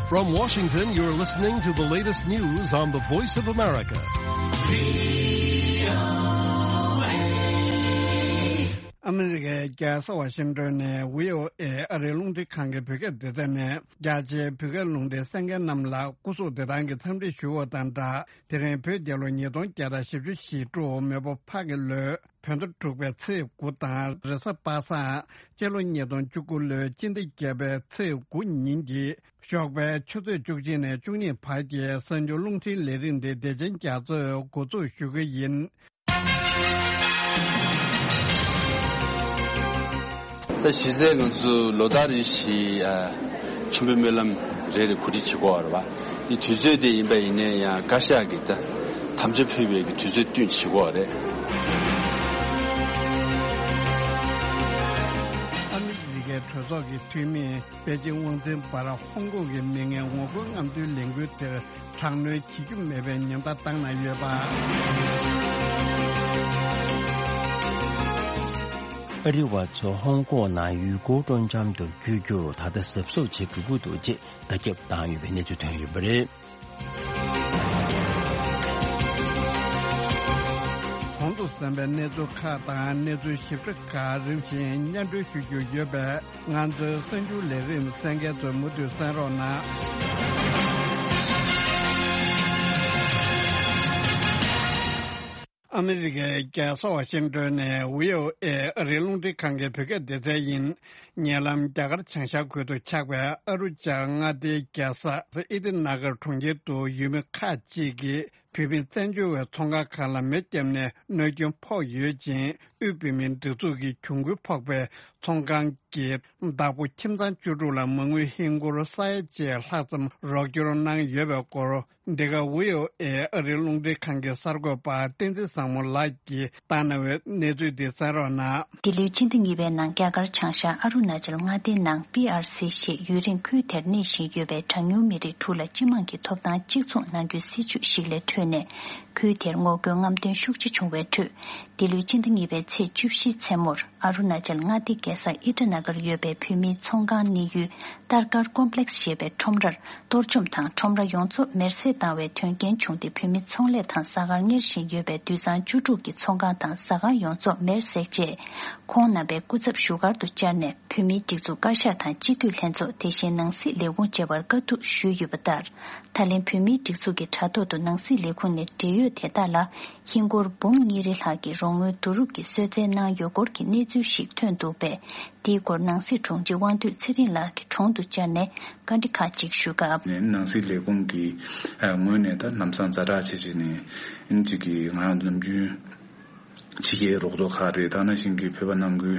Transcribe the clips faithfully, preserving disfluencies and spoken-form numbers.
From Washington, you're listening to the latest news on the Voice of America. ཨ་མི་རི་ཀའི་རྒྱལ་ས་ཝ་ཤིང་ཏོན་ནས་བྷི་ཨོ་ཨེ་ཨ་རིའི་རླུང་འཕྲིན་ཁང་གི་བོད་སྐད་སྡེ་ཚན་ནས། རྒྱ་ཆེའི་བོད་སྐད་རླུང་འཕྲིན་གསན་མཁན་རྣམས་ལ་སྐུ་གཟུགས་བདེ་ཐང་གི་འཚམས་འདྲི་ཞུ་བ་དང་སྦྲགས། དེ་རིང་བོད་རྒྱལ་ལོ་ཉིས་སྟོང་བརྒྱ་དང་བཞི་བཅུ་ཞེ་དྲུག་མེ་ཕོ་ཕག་གི་ལོའི་བོད་ཟླ་དྲུག་པའི་ཚེས་དགུ་དང་རེས་གཟའ་པ་སངས། སྤྱི་ལོ་ཉིས་སྟོང་བཅུ་དགུ་ལོའི་སྤྱི་ཟླ་བརྒྱད་པའི་ཚེས་དགུ་ཉིན་གྱི་ཞོགས་པའི་ཆུ་ཚོད་བཅུ་གཅིག་ནས་བཅུ་གཉིས་བར་གྱི་གསར་འགྱུར་རླུང་འཕྲིན་ལས་རིམ་འདི་བདེ་ཆེན་རྒྱ་མཚོས་འགོ་འཛུགས་ཞུ་གི་ཡིན། ད་གཞི་རྩའི་ང་ཚོ་ལོ་ལྟར་རེ་བཞིན་ཨ་ཆེན་པོའི་སྨོན་ལམ་རེ་རེ་གོ་སྒྲིག་བྱེད་དགོས་པ་རེད་བ། འདི་དུས་ཚོད་དེ་ཡིན་པ་ཡིན་ནའི་ཡང་བཀའ་ཤག་གིས་ད་དམ་བཅའ་ཕུལ་བའི་གི་དུས་ཚོད་བསྟུན་བྱེད་དགོས་པ་རེད། ཨ་མི་རི་ཀའི་གྲོས་ཚོགས་ཀྱི་འཐུས་མིས་པེ་ཅིང་དབང་འཛིན་བར་ཧོང་ཀོང་གི་མི་ངན་ངོ་རྒོལ་རྔམ་སྟོན་ལས་འགུལ་དེར་དྲག་གནོན་བྱེད་རྒྱུ་མེད་པའི་ཉེན་བརྡ་བཏང་གནང་ཡོད་པ། ཨ་རི་བ་ཚོ་ཧོང་ཀོང་ནང་ཡུལ་སྐོར་སྤྲོ་འཆམ་དུ་བསྐྱོད་རྒྱུར་ད་ལྟ་གཟབ་གཟབ་བྱེད་དགོས་ཀྱི་འདུག་ཅེས་བརྡ་ཁྱབ་བཏང་ཡོད་པའི་གནས་ཚུལ་ཐོན་ཡོད་པ་རེད། གོང་དུ་གསན་པའི་གནས་ཚུལ་ཁག་དང་གནས་ཚུལ་ཞིབ་ཕྲ་ཁག་རིམ་བཞིན་སྙན་སྒྲོན་ཞུ་རྒྱུ་ཡོད་པས། ང་ཚོའི་གསར་འགྱུར་ལས་རིམ་གསན་མཁན་ཚོས་མུ་མཐུད་གསན་རོགས་གནང་། ཨ་མི་རི་ཀའི་རྒྱལ་ས་ཝ་ཤིང་ཏོན་ནས་བྷི་ཨོ་ཨེ་ཨ་རིའི་རླུང་འཕྲིན་ཁང་གི་བོད་སྐད་སྡེ་ཚན་ཡིན། ཉེ་ལམ་རྒྱ་གར་བྱང་ཤར་ཁུལ་དུ་ཆགས་པའི་ཨ་རུ་ཅལ་མངའ་སྡེའི་རྒྱལ་ས་ཨི་ཏི་ན་གར་གྲོང་ཁྱེར་དུ་ཡུལ་མི་ཁག་ཅིག་གིས། བོད་མི་བཙན་བྱོལ་བའི་ཚོང་ཁང་ཁག་ལ་མེ་བརྒྱབ་ནས་གནོད་སྐྱོན་ཕོག་ཡོད་ཅིང་། དབུས་བོད་མིའི་སྒྲིག་འཛུགས་ཀྱི་གྱོང་གུན་ཕོག་པའི་ཚོང་ཁང་གི་བདག་པོ་ཁྱིམ་ཚང་བཅུ་དྲུག་ལ་མ་དངུལ་ཧིན་སྒོར་ས་ཡ་གཅིག་ལྷག་ཙམ་རོགས་སྐྱོར་གནང་ཡོད་པའི་སྐོར། འདི་ག་བྷི་ཨོ་ཨེ་ཨ་རིའི་རླུང་འཕྲིན་ཁང་གི་གསར་འགོད་པ་བསྟན་འཛིན་བཟང་མོ་ལགས་ཀྱིས་བཏང་གནང་བའི་གནས་ཚུལ་འདི་གསན་རོགས་གནང་། འདི་ལོའི་ཕྱི་ཟླ་གཉིས་པའི་ནང་རྒྱ་གར་བྱང་ཤར་ཨ་རུ་ན་ཅལ་མངའ་སྡེའི་ནང་པི་ཨར་སི་ཞེས་ཡུན་རིང་ཁུལ་དེར་གནས་བཞིན་ཡོད་པའི་གྲངས་ཉུང་མི་རིགས་དྲུག་ལ་སྤྱི་དམངས་ཀྱི་ཐོབ་ཐང་གཅིག་མཚུངས་གནང་རྒྱུའི་སྲིད་བྱུས་ཤིག་ལས་འཕྲོས་ནས། ཁུལ་དེར་ངོ་རྒོལ་རྔམ་སྟོན་ཤུགས་ཆེ་བྱུང་བའི་ཁྲོད། འདི་ལོའི་ཕྱི་ཟླ་གཉིས་པའི་ཚེས་བཅུ་བཞིའི་མཚན་མོར་ཨ་རུ་ན་ཅལ་མངའ་སྡེའི་རྒྱལ་ས་ཨི་ཏྲ་ན་གར་ཡོད་པའི་བོད་མིའི་ཚོང་ཁང་གནས་ཡུལ་ཏར་ཀར་ཀོམ་པི་ལེགས་ཞེས་པའི་ཁྲོམ་རར། གཏོར་བཅོམ་དང་ཁྲོམ་ར་ཡོངས་རྫོགས་མེར་སྲེག་བཏང་བའི་དོན་རྐྱེན་བྱུང་སྟེ། བོད་མི་ཚོང་ལས་དང་ཟ་ཁང་གཉེར་བཞིན་ཡོད་པའི་དུད་ཚང་བཅུ་དྲུག་གི་ཚོང་ཁང་དང་ཟ་ཁང་ཡོངས་རྫོགས་མེར་བསྲེགས་རྗེས། ཁོང་རྣམ་པའི་སྐུ་ཚབ་བཞུགས་སྒར་དུ་བཅར་ནས། བོད་མིའི་སྒྲིག་འཛུགས་བཀའ་ཤག་དང་སྤྱི་འཐུས་ལྷན་ཚོགས། དེ་བཞིན་ནང་སྲིད་ལས་ཁུངས་བཅས་པར་བཀའ་བསྡུར་ཞུས་ཡོད་པ་ལྟར། ད་ལན་བོད་མིའི་སྒྲིག་འཛུགས་ཀྱི་དྲ་ཐོག་ཏུ་ནང་སྲིད་ལས་ཁུངས་ནས་འབྲེལ་ཡོད་དེ་དག་ལ་ཧིན་སྒོར་འབུམ་གཉིས་རེ་ལྷག་གི་རོགས་དངུལ་བསྡུ་རུབ་ཀྱིས་གསོལ་སྩལ་གནང་ཡོད་སྐོར་གྱི་གནས་ཚུལ་ཞིག་ཐོན་འདུག་པས། དེའི་སྐོར་ནང་སྲིད་དྲུང་ཆེ་དབང་འདུས་ཚེ་རིང་ལགས་ཀྱི་དྲུང་དུ་བཅར་ནས་བཀའ་འདྲི་ཁག་ཅིག་ཞུ་སྐབས། ནང་སྲིད་ལས་ཁུངས་ཀྱི་ངོས་ནས་ད་ལམ་སང་ཛ་དྲག་བྱས་བྱས་ནས་ཨིན་ཅིག་གི་ང་རང་ནམ་རྒྱུན་ཕྱི་རྒྱལ་རོགས་ཚོགས་ཁག་རེད། ད་ནང་བཞིན་གྱི་བོད་པ་ནང་ཁུལ་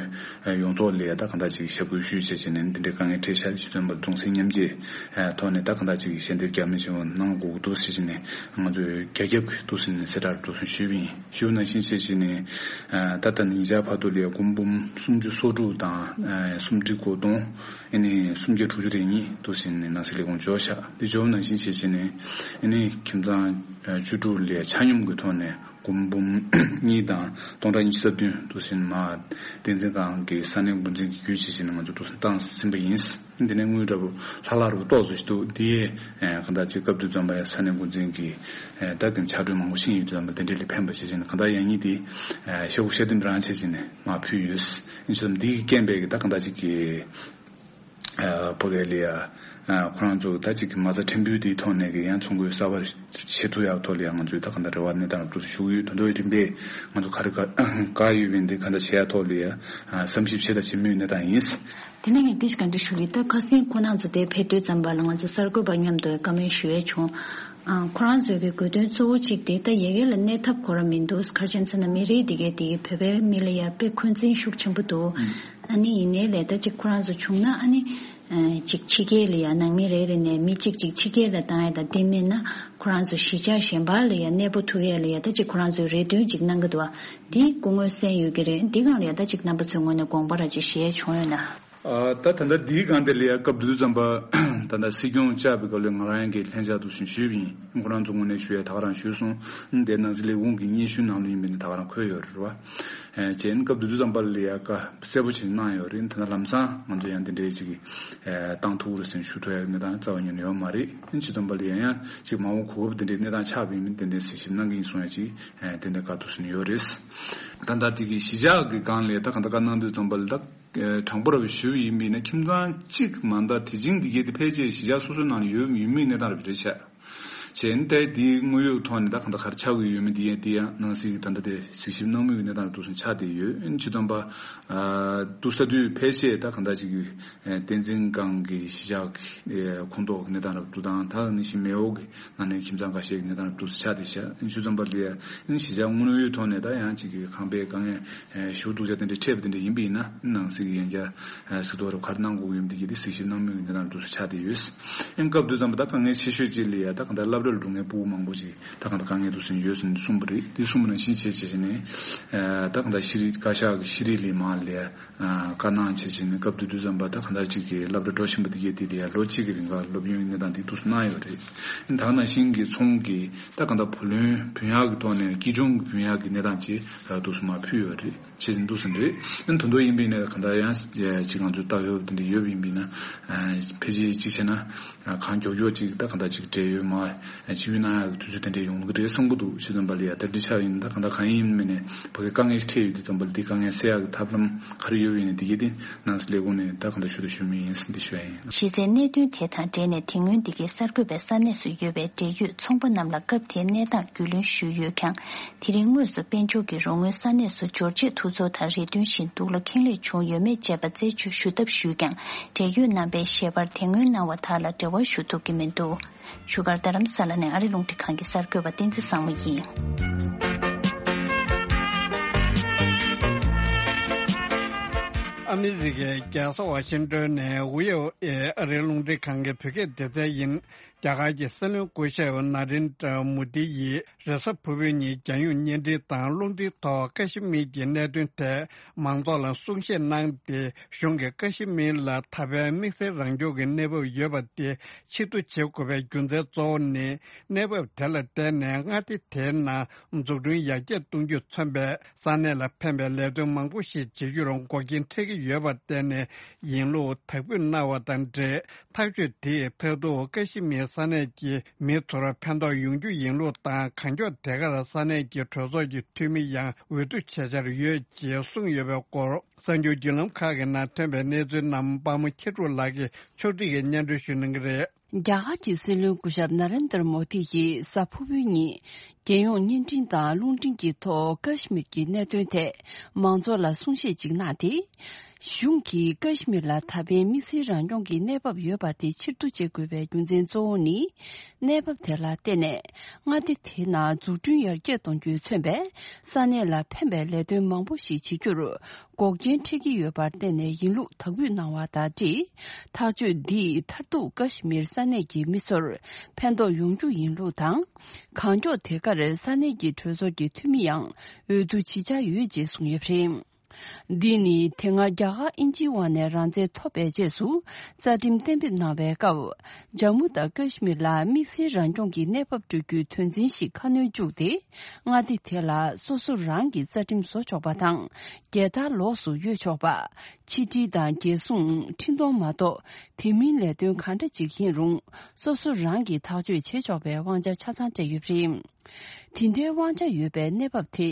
ཡོངས་རྫོགས་ལ་ད་གང་འདྲ་ཅིག་ཞབས་སྐུལ་ཞུས་བྱས་བྱས་ནས་འདི་འདྲའི་དཀའ་ངལ་འཕྲད་ཤག་ཅེས་བསྟན་པ་གདུང་སེམས་མཉམ་སྐྱེད་ཐོག་ནས་ད་གང་འདྲ་ཅིག་ཞལ་འདེབས་རྒྱ་མི་ཞིག་གནང་དགོས་འདུག་ཟེར་བྱས་ནས་ང་ཚོས་རྒྱ་ཁྱབ་ཀྱི་འདུག་ཟེར་ནས་གསལ་བསྒྲགས་འདུག་ཟེར་ཞུས་པ་ཡིན། ཞུ་ནང་བཞིན་བྱས་བྱས་ནས་ད་ལྟ་ཉིན་ཞག་བར་དུ་ལ་སྒོར་འབུམ་སུམ་ཅུ་སོ་དྲུག་དང་སུམ་ཁྲི་གོ་སྟོང་ཨ་ནི་སུམ་བརྒྱ་དྲུག་ཅུ་རེ་གཉིས་འདུག་ཟེར་ནས་ནང་སྲིད་ལས་ཁུངས་འབྱོར་ཤག་འདི་འབྱོར་ནང་བཞིན་བྱས་བྱས་ནས་ཨ་ནི་ཁྱིམ་ཚང་བཅུ་དྲུག་ལ་ཆ་སྙོམས་ཀྱི་ཐོག་ནས། སྒོར་འབུམ་གཉིས་དང་སྟོང་ཕྲག་ཉི་ཤུ་རྩ་བདུན་འདུག་ཟེར་མར་བསྟན་འཛིན་ཁང་གི་ས་གནས་འགོ་འཛིན་གྱིས་བརྒྱུད་བྱས་བྱས་ནས་ང་ཚོ་འདུག་སེ་བཏང་ཟིན་པ་ཡིན། འདི་ནས་དངུལ་འདྲ་པོ་ལྷག་ལྷག་རུ་ཏོག་ཙམ་ཞིག་འདུག་འདི་ཡས་གང་ལྟར་ཅིག་སྐབས་དུས་ཙམ་པ་ཡང་ས་གནས་འགོ་འཛིན་གྱིས་ད་གིན་ཕྱག་གྲོས་མང་པོ་ཤེས་ཡོད་དུས་ཙམ་པ་དེ་འདྲས་ལ་ཕན་པ་བྱས་བྱས་ནས་གང་ལྟར་ཡང་སྙིང་འདི་ཤ་ཁུག་ཤ་ལྡེམ་རང་བྱས་བྱས་ནས་མར་ཕུལ་ཡོད། ཡིན་ཙམ་འདི་གི་རྐྱེན་པས་ཀྱི་ད་གང་ལྟར་ཅིག་གི་ཕ་གི་ལ་ཡ། ཁོ་རང་ཚོ་ད་ཅིག་གི་མ་རྩ་ཕྲན་བུ་དེའི་ཐོག་ནས་ཀྱི་ཡང་ཚོང་ཁུལ་གསར་པ་ཕྱེ་ཐུབ་ཡག་ཐོག་ལ་ཡང་ང་ཚོས་ད་ག་འདྲ་རེ་བ་གནས་སྟངས་ལ་ཐུགས་སུ་ཞུགས་ཡོད། ད་དུང་རིམ་པས་ང་ཚོ་ག་རེ་དཀའ་ཡོད་པའི་འདི་ག་འདྲ་བྱེད་ཡག་ཐོག་ལ་ཡ་བསམ་ཞིབ་བྱེད་དང་བྱེད་མུས་གནས་སྟངས་ཡིན། དེ་ནས་ངས་ཏིས་ག་འདྲ་ཞུ་གི་ད་ཁ་སང་ཁོ་རང་ཚོ་དེ་ཕེབས་དུས་ཙམ་པ་ལ་ང་ཚོ་གསར་འགོད་པ་མཉམ་དུ་བཀའ་མོལ་ཞུ་ཡས་བྱུང་། ཁོ་རང་ཚོའི་གི་དགོས་དོན་གཙོ་བོ་གཅིག་དེ་ད་ཡ་གི་ལ་གནས་ཐབས་ཁོ་རང་མི་འདུག་ག་རེ་བྱས་ན་མི་རིགས་དེ་གའི་དེ་གི་བོད་པའི་མི་ལ་ཡ་དཔེ་འཁོན་འཛིན་ཤུགས་ཆེན་པོ་འདུག་ཨ་ནི་ཡིན་ནའི་ལས་ད་ཅིག་ཁོ་རང་ཚོ་བྱུང་ན་ཨ་ནི། ཅིག་ཕྱི་རྒྱལ་ལ་ཡང་ནང་མི་རེ་རེ་ནས་མི་གཅིག་ཅིག་ཕྱི་རྒྱལ་ལ་བཏང་ཡ་དང་དེ་མིན་ན་ཁོ་རང་ཚོ་གཞིས་ཆགས་གཞན་པ་ལ་ཡང་གནས་སྤོ་ཐུབ་ཡ་ལ་ཡང་ད་ཅིག་ཁོ་རང་ཚོའི་རེ་འདུན་ཅིག་གནང་གི་འདུག་བ། འདི་སྐུ་ངོ་གསན་ཡོད་ཀྱི་རེད། འདི་སྒང་ལ་ཡང་ད་ཅིག་རྣམ་པ་ཚོའི་ངོས་ནས་དགོངས་པ་ར་ཅིག་བཞེས་བྱུང་ཡོད་ན། ད་ད་ལྟ་འདིའི་སྒང་དེ་ལ་ཡང་སྐབས་དུས་ཙམ་པ་ ད་ལྟ་སྲིད་སྐྱོང་བཅར་བའི་སྐབས་ལ་ང་རང་གི་ལྷན་བཅར་དུ་ཞུས་པ་ཡིན། ཁོ་རང་ཚོ་ངོས་ནས་ཞུ་ཡ་ད་ག་རང་ཞུས་སོང་། དེ་ནང་སྲིད་ལས་ཁུངས་ཀྱི་སྙན་ཞུ་ནང་ལ་ཡིན་པ་ནི་ད་ག་རང་འཁོད་ཡོད་རེད་བ། བྱས་ན་སྐབས་དེ་དུས་ཙམ་པ་ལ་ཡ་བཀའ་གསལ་པོ་ཅིག་གནང་ཡོད་རེད། ད་ལྟ་ལམ་སང་ང་ཚོ་ཡང་དེ་འདྲའི་ཅིག་བཏང་ཐུབ་རེད་ཟེར་ཞུ་ཐུབ་ཡ་གནས་སྟངས་རྩ་བ་ཉིད་ནས་ཡོད་མ་རེད། ཕྱི་ཙམ་པ་ལ་ཡང་ཡང་ཅིག་མ་འོངས་གོ་སྐབས་དེ་འདྲའི་གནས་སྟངས་ཆགས་པ་ཡིན་མིན་ཏན་ཏན་གཟིགས་ཞིབ་གནང་གི་ཡིན་གསུང་ཡ་ཅིག་ཏན་ཏན་བཀའ་ཐུབ་ཟིན་ཡོད་རེད། ད་ལྟ་དེ་གི་གཞིས་ཆགས་ཀྱི་སྒང་ལ་ད་ག་འདྲ་བཀའ་གནང་དུས་ཙམ་པ་ལ་ད་དྲང་པོ་ར་བ་ཞུ་བ་ཡིན་པ་ཡིན་ན་ཁྱིམ་ཚང་གཅིག་མ་གཏོགས་དེ་བྱིངས་དེ་གའི་དེ་ཕལ་ཆེར་གཞིས་ཆགས་སོ་སོའི་ནང་ལ་ཡོད་ཡོད་མེད་གནས་སྟངས་ར་བ་རེད་ཤག་བྱས་ན་ད་དེའི་དངོས་ཡོད་ཐོག་ནས་ད་ག་འདྲ་ག་རེ་ཆགས་ཀྱི་ཡོད་མེད་དེ་ཡང་དེ་ཡང་ནང་སྲིད་ཀྱི་ད་ལྟ་དེ་གཟིགས་ཞིབ་གནང་མུས་ཀྱི་གནས་སྟངས་ར་འདུག་སེ་ཆགས་བསྡད་ཡོད། ཕྱི་ཙམ་པ་འདུག་ས་དུས་ཕལ་ཆེར་ད་ག་འདྲ་ཅིག་གི་བསྟན་འཛིན་སྒང་གི་གཞིས་ཆགས་ཀྱི་ཁོངས་གཏོགས་ཀྱི་གནས་སྟངས་ར་བ་འདུག་དང་ད་ནི་ཞིག་མེའོ་གི་ནང་ནས་ཁྱིམ་ཚང་འགའ་ཤས་ཀྱི་གནས་སྟངས་ར་འདུག་སེ་ཆགས་བསྡད་ཤག་ཕྱི་ཙམ་པ་ལ་ཡ་གཞིས་ཆགས་དངོས་ཡོད་ཐོག་ནས་ད་ཡང་ཅིག་གི་ཁང་པའི་དཀའ་ངལ་ཞེ་པོ་སྡུག་ཅག་དེ་འདྲ་འཕྲད་པ་དེ་འདྲ་ཡིན་པ་ཡིན་ན་ནང་སྲིད་ཀྱི་ཡང་བསྐྱར་སྲིད་ཐོག་ར་ག་རེ་གནང་དགོས་ཀྱི་ཡོད་མེད་དེ་གི་དེ་གཟིགས་ཞིབ་གནང་མུས་ཀྱི་གནས་སྟངས་ར་འདུག་སེ་ཆགས་བསྡད་ཡོད། ཨེ་སྐབས་དུས་ཙམ་པ་ད་དཀའ་ངལ་ཆེ་ཤོས་གཅིག་ལ་ཡ་ད་གང་ལྟར་སློབ་གྲྭ་ལ་འགྲོ་མཁན་ཕྲུ་གུ་མང་པོ་ཅིག་ད་གང་ལྟར་དཀའ་ངལ་འདུག་སེ་ཡོད་ཟེར་ནས་གསུངས་པ་རེད། དེ་གསུངས་པ་ནང་བཞིན་བྱས་བྱས་བྱས་ནས་ད་གང་ལྟར་ཤེས་རིག་བཀའ་ཤག་གི་ཤེས་རིག་ལས་མང་ལ་ཡ་བཀའ་གནང་བྱས་བྱས་ནས་སྐབས་དེ་དུས་ཙམ་པ་ད་གང་ལྟར་ཅིག་གི་སློབ་གྲྭ་འགྲོ་བཞིན་པ་དེ་གས་དེ་ལ་ཡ་ལོ་གཅིག་གི་རིང་ག་སློབ་ཡོན་གནས་སྟངས་དེ་འདུག་སེ་གནང་ཡོད་རེད། ད་ག་ནང་བཞིན་གྱི་ཚོང་གི་ད་གང་ལྟར་བུ་ལོན་བུན་གཡར་གྱི་ཐོག་ནས་སྐྱིད་གྲོང་གི་བུན་གཡར་གྱི་གནས་སྟངས་ཅིག་འདུག་སེ་མར་ཕུལ་ཡོད་རེད། བྱས་ཙང་འདུག་སེ་རེད། ཨ་ནི་དོན་དུ་ཡིན་པ་ཡིན་ན་གང་ལྟར་ཡང་ཅིག་ང་ཚོས་ལྟ་ཡོད་དེ་འདྲ་ཡོད་པ་ཡིན་པ་ཡིན་ན། ཕལ་ཆེར་གཅིག་བྱས་ན་གང་མགྱོགས་མགྱོགས་ཅིག་ད་གང་ལྟར་ཅིག་འབྲེལ་ཡོད་མ་ཅིག་ཡོད་ན་ཡག་གི་དུས་ཚོད་དེ་འདྲ་ཡོང་གི་རེད་བསམ་གྱི་འདུག་ཕྱི་ཙམ་པ་ལ་ཡ་ད་འདི་ཆགས་ཡིན་ད་གང་ལྟར་གང་ཡིན་མིན་ནས་ཕ་གི་དཀའ་ངལ་འཕྲད་ཡོད་དུས་ཙམ་པ་ལ་འདི་དཀའ་ངལ་སེལ་ཡག་གི་ཐབས་ལམ་ག་རེ་ཡོད་པ་ཡིན་ན་འདི་གའི་དེ་ནང་སྲིད་ལས་ཁུངས་ནས་ད་གང་ལྟར་ཞུ་དང་ཞུ་མུས་ཡིན་ཟེར་འདི་ཞུ་ཡ་ཡིན། གཞི་རྩའི་གནད་དོན་དེ་དང་འབྲེལ་ནས་དེ་སྔོན་འདི་གའི་གསར་འགོད་པས་ས་གནས་སུ་ཡོད་པའི་འབྲེལ་ཡོད་ཚོང་པ་རྣམས་ལ་སྐབས་དེའི་གནས་སྟངས་རྒྱུས་ལོན་ཞུས་ཡོད་ཀྱང་། དེ་རིང་དངོས་སུ་དཔལ་འབྱོར་གྱི་རོགས་དངུལ་ས་གནས་སུ་འབྱོར་ཆེད་ཐུགས་ཚོར་དང་རེ་འདུན་བཞིན་སྡུག་ལ་ཁེངས་ལེགས་བྱུང་ཡོད་མེད་དཔྱད་པ་རྩད་གཅོད་ཞུ་ཐབས་ཞུས་ཀྱང་འབྲེལ་ཡོད་རྣམ་པས་ཞལ་པར་དེ་སྔོན་གནང་བ་དག་ལ་འབྲེལ་བ་ཞུ་ཐུབ་ཀྱི་མི་འདུག་བཞུགས་སྒར་རྡ་རམ་ས་ལ་ནས་ཨ་རི་རླུང་འཕྲིན་ཁང་གི་གསར་འགོད་པ་བསྟན་འཛིན་བཟང་མོ་ཡིན། ཨ་མི་རི་ཀའི་རྒྱལ་ས་ཝ་ཤིང་ཏོན་ནས་ཝི་ཨོ་ཨེ་ཨ་རིའི་རླུང་འཕྲིན་ཁང་གི་བོད་སྐད་སྡེ་ཚན་ཡིན། རྒྱ་གར་གྱི་སྲིད་བློན་སྐུ་ཞབས་ན་རེན་དྲ་མོ་དི་ཡིས་རེས་གཟའ་ཕུར་བུའི་ཉིན་རྒྱལ་ཡོངས་བརྙན་འཕྲིན་དང་རླུང་འཕྲིན་ཐོག་ཀ་ཤི་མིར་གྱི་གནད་དོན་ཐད་མང་ཚོགས་ལ་གསུང་བཤད་གནང་སྟེ། གཞུང་གིས་ཀ་ཤི་མིར་ལ་ད་ཕན་དམིགས་བསལ་རང་སྐྱོང་གི་གནས་བབ་ཡོད་པ་དེ་ཕྱིར་བསྡུ་བྱེད་དགོས་པའི་རྒྱུ་མཚན་གཙོ་བོ་ནི། གནས་བབ་དེ་ལ་བརྟེན་ནས་མངའ་སྡེ་དེའི་ནང་འཛུགས་སྐྲུན་ཡར་རྒྱས་གཏོང་རྒྱུས་མཚོན་པའི་ས་གནས་ལ་ཕན་པའི་ལས་དོན་མང་པོ་ཞིག་བྱེད་རྒྱུར་འགོག་རྐྱེན་འཕྲད་ཀྱི་ཡོད་པར་བརྟེན་ནས་ཡིན་ལུགས་དག་འབུལ་གནང་བ་དང་འབྲེལ། ཐག་གཅོད་དེས་མཐར་ཐུག་ཀ་ཤི་མིར་ས་གནས་ཀྱི་མི་ཚོར་ཕན་ཐོགས་ཡོང་རྒྱུ་ཡིན་ལུགས་དང་། གང་མགྱོགས་དེ་གར་ས་གནས་ཀྱི་གྲོས་ཚོགས་ཀྱི་འཐུས་མི་ཡང་འོས་བསྡུ་བྱེད་འཆར་ཡོད་ཅེས་གསུངས་ཡོད་པའི་སྐོར། གསར་འགྱུར་བརྒྱུད་ལམ་ཁག་གི་ནང་ཐོན་པའི་གནས་ཚུལ་རྣམས་དཔའ་མོ་ཁྱི་ཕྲུག་ལགས་ཀྱིས་ཕྱོགས་སྒྲིག་གིས་སྙན་སྒྲོན་ཞུ་གནང་གི་རེད། རྒྱ་གར་གྱི་སྲིད་བློན་སྐུ་ཞབས་ན་རེན་དར་མོ་དི་ཡིས་གཟའ་ཕུར་བུའི་ཉིན། རྒྱལ་ཡོངས་བརྙན་འཕྲིན་དང་རླུང་འཕྲིན་གྱི་ཐོག་ཀ་ཤི་མིར་གྱི་གནད་དོན་ཐད་མང་ཚོགས་ལ་གསུང་བཤད་ཅིག་གནང་སྟེ། གཞུང་གིས་ཀ་ཤི་མིར་ལ་ད་ཕན་དམིགས་བསལ་རང་སྐྱོང་གི་གནས་བབ་ཡོད་པ་དེ་ཕྱིར་བསྡུ་བྱེད་དགོས་པའི་རྒྱུ་མཚན་གཙོ་བོ་ནི། གནས་བབ་དེ་ལ་བརྟེན་ནས་མངའ་སྡེ་དེའི་ནང་འཛུགས་སྐྲུན་ཡར་རྒྱས་གཏོང་རྒྱུས་མཚོན་པའི་ས་གནས་ལ་ཕན་པའི་ལས་དོན་མང་པོ་ཞིག་བྱེད་རྒྱུར། འགོག་རྐྱེན་འཕྲད་ཀྱི་ཡོད་པར་བརྟེན་ནས་ཡིན་ལུགས་དག་འབུལ་གནང་བ་དང་འབྲེལ། ཐག་གཅོད་འདིས་མཐར་ཐུག་ཀ་ཤི་མིར་ས་གནས་ཀྱི་མི་ཚོར་ཕན་ཐོགས་ཡོང་རྒྱུ་ཡིན་ལུགས་དང་། གང་མགྱོགས་དེ་གར་ས་གནས་ཀྱི་གྲོས་ཚོགས་ཀྱི་འཐུས་མི་ཡང་འོས་བསྡུ་བྱེད་འཆར་ཡོད་ཅེས་གསུངས་ཡོད་པ་རེད། འདི་ནི་དེ་སྔ་རྒྱ་གར་དབྱིན་ཇིའི་དབར་ནས་རང་བཙན་ཐོབ་པའི་རྗེས་སུ་རྩ་ཁྲིམས་གཏན་འབེབས་གནང་བའི་སྐབས། ཇམ་མུ་དང་ཀ་ཤི་མིར་ལ་དམིགས་བསལ་རང་སྐྱོང་གི་གནས་བབ་སྤྲོད་རྒྱུའི་དོན་ཚན་ཞིག་ཁ་སྣོན་བཅུག་སྟེ། མངའ་སྡེ་དེ་ལ་སོ་སོ་རང་གི་རྩ་ཁྲིམས་བཟོ་ཆོག་པ་དང་། རྒྱལ་དར་ལོགས་སུ་གཡོལ་ཆོག་པ། ཕྱི་འབྲེལ་དང་རྒྱལ་སྲུང་། འཕྲིན་གཏོང་མ་གཏོགས་དེ་མིན་ལས་དོན་ག་འདྲ་ཅིག་ཡིན་རུང་སོ་སོ་རང་གིས་ཐག་གཅོད་བྱེད་ཆོག་པའི་དབང་ཆ་ཆ་ཚང་སྤྲད་ཡོད་པ་རེད། དེ་འདྲའི་དབང་ཆ་ཡོད་པའི་གནས་བབ་དེ་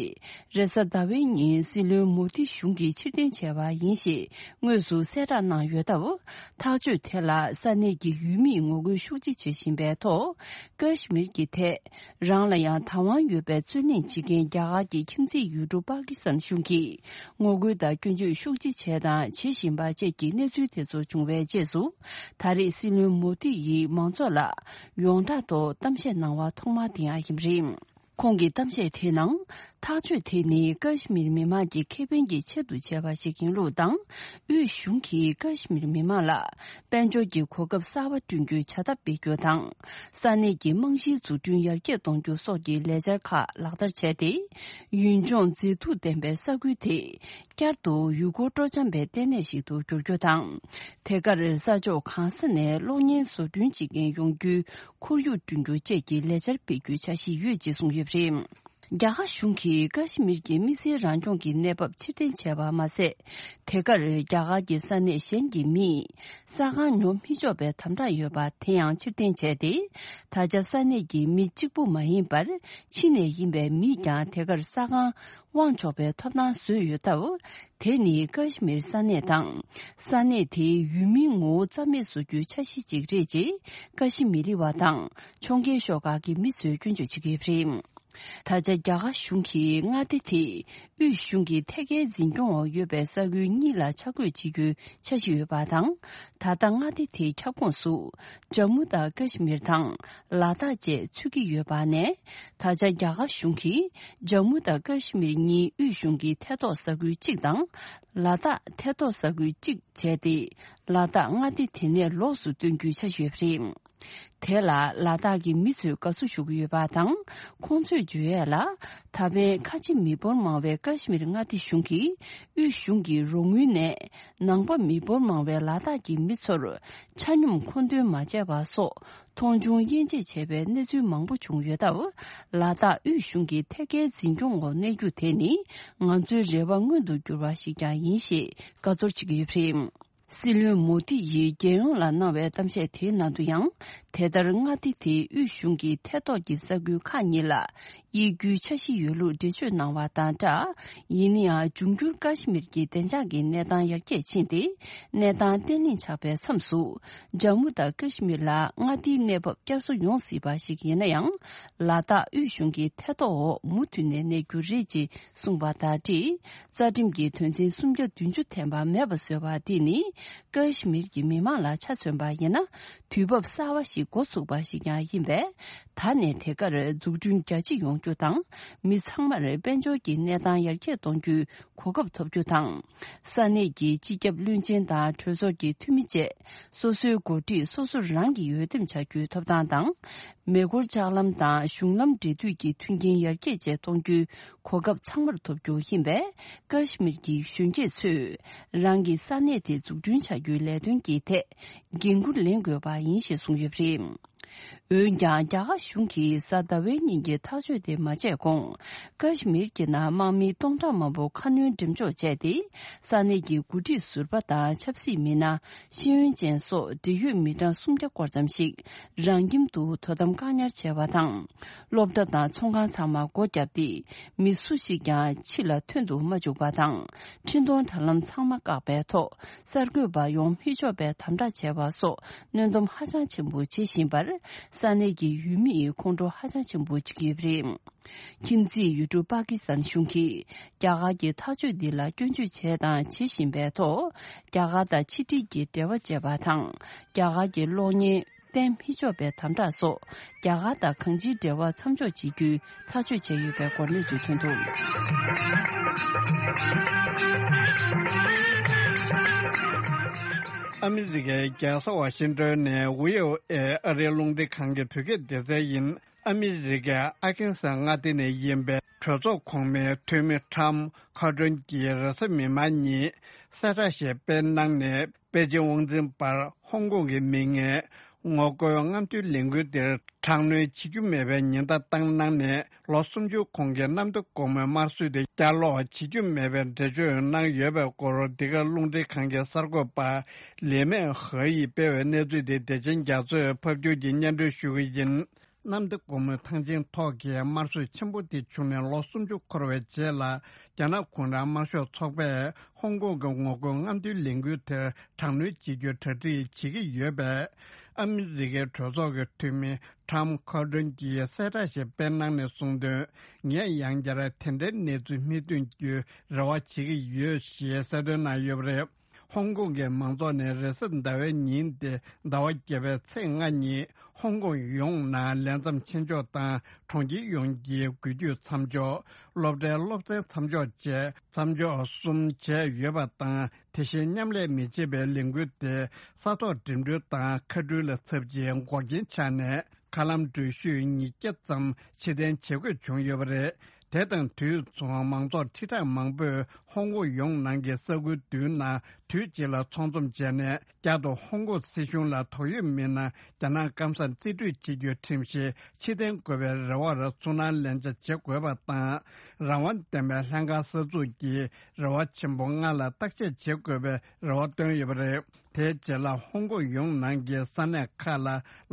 རེས་གཟའ་ཟླ་བའི་ཉིན་སྲིད་བློན་མོ་དི་གཞུང་གིས་ཕྱིར་འཐེན་བྱས་པ་ཡིན་ཞེས་དངོས་སུ་གསལ་བསྒྲགས་གནང་ཡོད་སྟབས། ཐག་གཅོད་དེ་ལ་ས་གནས་ཀྱི་ཡུལ་མིས་ངོ་རྒོལ་ཤུགས་ཆེ་བྱེད་བཞིན་པའི་ཐོག་ཀ་ཤི་མིར་གྱི་ཐད། རང་ལ་ཡང་བདག་དབང་ཡོད་པའི་རྩོད་གླེང་བྱེད་མཁན་རྒྱ་གར་གྱི་ཁྱིམ་མཚེས་ཡུལ་གྲུ་པཱ་ཀི་སི་ཐན་གཞུང་གིས་ངོ་རྒོལ་དང་སྐྱོན་བརྗོད་ཤུགས་ཆེ་བྱས་དང་བྱེད་བཞིན་པ་བཅས་ཀྱི་གནས་ཚུལ་དེ་ཚོ་བྱུང་བའི་རྗེས་སུ། ད་རེས་སྲིད་བློན་མོ་དི་ཡིས་མང་ཚོགས་ལ་ཡོངས་གྲགས་ཐོག་གཏམ་བཤད་གནང་བ་ཐོག་མ་དེ་ཡང་ཡིན་པ་རེད། ཁོང་གི་གཏམ་བཤད་དེའི་ནང་། ཐག་གཅོད་དེ་ནི་ཀ་ཤི་མིར་མི་མང་གི་ཁེ་ཕན་གྱི་ཆེད་དུ་བྱས་པ་ཞིག་ཡིན་ལུགས་དང་། དབུས་གཞུང་གིས་ཀ་ཤི་མིར་མི་མང་ལ་དཔལ་འབྱོར་གྱི་གོ་སྐབས་གསར་པ་བསྐྲུན་རྒྱུའི་བྱ་ཐབས་སྤེལ་རྒྱུ་དང་། ས་གནས་ཀྱི་རྨང་གཞིའི་འཛུགས་སྐྲུན་ཡར་རྒྱས་གཏོང་རྒྱུ་སོགས་ཀྱི་ལས་འཆར་ཁག་ལག་བསྟར་བྱས་ཏེ། ཡུན་ལྗོངས་མཛེས་སྡུག་ལྡན་པའི་ས་ཁུལ་དེ་བསྐྱར་དུ་ཡུལ་སྐོར་སྤྲོ་འཆམ་པའི་ལྟེ་གནས་ཤིག་ཏུ་འགྱུར་རྒྱུ་དང་། དེ་གར་ས་ཕྱོགས་གང་ས་ནས་གློག་བརྙན་བཟོ་སྐྲུན་བྱེད་མཁན་ཡོང་རྒྱུའི་ཁོར་ཡུག་བསྐྲུན་རྒྱུ་བཅས་ཀྱི་ལས་འཆར་སྤེལ་རྒྱུའི་འཆར་གཞི་ཡོད་ཅེས་གསུངས་ཡོད་པ་རེད། རྒྱ་གར་གཞུང་གིས་ཀ་ཤི་མིར་གྱི་མི་སེར་རང་སྐྱོང་གི་གནས་བབ་ཕྱིར་འཐེན་བྱས་པ་མ་ཟད། དེ་གར་རྒྱ་གར་གྱི་ས་གནས་གཞན་གྱི་མིས་ས་ཁང་ཉོ་མི་ཆོག་པའི་དམ་དྲག་ཡོད་པ་དེ་ཡང་ཕྱིར་འཐེན་བྱས་ཏེ། ད་ཆ་ས་གནས་ཀྱི་མི་གཅིག་པུ་མ་ཡིན་པར། ཕྱི་ནས་ཡིན་པའི་མིས་ཀྱང་དེ་གར་ས་ཁང་དབང་ཆོག་པའི་ཐོབ་ཐང་བཟོས་ཡོད་སྟབས། དེ་ནི་ཀ་ཤི་མིར་ས་གནས་དང་། ས་གནས་དེའི་ཡུལ་མིའི་ངོ་བོ་རྩ་མེད་བཟོ་རྒྱུའི་འཆར་གཞི་ཅིག་རེད་ཅེས། ཀ་ཤི་མི་རི་བ་དང་ཕྱོགས་འགལ་ཤོག་ཁག་གི་མི་ཚོས་སྐྱོན་བརྗོད་བྱེད་ཀྱི་ཡོད་པ་རེད། ད་ཆ་རྒྱ་གར་གཞུང་གིས་མངའ་སྡེ་དེ་དབུས་གཞུང་གི་ཐད་ཀའི་འཛིན་སྐྱོང་འོག་ཡོད་པའི་ས་ཁུལ་གཉིས་ལ་ཆ་བགོས་བྱེད་རྒྱུའི་འཆར་གཞི་ཡོད་པ་དང་། ད་ལྟ་མངའ་སྡེ་དེའི་ཁྱབ་ཁོངས་སུ་ཇམ་མུ་དང་ཀ་ཤི་མིར་དང་ལ་དྭགས་བཅས་ཚུད་ཀྱི་ཡོད་པ་ནས། ད་ཆ་རྒྱ་གར་གཞུང་གིས་ཇམ་མུ་དང་ཀ་ཤི་མིར་གཉིས་དབུས་གཞུང་གི་ཐད་གཏོགས་ས་ཁུལ་གཅིག་དང་། ལ་དྭགས་ཐད་གཏོགས་ས་ཁུལ་གཅིག་བྱས་ཏེ། ལ་དྭགས་མངའ་སྡེ་དེ་ནས་ལོགས་སུ་བཏོན་རྒྱུའི་འཆར་གཞི་ཡོད་པ་རེད། དེ་ལ་ལ་དྭགས་ཀྱི་མི་ཚོས་དགའ་བསུ་ཞུ་གི་ཡོད་པ་དང་། ཁོང་ཚོས་བརྗོད་ཡས་ལ། ད་ཕན་ཁ་ཆེ་མི་འབོར་མང་བའི་ཀ་ཤི་མིར་མངའ་སྡེ་གཞུང་གིས་དབུས་གཞུང་གི་རོགས་དངུལ་ནས་ནང་པ་མི་འབོར་མང་བའི་ལ་དྭགས་ཀྱི་མི་ཚོར་ཆ་སྙོམས་མཁོ་འདོན་མ་བྱས་པ་སོགས་མཐོང་ཆུང་དབྱེ་འབྱེད་བྱས་པའི་གནས་ཚུལ་མང་པོ་བྱུང་ཡོད་སྟབས། ལ་དྭགས་དབུས་གཞུང་གི་ཐད་ཀའི་འཛིན་སྐྱོང་འོག་གནས་རྒྱུ་དེ་ནི་ང་ཚོའི་རེ་བ་མངོན་དུ་གྱུར་བ་ཞིག་ཀྱང་ཡིན་ཞེས་དགའ་ཚོར་བྱེད་ཀྱི་ཡོད་པ་རེད། སྲིད་བློན་མོ་དི་ཡིས་རྒྱལ་ཡོངས་ལ་གནང་བའི་གཏམ་བཤད་དེའི་ནང་དུ་ཡང་། དེ་ལྟར་མངའ་སྡེ་དེའི་དབུས་གཞུང་གི་ཐད་གཏོགས་ཀྱི་ས་ཁུལ་ཁག་གཉིས་ལ་དབྱེ་རྒྱུའི་འཆར་གཞི་ཡོད་ལུགས་འགྲེལ་བརྗོད་གནང་བ་དང་སྦྲགས། ཡིན་ན་ཡང་། འབྱུང་འགྱུར་ཀ་ཤི་མིར་གྱི་བདེ་འཇགས་ཀྱི་གནས་སྟངས་ཡར་རྒྱས་ཕྱིན་ཏེ། གནས་སྟངས་བརྟན་ལྷིང་ཆགས་པའི་མཚམས་སུ། ཇམ་མུ་དང་ཀ་ཤི་མིར་ལ་མངའ་སྡེའི་གནས་བབ་བསྐྱར་གསོ་ཡོང་སྲིད་པ་ཞིག་ཡིན་ན་ཡང་། ལ་དྭགས་དབུས་གཞུང་གི་ཐད་གཏོགས་འོག་མུ་མཐུད་ནས་གནས་རྒྱུ་རེད་ཅེས་གསུངས་པ་དང་འབྲེལ། རྩ་ཁྲིམས་ཀྱི་དོན་ཚན་སུམ་བརྒྱ་བདུན་ཅུ་ཐེམ་པ་མེད་པ་བཟོས་པ་འདི་ནི། ཀ་ཤི་མིར་གྱི་མི་མང་ལ་ཆ་མཚོན་པ་ཡིན་ན། དུས་བབ་གསར་བ་ཞིག་འགོ་ཚུགས་པ་ཞིག་ཀྱང་ཡིན་པས། ད་ནས་དེ་གར་འཛུགས་སྐྲུན་རྒྱ་ཆེ་ཡོང་རྒྱུ་དང་། མི་ཚང་མར་དཔལ་འབྱོར་གྱི་གནས་སྟངས་ཡར་རྒྱས་གཏོང་རྒྱུའི་གོ་སྐབས་ཐོབ་རྒྱུ་དང་། ས་གནས་ཀྱི་སྤྱི་ཁྱབ་བློན་ཆེན་དང་གྲོས་ཚོགས་ཀྱི་འཐུས་མི་བཅས། སོ་སོའི་འགོ་ཁྲིད་སོ་སོ་རང་གིས་འོས་འདེམས་བྱ་རྒྱུའི་ཐོབ་ཐང་དང་། མེ་འཁོར་ལྕགས་ལམ་དང་གཞུང་ལམ་འབྲེལ་མཐུད་ཀྱི་མཐུན་རྐྱེན་ཡར་རྒྱས་བཅས་གཏོང་རྒྱུའི་གོ་སྐབས་ཚང་མར་ཐོབ་རྒྱུ་ཡིན་པས། ཀ་ཤི་མིར་གྱི་གཞོན་སྐྱེས་ཚོས་རང་གི་ས་གནས་དེ་འཛུགས་སྐྲུན་བྱ་རྒྱུའི་ལས་དོན་གྱི་ཐད་འགན་འཁུར་ལེན་དགོས་པ་ཡིན་ཞེས་གསུངས་ཡོད་པ་རེད། འོན་ཀྱང་། རྒྱ་གར་གཞུང་གིས་གཟའ་ཟླ་བའི་ཉིན་གྱི་ཐག་གཅོད་དེ་མ་བྱས་གོང་། ཀ་ཤི་མིར་གྱི་ནང་དམག་མི་སྟོང་ཕྲག་མང་པོ་ཁ་སྣོན་འགྲེམས་འཇོག་བྱས་ཏེ། ས་གནས་ཀྱི་འགོ་ཁྲིད་ཟུར་པ་དང་ཆབ་སྲིད་མི་སྣ། ཤེས་ཡོན་ཅན་སོགས་འབྲེལ་ཡོད་མི་གྲངས་སུམ་བརྒྱ་སྐོར་ཙམ་ཞིག་རང་ཁྱིམ་དུ་དོ་དམ་བཀག་ཉར་བྱས་པ་དང་། སློབ་གྲྭ་དང་ཚོང་ཁང་ཚང་མ་སྒོ་བརྒྱབ་སྟེ། མི་སུ་ཞིག་ཀྱང་ཕྱི་ལ་ཐོན་དུ་མ་བཅུག་པ་དང་། འཕྲིན་གཏོང་དྲ་ལམ་ཚང་མ་བཀག་པའི་ཐོག་གསར་འགོད་པ་ཡོང་མི་ཆོག་པའི་དམ་དྲག་བྱས་པ་སོགས་གནོན་སྡོམ་ཧ་ཅང་ཆེན་པོ་བྱེད་བཞིན་པར། ས་གནས་ཀྱི་ཡུལ་མིས་ཁོང་ཁྲོ་ཧ་ཅང་ཆེན་པོ་བྱེད་ཀྱི་ཡོད་པ་རེད། ཁྱིམ་མཚེས་ཡུལ་གྲུ་པ་ཀི་སི་ཐན་གཞུང་གིས་རྒྱ་གར་གྱི་ཐག་གཅོད་འདི་ལ་སྐྱོན་བརྗོད་བྱས་དང་བྱེད་བཞིན་པའི་ཐོག་རྒྱ་གར་དང་ཕྱི་འབྲེལ་གྱི་འབྲེལ་བ་བཅད་པ་དང་། རྒྱ་གར་གྱི་གློག་བརྙན་བསྟན་མི་ཆོག་པའི་དམ་དྲག་སོགས་རྒྱ་གར་དང་གང་ཅིའི་འབྲེལ་བ་མཚམས་འཇོག་བྱེད་རྒྱུའི་ཐག་གཅོད་བྱས་ཡོད་པའི་སྐོར་གནས་ཚུལ་ཐོན་འདུག་ཨ་མི་རི་ཀའི་རྒྱལ་ས་ཝ་ཤིང་ཏོན་ནས་ཝི་ཨོ་ཨེ་ཨ་རིའི་རླུང་འཕྲིན་ཁང་གི་བོད་སྐད་སྡེ་ཚན་ཡིན། ཨ་མི་རི་ཀའི་ཨར་ཁན་སཱ་མངའ་སྡེ་ནས་ཡིན་པའི་གྲོས་ཚོགས་གོང་མའི་འཐུས་མི་ཊམ་ཁོ་ཌོན་གྱིས་རེས་གཟའ་མིག་དམར་ཉིན་གསལ་བསྒྲགས་ཤིག་སྤེལ་གནང་ནས། པེ་ཅིང་དབང་འཛིན་པར་ཧོང་ཀོང་གི་མི་ངན་ངོ་རྒོལ་རྔམ་སྟོན་ལས་འགུལ་དེར་དྲག་གནོན་བྱེད་རྒྱུ་མེད་པའི་ཉེན་བརྡ་བཏང་གནང་ནས། ལོ་སུམ་ཅུ་གོང་གི་གནམ་བདེ་སྒོ་མོའི་དམར་གསོད་དེ་བསྐྱར་ལོག་བྱེད་རྒྱུ་མེད་པའི་འགྲེལ་བརྗོད་གནང་ཡོད་པའི་སྐོར། འདི་ག་རླུང་འཕྲིན་ཁང་གི་གསར་འགོད་པ་ལི་མེ་ཧེ་ཡིས་སྤེལ་བའི་གནས་ཚུལ་དེ་བདེ་ཆེན་རྒྱ་མཚོས་ཕབ་སྒྱུར་གྱིས་སྙན་སྒྲོན་ཞུ་གི་ཡིན། གནམ་བདེ་སྒོ་མོའི་ཐང་ཆེན་ཐོག་གི་དམར་གསོད་ཆེན་པོ་དེ་བྱུང་ནས་ལོ་སུམ་ཅུ་འཁོར་བའི་རྗེས་ལ། རྒྱ་ནག་གུང་ཁྲན་དམར་ཤོག་ཚོགས་པས་ཧོང་ཀོང་གི་ངོ་རྒོལ་རྔམ་སྟོན་ལས་འགུལ་དེར་དྲག་གནོན་བྱེད་རྒྱུའི་གྲ་སྒྲིག་བྱེད་ཀྱི་ཡོད་པས། ཨ་མི་རི་ཀའི་གྲོས་ཚོགས་ཀྱི་འཐུས་མི་ཊམ་ཁོ་ཌོན་གྱིས་གསལ་བསྒྲགས་ཤིག་སྤེལ་གནང་ནས་གསུངས་དོན། ངས་ཡང་བསྐྱར་དེ་འདྲའི་གནས་ཚུལ་མི་ཐོན་རྒྱུའི་རེ་བ་བྱེད་ཀྱི་ཡོད་ཞེས་གསལ་སྟོན་གནང་ཡོད་པ་རེད། ཧོང་ཀོང་གི་མང་ཚོགས་ནས་རེས་གཟའ་ཟླ་བའི་ཉིན་ཏེ་ཟླ་བ་བརྒྱད་པའི་ཚེས་ལྔ་ཉིན་ ཧོང་ཀོང་ཡོངས་ནང་ལས་མཚམས་ཆེ་འཇོག་དང་གྲོང་ཁྱེར་ཡོངས་ཀྱི་འགུལ་སྐྱོད་མཚམས་འཇོག་སློབ་གྲྭའི་སློབ་ཚན་མཚམས་འཇོག་བཅས་མཚམས་འཇོག་གསུམ་བྱས་ཡོད་པ་དང་། དེ་བཞིན་མཉམ་ལས་མི་བྱེད་པའི་ལས་འགུལ་དེ་ས་ཐོག་འགྲིམ་འགྲུལ་དང་མཁའ་འགྲུལ་ལ་ཚབ་ཀྱི་འགོག་རྐྱེན་ཆགས་ནས། མཁའ་ལམ་འགྲུལ་བཞུད་ཉིས་བརྒྱ་ཙམ་ཕྱིར་འཐེན་བྱེད་དགོས་བྱུང་ཡོད་པ་རེད། དེ་དང་དུས་མཚུངས་མང་ཚོགས་ཁྲི་ཕྲག་མང་པོས་ཧོང་ཀོང་ཡོངས་ནང་གི་ས་ཁུལ་བདུན་ནང་དུས་གཅིག་ལ་ཚོགས་འཛོམས་བྱས་ནས། བསྐྱར་དུ་ཧོང་ཀོང་སྲིད་གཞུང་ལ་དོགས་ཡོད་མི་སྣ་རྒྱ་ནག་སྐམ་སར་རྩིས་སྤྲོད་བྱེད་རྒྱུའི་ཁྲིམས་གཞི་ཕྱིར་འཐེན་དགོས་པའི་རེ་བར་ཚུར་སྣང་ལན་ཆ་བྱེད་དགོས་པ་དང་། རང་དབང་ལྡན་པའི་ལྷན་ཁང་གསར་འཛུགས་ཀྱི་རེ་བ་ཆེན་པོ་ལྔ་ལ་བརྟག་དཔྱད་བྱེད་དགོས་པའི་རེ་བ་བཏོན་ཡོད་པ་རེད། དེའི་རྗེས་ལ་ཧོང་ཀོང་ཡོངས་ནང་གི་ས་གནས་ཁག་ལ་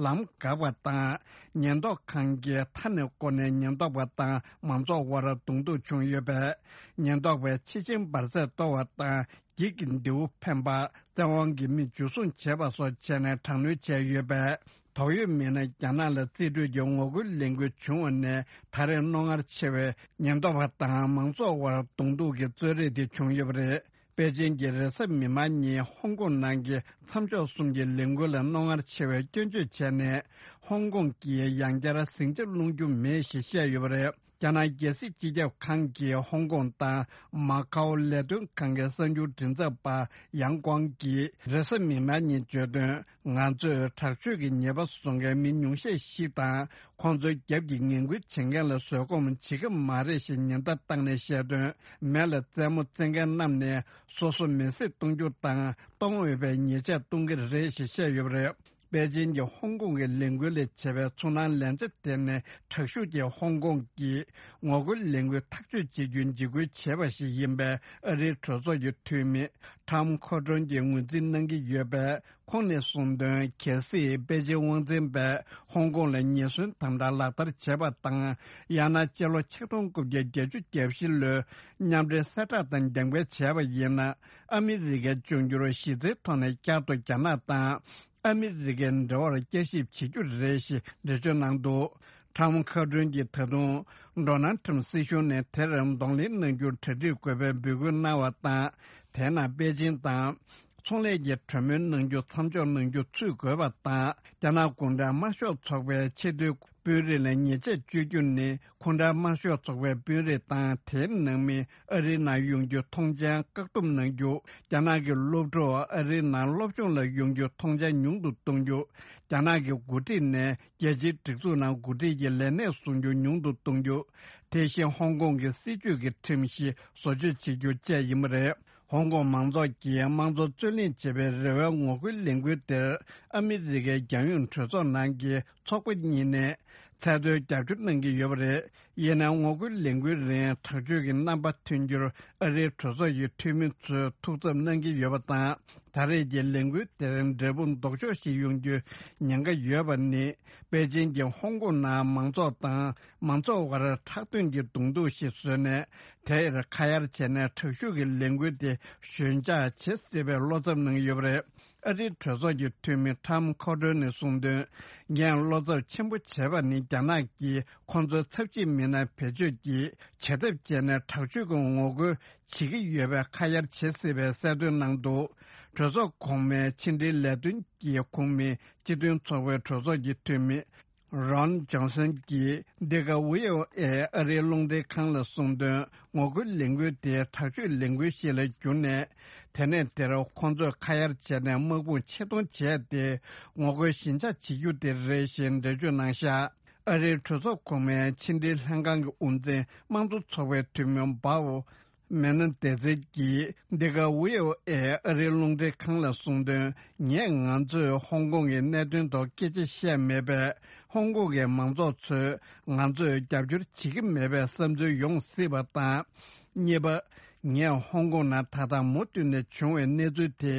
ལམ་འགག་པ་དང་། ཉེན་རྟོག་ཁང་གིས་མཐའ་ནས་བསྐོར་ནས་ཉེན་རྟོག་པ་དང་མང་ཚོགས་དབར་གདོང་ཐུག་བྱུང་ཡོད་པས། ཉེན་རྟོག་པས་ཕྱི་ཆེན་འབར་རྫས་གཏོར་བ་དང་། འགྱིག་གི་མདེའུ་འཕེན་པ། བཙན་དབང་གིས་མི་འཇུ་བཟུང་བྱས་པ་སོགས་བྱས་ནས་དྲག་གནོན་བྱས་ཡོད་པས། དོགས་ཡོད་མི་སྣ་རྒྱ་ནག་ལ་རྩིས་སྤྲོད་ཀྱི་ངོ་རྒོལ་ལས་འགུལ་བྱུང་བ་ནས་ད་རེས་རྣོ་ངར་ཆེ་བའི་ཉེན་རྟོག་པ་དང་མང་ཚོགས་དབར་གདོང་ཐུག་གི་རྩོད་རེས་དེ་བྱུང་ཡོད་པ་རེད། པེ་ཅིན་གྱི་རེས་གཟའ་མིག་དམར་ཉིན་ཧོང་ཀོང་ནང་གི་མཚམས་འཇོག་གསུམ་གྱི་ལས་འགུལ་ལ་རྣོ་ངར་ཆེ་བའི་སྐྱོན་བརྗོད་བྱས་ནས། ཧོང་ཀོང་གིས་ཡང་བསྐྱར་ཟིང་ཆ་སློང་རྒྱུ་མེད་ཞེས་བཤད་ཡོད་པ་རེད། རྒྱ་ནག་རྒྱལ་སྲིད་སྤྱི་ཁྱབ་ཁང་གི་ཧོང་ཀོང་དང་མ་ཀའོ་ལས་དོན་ཁང་གི་གསར་འགྱུར་མགྲིན་ཚབ་པ་ཡང་ཀོང་གིས་རེས་གཟའ་མིག་དམར་ཉིན་བརྗོད་དོན། ང་ཚོས་དྲག་སྤྱོད་ཀྱི་ཉེས་པ་བཟོ་མཁན་མི་ཉུང་ཤས་ཤིག་དང་། ཁོང་ཚོའི་རྒྱབ་ཀྱི་ངན་སྐུལ་བྱེད་མཁན་ལ་བཟོད་སྒོམ་བྱེད་ཀྱི་མ་རེད་ཞེས་ཉེན་བརྡ་བཏང་ནས་བཤད་དོན། མེ་ལ་རྩེད་མོ་རྩེ་མཁན་རྣམས་ནས་སོ་སོ་མེ་བསྲེགས་གཏོང་རྒྱུ་དང་གཏོང་འོས་པའི་ཉེས་ཆད་གཏོང་གི་རེད་ཞེས་བཤད་ཡོད་པ་རེད། པེ་ཅིན་གྱིས་ཧོང་ཀོང་གི་ལས་འགུལ་ལས་བྱེད་པའི་ཚོར་སྣང་ལན་ཆ་དེ་ནི་དྲག་ཤུགས་ཀྱིས་ཧོང་ཀོང་གི་ངོ་རྒོལ་ལས་འགུལ་ཐག་གཅོད་བྱེད་རྒྱུ་འཇིགས་སྐུལ་བྱས་པ་ཞིག་ཡིན་པའི་ཨ་རིའི་གྲོས་ཚོགས་ཀྱི་འཐུས་མི་ཁྲམ་ཁོ་ཏྲོན་གྱིས་ངོས་འཛིན་གནང་གི་ཡོད་པས། ཁོང་ནས་གསུངས་དོན། གལ་སྲིད་པེ་ཅིན་དབང་འཛིན་པས་ཧོང་ཀོང་ལ་ཉེན་ཟོན་དམ་དྲག་ལག་བསྟར་བྱས་པ་དང་། ཡང་ན་སྤྱི་ལོ་ཆིག་སྟོང་དགུ་བརྒྱ་བརྒྱད་ཅུ་གྱ་བཞི་ལོའི་མཉམ་འབྲེལ་གསལ་བསྒྲགས་དང་འགལ་འགལ་བྱས་པ་ཡིན་ན། ཨ་མི་རི་ཀས་འབྱུང་འགྱུར་གཞི་རྩའི་ཐོག་ནས་བསྐྱར་དུ་རྒྱ་ནག་དང་ཨ་མི་རི་ཀའི་འབྲེལ་བར་བསྐྱར་ཞིབ་བྱེད་རྒྱུ་རེད་ཞེས་འགྲེལ་བརྗོད་གནང་འདུག་ཁྲམ་ཁ་ཏྲོན་གྱིས་ད་དུང་ཌོ་ནལ་ཁྲམ་སྲིད་གཞུང་ནས་དེར་གདོང་ལེན་གནང་རྒྱུར་གྲ་སྒྲིག་དགོས་པའི་འབོད་སྐུལ་གནང་བ་དང་། དེས་ན་པེ་ཅིན་དང་ཚོང་ལས་ཀྱི་གྲོས་མོལ་གནང་རྒྱུ་མཚམས་འཇོག་གནང་རྒྱུ་ཚུད་དགོས་པ་དང་། རྒྱ་ནག་གུང་ཁྲན་དམར་ཤོག་ཚོགས་པའི་ཆེས་མཐོའི་དཔོན་རིགས་ལ་ཉེས་ཆད་གཅོད་རྒྱུ་ནི། གུང་ཁྲན་དམར་ཤོག་ཚོགས་པའི་དཔོན་རིགས་དང་དེའི་ནང་མི་ཨ་རིའི་ནང་ཡོང་རྒྱུ་ཐོངས་མཆན་བཀག་སྡོམ་གནང་རྒྱུ། རྒྱ་ནག་གི་སློབ་ཕྲུག་ཨ་རིའི་ནང་སློབ་སྦྱོང་ལ་ཡོང་རྒྱུ་ཐོངས་མཆན་ཉུང་དུ་གཏོང་རྒྱུ། རྒྱ་ནག་གི་འགོ་ཁྲིད་ནས་རྒྱལ་སྤྱིའི་སྒྲིག་འཛུགས་ནང་འགོ་ཁྲིད་ཀྱི་ལས་གནས་བཟུང་རྒྱུ་ཉུང་དུ་གཏོང་རྒྱུ། དེ་བཞིན་ཧོང་ཀོང་གི་སྲིད་བྱུས་ཀྱི་ཁྲིམས་གཞི་བཟོ་བཅོས་བྱེད་རྒྱུ་བཅས་ཡིན་པ་རེད། ཧོང་ཀོང་མང་ཚོགས་ཀྱིས་དམངས་གཙོ་རྩོད་ལེན་བྱེད་པའི་རེ་བའི་ངོ་རྒོལ་ལས་འགུལ་དེར་ཨ་མི་རི་ཀའི་རྒྱལ་ཡོངས་གྲོས་ཚོགས་ནང་གི་ཚོགས་པ་གཉིས་ནས་ཚད་མཐོའི་རྒྱབ་སྐྱོར་གནང་གི་ཡོད་པ་རེད། ཡིན་ནའི་ངོ་རྒོལ་ལས་འགུལ་རིང་དྲག་སྤྱོད་ཀྱི་རྣམ་པ་ཐོན་རྒྱུར་ཨ་རིའི་གྲོས་ཚོགས་ཀྱི་འཐུས་མི་ཚོས་ཐུགས་འཚབ་གནང་གི་ཡོད་པ་དང་། ད་རེས་ཀྱི་ལས་འགུལ་དེར་འབྲས་བུ་ལྡོག་ཕྱོགས་ཤིག་ཡོང་རྒྱུའི་ཉེན་ཁ་ཡོད་པ་ནི། པེ་ཅིན་གྱིས་ཧོང་ཀོང་ནང་མང་ཚོགས་དང་མང་ཚོགས་དབར་ཁྲག་དོན་གྱི་གདོང་ཐུག་ཞིག་བཟོས་ནས། དེར་ཁ་གཡར་བྱས་ནས་དྲག་ཤུགས་ཀྱི་ལས་འགུལ་དེ་ཞོད་འཇགས་བྱེད་སྲིད་པའི་བློ་འཚབ་གནང་ཡོད་པ་རེད། ཨ་རིའི་གྲོས་ཚོགས་ཀྱི་འཐུས་མི་ཁྲམ་ཁོ་ཏྲོན་ནས་གསུངས་དོན། ངས་བློ་འཚབ་ཆེན་པོ་བྱས་པ་ནི། རྒྱ་ནག་གིས་ཁོང་ཚོའི་ཚབས་ཆེའི་མི་སྣ་བེད་སྤྱོད་ཀྱིས་བྱེད་ཐབས་སྤྱད་ནས་དྲག་སྤྱོད་ཀྱི་ངོ་རྒོལ་བྱེད་ཀྱི་ཡོད་པའི་ཁ་གཡར་བྱེད་སྲིད་པའི་གསལ་སྟོན་གནང་འདུག་གྲོས་ཚོགས་གོང་མའི་ཕྱི་འབྲེལ་ལས་དོན་གྱི་ཁོངས་མི་སྤྱི་མཐུན་ཚོགས་པའི་གྲོས་ཚོགས་ཀྱི་འཐུས་མི་རོན་ཇོན་སན་གྱིས་འདི་ག་ཝི་ཨོ་ཨེ་ཨ་རིའི་རླུང་འཕྲིན་ཁང་ལ་གསུངས་དོན། ངོ་རྒོལ་ལས་འགུལ་དེ་དྲག་སྤྱོད་ལས་འགུལ་ཞིག་ལ་གྱུར་ནས། དེ་ནས་དེར་ཁོང་ཚོས་ཁ་གཡར་བྱས་ནས་དམག་དཔུང་ཆེད་གཏོང་བྱས་ཏེ། ངོ་རྒོལ་ཞི་འཇགས་བྱེད་རྒྱུ་དེ་རེད་ཞེས་འགྲེལ་བརྗོད་གནང་བཞག་ཨ་རིའི་གྲོས་ཚོགས་གོང་མའི་ཕྱི་འབྲེལ་ལྷན་ཁང་གི་དབུ་འཛིན་དམངས་གཙོ་ཚོགས་པའི་འཐུས་མི་སྦ་ཝོ་མེ་ན་ཏེ་ཛེ་གིས་འདི་ག་ཝི་ཨོ་ཨེ་ཨ་རིའི་རླུང་འཕྲིན་ཁང་ལ་གསུངས་དོན། ངས་ང་ཚོས་ཧོང་ཀོང་གི་གནད་དོན་ཐོག་སྐད་ཆ་བཤད་མེད་པས། ཧོང་ཀོང་གི་མང་ཚོགས་ཚོས་ང་ཚོས་རྒྱབ་སྐྱོར་བྱེད་ཀྱི་མེད་པའི་བསམ་ཚུལ་ཡོང་སྲིད་པ་དང་། གཉིས་པ། ངས་ཧོང་ཀོང་ནང་ད་ལྟ་མུ་མཐུད་ནས་བྱུང་བའི་གནས་ཚུལ་དེ།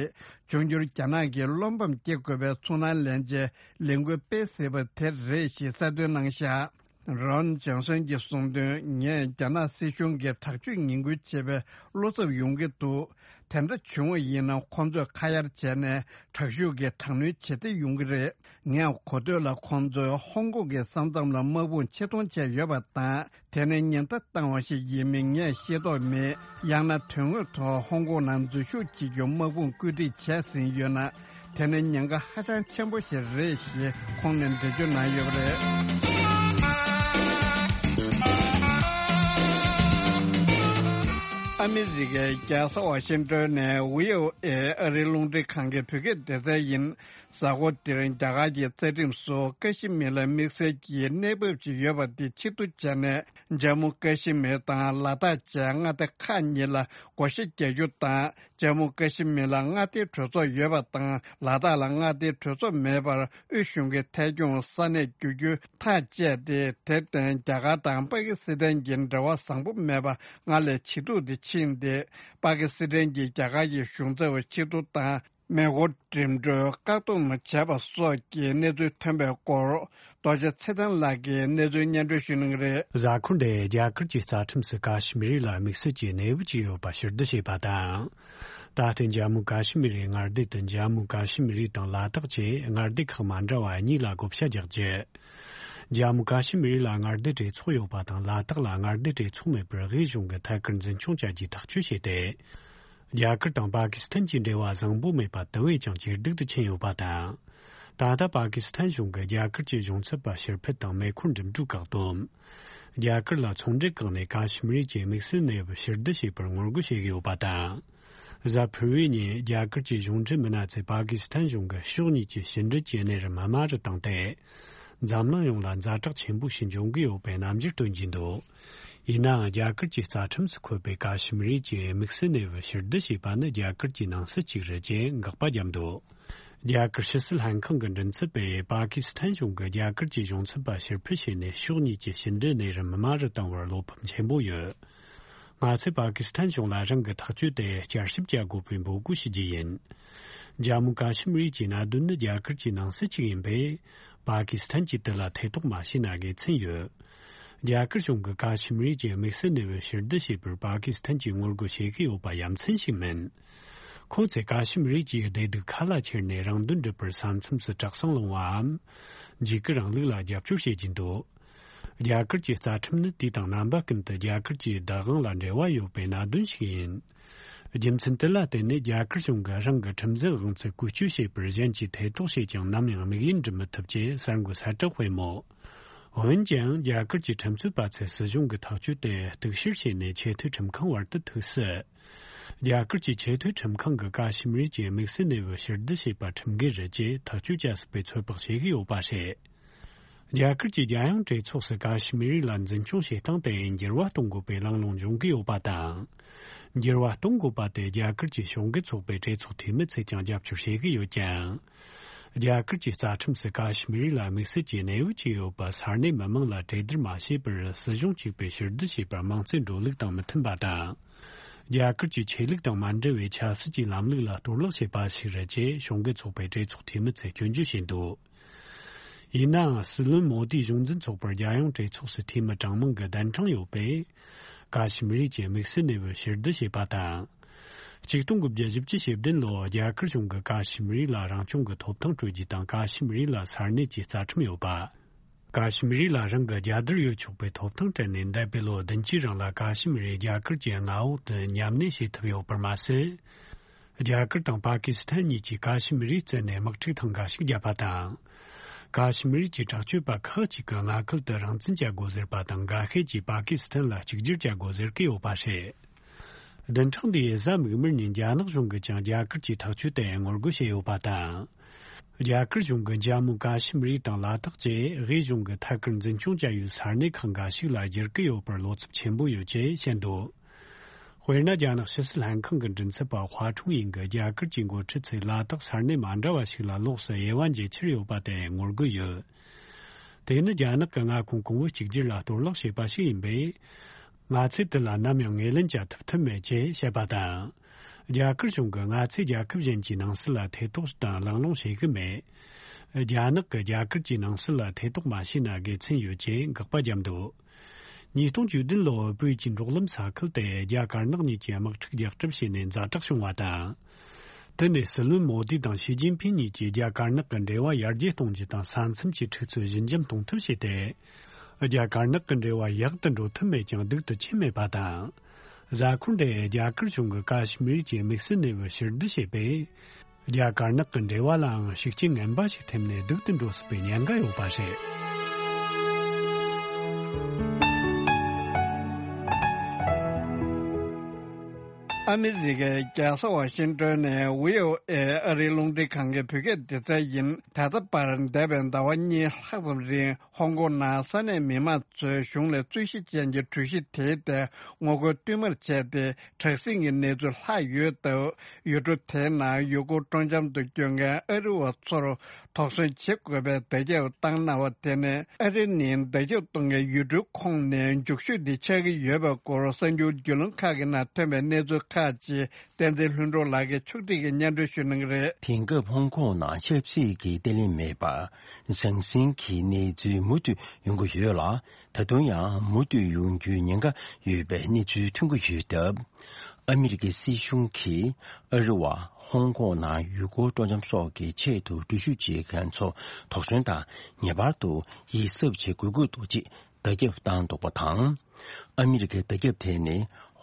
འབྱུང་འགྱུར་རྒྱ་ནག་གིས་བློ་ཕམ་སྐྱེ་དགོས་པའི་ཚོར་སྣང་ལེན་ཆེད་ལས་འགུལ་སྤེལ་སྲིད་པ་དེ་རེད་ཞེས་གསལ་སྟོན་གནང་བཞག་རོན་ཇོན་སན་གྱིས་གསུངས་དོན། ངས་རྒྱ་ནག་སྲིད་གཞུང་གིས་དྲག་སྤྱོད་ངན་སྐུལ་བྱེད་པའི་བློ་འཚབ་ཡོང་གི་འདུག་དེ་འདྲ་བྱུང་བ་ཡིན་ན། ཁོང་ཚོས་ཁ་གཡར་བྱས་ནས་དྲག་ཤུགས་ཀྱིས་དྲག་གནོན་བྱེད་བདེ་ཡོང་གི་རེད། ངས་གོ་ཐོས་ལ་ཁོང་ཚོས་ཧོང་ཀོང་གི་ས་མཚམས་ལ་དམག་དཔུང་ཆེད་གཏོང་བྱས་ཡོད་པ་དང་། དེ་ནི་ཉེན་བརྡ་བཏང་བ་ཞིག་ཡིན་མིན་ངས་ཤེས་རྟོགས་མེད། ཡང་ན་དོན་དངོས་ཐོག་ཧོང་ཀོང་ནང་འཛུལ་ཞུགས་བྱེད་རྒྱུ་དམག་དཔུང་བཀོད་སྒྲིག་བྱས་ཟིན་ཡོད་ན། དེ་ནི་ཉེན་ཁ་ཧ་ཅང་ཆེན་པོ་ཞིག་རེད་ཞེས་ཁོང་ནས་འགྲེལ་བརྗོད་གནང་ཡོད་པ་རེད། ཨ་མི་རི་ཀའི་རྒྱལ་ས་ཝ་ཤིང་ཏོན་ནས་བྷི་ཨོ་ཨེ་ཨ་རིའི་རླུང་འཕྲིན་ཁང་གི་བོད་སྐད་སྡེ་ཚན་ཡིན། གཟའ་འཁོར་འདིར་རྒྱ་གར་གྱི་རྩ་ཁྲིམས་སུ་ཀ་ཤི་མིར་ལ་དམིགས་བསལ་གྱི་གནས་བབ་ཅིག་ཡོད་པ་དེ་ཕྱིར་བསྡུ་བྱས་ནས། ཇམ་མུ་ཀ་ཤི་མིར་དང་ལ་དྭགས་བཅས་མངའ་སྡེ་ཁག་གཉིས་ལ་བགོ་བཤའ་རྒྱག་རྒྱུ་དང་། ཇམ་མུ་ཀ་ཤི་མིར་ལ་མངའ་སྡེའི་གྲོས་ཚོགས་ཡོད་པ་དང་། ལ་དྭགས་ལ་མངའ་སྡེའི་གྲོས་ཚོགས་མེད་པར་དབུས་གཞུང་གིས་ཐད་སྐྱོང་ས་གནས་བསྒྱུར་རྒྱུ་ཐག་བཅད་དེ། དེར་བརྟེན་རྒྱ་གར་དང་པ་ཀི་སི་ཐན་གྱི་འབྲེལ་བ་བཟང་པོ་མེད་པ་སྔར་ལས་ཇེ་སྡུག་ཏུ་ཕྱིན་ཏེ། པ་ཀི་སི་ཐན་གྱིས་རྒྱ་གར་གྱི་གཞུང་ཚབ་ཕྱིར་བསྡུ་དང་། མེ་འཁོར་འགྲིམ་འགྲུལ་བཀག་སྡོམ་བྱས་པ་སོགས་ཀྱི་གནས་ཚུལ་ཐོན་པའི་སྐོར། རྡོ་རྗེ་ཚེ་བརྟན་ལགས་ཀྱིས་གནས་ཚུལ་སྙན་སྒྲོན་ཞུ་གནང་གི་རེད། གཟའ་འཁོར་འདིར་རྒྱ་གར་གྱི་རྩ་ཁྲིམས་སུ་ཀ་ཤི་མིར་ལ་དམིགས་བསལ་གྱི་གནས་བབ་ཅིག་ཡོད་པ་ཕྱིར་བསྡུ་བྱས་པ་དང་། ད་ལྟའི་ཇམ་མུ་ཀ་ཤི་མིར་མངའ་སྡེ་དེ་ཇམ་མུ་ཀ་ཤི་མིར་དང་ལ་དྭགས་བཅས་མངའ་སྡེ་ཁག་མ་འདྲ་བ་གཉིས་ལ་བགོ་བཤའ་རྒྱག་རྒྱུ། ཇམ་མུ་ཀ་ཤི་མིར་ལ་མངའ་སྡེ་གྲོས་ཚོགས་ཡོད་པ་དང་། ལ་དྭགས་ལ་མངའ་སྡེ་གྲོས་ཚོགས་མེད་པར་དབུས་གཞུང་གིས་ཐད་ཀར་འཛིན་སྐྱོང་བྱ་རྒྱུའི་ཐག་གཅོད་བྱས་ཏེ། རྒྱ་གར་དང་པ་ཀི་སི་ཐན་གྱི་འབྲེལ་བ་བཟང་པོ་མེད་པ་དེ་བས་ཀྱང་ཇེ་སྡུག་ཏུ་ཕྱིན་ཡོད་པ་དང་། ད་ལྟ་པ་ཀི་སི་ཐན་གཞུང་གིས་རྒྱ་གར་གྱི་གཞུང་ཚབ་པ་ཕྱིར་འཕུད་དང་མེ་འཁོར་འགྲིམ་འགྲུལ་བཀག་སྡོམ། རྒྱ་གར་ལ་ཚོང་འབྲེལ་བཀག་ནས་ཀ་ཤི་མིར་གྱི་དམིགས་བསལ་གནས་བབ་ཕྱིར་བསྡུ་བྱས་པར་ངོ་རྒོལ་བྱེད་ཀྱི་ཡོད་པ་དང་། གཟའ་ཕུར་བུའི་ཉིན་རྒྱ་གར་གྱི་གཞུང་འབྲེལ་མི་སྣ་ཚོས་པ་ཀི་སི་ཐན་གཞུང་གིས་ཕྱོགས་གཉིས་ཀྱི་ཕྱི་འབྲེལ་གྱི་གནས་རིམ་དམའ་རུ་བཏང་སྟེ། འཛམ་གླིང་ཡོངས་ལ་ཛ་དྲག་ཆེན་པོ་ཞིག་འབྱུང་གི་ཡོད་པའི་རྣམ་འགྱུར་སྟོན་གྱིན་འདུག་ཡིན་ནའང་། རྒྱ་གར་གྱི་རྩ་ཁྲིམས་སུ་འཁོད་པའི་ཀ་ཤི་མིར་གྱི་དམིགས་བསལ་གནས་བབ་ཕྱིར་བསྡུ་བྱས་པ་ནི་རྒྱ་གར་གྱི་ནང་སྲིད་ཅིག་རེད་ཅེས་དགག་པ་བརྒྱབ་འདུག་རྒྱ་གར་ཕྱི་སྲིད་ལྷན་ཁང་གི་མགྲིན་ཚབ་པས་པ་ཀི་སི་ཐན་གཞུང་གིས་རྒྱ་གར་གྱི་གཞུང་ཚབ་པ་ཕྱིར་འཕུད་བྱས་ནས་ཕྱོགས་གཉིས་ཀྱི་ཕྱི་འབྲེལ་གནས་རིམ་དམའ་རུ་བཏང་བར་བློ་ཕམ་ཆེན་པོ་ཡོད། ང་ཚོས་པ་ཀི་སི་ཐན་གཞུང་ལ་རང་གི་ཐག་གཅོད་དེ་བསྐྱར་ཞིབ་བྱ་དགོས་པའི་འབོད་སྐུལ་ཞུ་རྒྱུ་ཡིན། ཇམ་མུ་ཀ་ཤི་མིར་གྱི་གནད་དོན་ནི་རྒྱ་གར་གྱི་ནང་སྲིད་ཅིག་ཡིན་པས། པ་ཀི་སི་ཐན་གྱིས་དེ་ལ་ཐེ་གཏོགས་མ་བྱས་ན་དགེ་མཚན་ཡོད། རྒྱ་གར་གཞུང་གིས་ཀ་ཤི་མིར་གྱི་དམིགས་བསལ་གནས་བབ་ཕྱིར་བསྡུ་བྱས་པར་པ་ཀི་སི་ཐན་གྱིས་ངོ་རྒོལ་བྱེད་ཀྱི་ཡོད་པ་ཡ་མཚན་ཞིག་མིན། ཁོང་ཚོས་ཀ་ཤི་མིར་གྱི་བདེ་སྡུག་ཁ་ལ་ཁྱེར་ནས་རང་དོན་སྒྲུབ་པར་ས་མཚམས་སུ་གྲྭ་ཚང་སློང་བའམ། འཇིགས་སྐུལ་རིང་ལུགས་ལ་རྒྱབ་སྐྱོར་བྱེད་ཀྱིན་འདུག་རྒྱ་གར་གྱི་རྩ་ཁྲིམས་ནི་དུས་དང་རྣམ་པ་ཀུན་ཏུ་རྒྱ་གར་གྱི་བདག་དབང་ལ་འབྲེལ་བ་ཡོད་པའི་གནད་དོན་ཞིག་ཡིན། རྒྱུ་མཚན་དེ་ལ་བརྟེན་ནས་རྒྱ་གར་གཞུང་གིས་རང་གི་ཁྲིམས་འཛིན་དབང་ཚད་བཀོལ་སྤྱོད་བྱེད་པར་གཞན་གྱིས་ཐེ་གཏོགས་བྱས་ཀྱང་ནམ་ཡང་དམིགས་ཡུལ་འགྲུབ་མི་ཐུབ་ཅེས་གསར་འགོད་གསལ་བསྒྲགས་སྤེལ་མོད། འོན་ཀྱང་རྒྱ་གར་གྱི་ཁྲིམས་རྩོད་པ་ཚོས་སྲིད་གཞུང་གི་ཐག་གཅོད་དེ་གཏུག་བཤེར་བྱས་ནས་ཆེས་མཐོའི་ཁྲིམས་ཁང་བར་དུ་ཐུག་སྲིད། རྒྱ་གར་གྱི་ཆེས་མཐོའི་ཁྲིམས་ཁང་གིས་ཀ་ཤི་མིར་གྱི་དམིགས་བསལ་གནས་བབ་ཕྱིར་བསྡུ་བྱས་པ་ཁྲིམས་འགལ་རེད་ཅེས་ཐག་གཅོད་བྱ་སྲིད་པའི་ཚོད་དཔག་བྱེད་ཀྱི་ཡོད་པ་རེད། རྒྱ་གར་གྱི་རྒྱལ་ཡོངས་གྲོས་ཚོགས་སུ་ཀ་ཤི་མིར་ལ་འཛིན་སྐྱོང་བྱེད་སྟངས་དེ་འགྱུར་བ་གཏོང་དགོས་པའི་གླེང་སློང་འབྱུང་གི་ཡོད་པ་དང་། འགྱུར་བ་གཏོང་དགོས་པ་དེ་རྒྱ་གར་གྱི་གཞུང་གི་ཚོགས་པའི་གྲོས་ཚོགས་འཐུས་མི་ཚོས་ཀྱང་རྒྱབ་སྐྱོར་བྱེད་ཀྱི་ཡོད་ཀྱང་། རྒྱ་གར་གྱི་རྩ་ཁྲིམས་སུ་ཀ་ཤི་མིར་ལ་དམིགས་བསལ་གྱི་གནས་བབ་ཅིག་ཡོད་པ་ས་གནས་མི་མང་ལ་གྲོས་བསྡུར་མ་བྱས་པར་སྲིད་གཞུང་གཅིག་པས་ཕྱིར་བསྡུ་བྱས་པར་མིང་རྩིས་འགྲོ་ལུགས་དང་མི་མཐུན་པ་དང་། རྒྱ་གར་གྱི་ཆོས་ལུགས་དང་མ་འབྲེལ་བའི་ཆབ་སྲིད་ཀྱི་ལམ་ལུགས་ལ་གཏོར་བརླག་བྱས་པ་ཞིག་རེད་ཅེས་གཞུང་གི་ཚོགས་པའི་གྲོས་ཚོགས་འཐུས་མི་ཚོས་སྐྱོན་བརྗོད་བྱས་འདུག་ཡིན་ནའང་། སྲིད་བློན་མོ་དིའི་གཞུང་འཛིན་ཚོགས་པར་རྒྱལ་ཡོངས་གྲོས་ཚོགས་སུ་འཐུས་མི་གྲངས་མང་གི་གདན་གྲངས་ཡོད་པས། ཀ་ཤི་མིར་གྱི་དམིགས་བསལ་གནས་བབ་ཕྱིར་བསྡུ་བྱས་པ་དང་། ཆིག་སྟོང་དགུ་བརྒྱ་བཞི་བཅུ་ཞེ་བདུན་ལོར་རྒྱ་གར་གཞུང་གིས་ཀ་ཤི་མིར་ལ་རང་སྐྱོང་གི་ཐོབ་ཐང་སྤྲོད་རྒྱུ་དང་། ཀ་ཤི་མིར་ལ་ས་གནས་ཀྱི་རྩ་ཁྲིམས་ཡོད་པ། ཀ་ཤི་མིར་ལ་རང་གི་རྒྱལ་དར་ཡོད་ཆོག་པའི་ཐོབ་ཐང་སྤྲད་ནས། འདས་པའི་ལོ་བདུན་ཅུའི་རིང་ལ་ཀ་ཤི་མིར་རྒྱ་གར་གྱི་མངའ་འོག་ཏུ་ཉམས་གནས་བྱེད་ཐུབ་ཡོད་པར་མ་ཟད། རྒྱ་གར་དང་པ་ཀི་སི་ཐན་གཉིས་ཀྱིས་ཀ་ཤི་མིར་རྩད་ནས་དམག་འཁྲུག་ཐེངས་འགའ་ཞིག་བརྒྱབ་པ་དང་། ཀ་ཤི་མིར་གྱི་དྲག་སྤྱོད་པ་ཁག་ཅིག་གི་མངའ་ཁུལ་དུ་རང་བཙན་བྱ་དགོས་ཟེར་བ་དང་། འགའ་ཤས་ཀྱིས་པ་ཀི་སི་ཐན་ལ་གཅིག་གྱུར་བྱ་དགོས་ཟེར་གྱི་ཡོད་པ་རེད། བདུན་ཕྲག་འདིའི་གཟའ་མིག་དམར་ཉིན་རྒྱ་ནག་གཞུང་གིས་ཀྱང་རྒྱ་གར་གྱི་ཐག་གཅོད་དེ་ངོ་རྒོལ་བྱས་ཡོད་པ་དང་། རྒྱ་གར་གཞུང་གིས་ཇམ་མུ་ཀ་ཤི་མིར་དང་ལ་དྭགས་བཅས་དབུས་གཞུང་གི་ཐད་ཀར་འཛིན་སྐྱོང་བྱ་ཡུལ་ས་གནས་ཁག་འགའ་ཞིག་ལ་བསྒྱུར་གྱི་ཡོད་པར་བློ་འཚབ་ཆེན་པོ་ཡོད་ཅེས་བཤད་འདུག་དཔེར་ན། རྒྱ་ནག་ཕྱི་སྲིད་ལྷན་ཁང་གི་མགྲིན་ཚབ་པ་ཧྭ་ཁྲུང་ཡིན་གྱིས་རྒྱ་གར་གྱི་འགོ་ཁྲིད་ཚོས་ལ་དྭགས་ས་གནས་མ་འདྲ་བ་ཞིག་ལ་ལོགས་སུ་དབྱེ་བ་འབྱེད་འཆར་ཡོད་པ་དེ་ངོ་རྒོལ་ཡོད། དེ་ནི་རྒྱ་ནག་གི་མངའ་ཁོངས་གོང་བུ་གཅིག་གྱུར་ལ་གཏོར་བརླག་བྱས་པ་ཞིག་ཡིན་པས། ང་ཚོས་དེ་ལ་ནམ་ཡང་ངོས་ལེན་བྱ་ཐུབ་ཐབས་མེད་ཅེས་བཤད་པ་དང་། རྒྱ་གར་གཞུང་གིས་ང་ཚོས་རྒྱལ་ཁབ་གཞན་གྱི་ནང་སྲིད་ལ་ཐེ་གཏོགས་དང་གླེང་སློང་བྱེད་ཀྱི་མེད། རྒྱ་ནག་གིས་རྒྱ་གར་གྱི་ནང་སྲིད་ལ་ཐེ་གཏོགས་མ་བྱས་ན་དགེ་མཚན་ཡོད་ཅེས་དགག་པ་བརྒྱབ་འདུག་ཉིས་སྟོང་བཅུ་བདུན་ལོར་བོད་ཀྱི་འབྲོག་ལམ་ས་ཁུལ་དེ་རྒྱ་དཀར་ནག་གཉིས་ཀྱིས་དམག་འཁྲུག་རྒྱག་གྲབས་བྱས་ནས་ཛ་དྲག་བྱུང་བ་དང་། དེ་ནས་སྲིད་བློན་མོ་དི་དང་ཞི་ཅིན་ཕིན་གཉིས་ཀྱིས་རྒྱ་དཀར་ནག་གི་འབྲེལ་བ་ཡར་རྒྱས་གཏོང་རྒྱུ་དང་། ས་མཚམས་ཀྱི་འཁྲུག་རྩོད་ཞི་འཇམ་གཏོང་ཐབས་བྱས་ཏེ། རྒྱ་དཀར་ནག་གི་འབྲེལ་བ་ཡག་ཏུ་འགྲོ་ཐུབ་མེད་ཀྱང་སྡུག་ཏུ་ཕྱིན་མེད་པ་དང་། གཟའ་འཁོར་འདིར་རྒྱ་གར་གཞུང་གིས་ཀ་ཤི་མིར་གྱི་དམིགས་བསལ་གནས་བབ་ཕྱིར་བསྡུ་བྱས་པས། རྒྱ་དཀར་ནག་གི་འབྲེལ་བ་ལའང་ཤུགས་རྐྱེན་ངན་པ་ཞིག་ཐེབས་ནས་སྡུག་ཏུ་འགྲོ་སྲིད་པའི་ཉེན་ཁ་ཡོད་པ་རེད། ཨ་མི་རི་ཀའི་རྒྱལ་ས་ཝ་ཤིང་ཏོན་ནས་བྷི་ཨོ་ཨེ་ཨ་རིའི་རླུང་འཕྲིན་ཁང་གི་བོད་སྐད་སྡེ་ཚན་ཡིན། ད་ལྟ་བར་འདས་པའི་ཟླ་བ་གཉིས་ལྷག་ཙམ་རིང་ཧོང་ཀོང་ནང་ས་གནས་མི་མང་ཚོས་གཞུང་ལ་རྩོད་གཞི་ཅན་གྱི་གྲོས་གཞི་དེའི་ཐད་ངོ་རྒོལ་བསྟུད་མར་བྱས་ཏེ། དྲག་ཟིང་གི་གནས་ཚུལ་ལྷག་ཡོད་སྟབས། ཡུལ་གྲུ་དེའི་ནང་ཡུལ་སྐོར་སྤྲོ་འཆམ་དུ་སྐྱོད་མཁན་ཨ་རི་བ་ཚོར་དོགས་ཟོན་བྱེད་དགོས་པའི་བརྡ་ཁྱབ་བཏང་གནང་བ་དེ་ནི། ཨ་རི་ནི་བརྡ་ཁྱབ་གཏོང་མཁན་ཡུལ་གྲུའི་ཁོངས་ནས་མཇུག་ཤོས་དེ་ཆགས་ཀྱི་ཡོད་པའི་སྐོར་གསར་འགྱུར་བརྒྱུད་ལམ་ཁག་གི་ནང་ཐོན་པའི་གནས་ཚུལ་ཁག་ཅིག་བསྟན་འཛིན་ལྷུན་གྲུབ་ལགས་ཀྱིས་ཕྱོགས་སྒྲིག་གིས་སྙན་སྒྲོན་ཞུ་གནང་གི་རེད། དེང་སྐབས་ཧོང་ཀོང་ནང་ཆབ་སྲིད་ཀྱི་བརྟན་ལྷིང་མེད་པ། ཟང་ཟིང་གི་གནས་ཚུལ་མུ་མཐུད་ཡོང་གི་ཡོད་ལ། ད་དུང་ཡང་མུ་མཐུད་ཡོང་རྒྱུའི་ཉེན་ཁ་ཡོད་པའི་གནས་ཚུལ་ཐོན་གྱི་ཡོད་སྟབས། ཨ་མི་རི་ཀའི་སྲིད་གཞུང་གིས་ཨ་རི་བ་ཧོང་ཀོང་ནང་ཡུལ་སྐོར་སྤྲོ་འཆམ་སོགས་ཀྱི་ཆེད་དུ་འགྲུལ་བཞུད་བྱེད་མཁན་ཚོ་དོགས་ཟོན་དང་ངེས་པར་དུ་ཡིད་གཟབ་བྱེད་དགོས་ཀྱི་འདུག་ཅེས་བརྡ་ཁྱབ་བཏང་འདུག་པ་དང་། ཨ་མི་རི་ཀའི་བརྡ་ཁྱབ་དེ་ནི་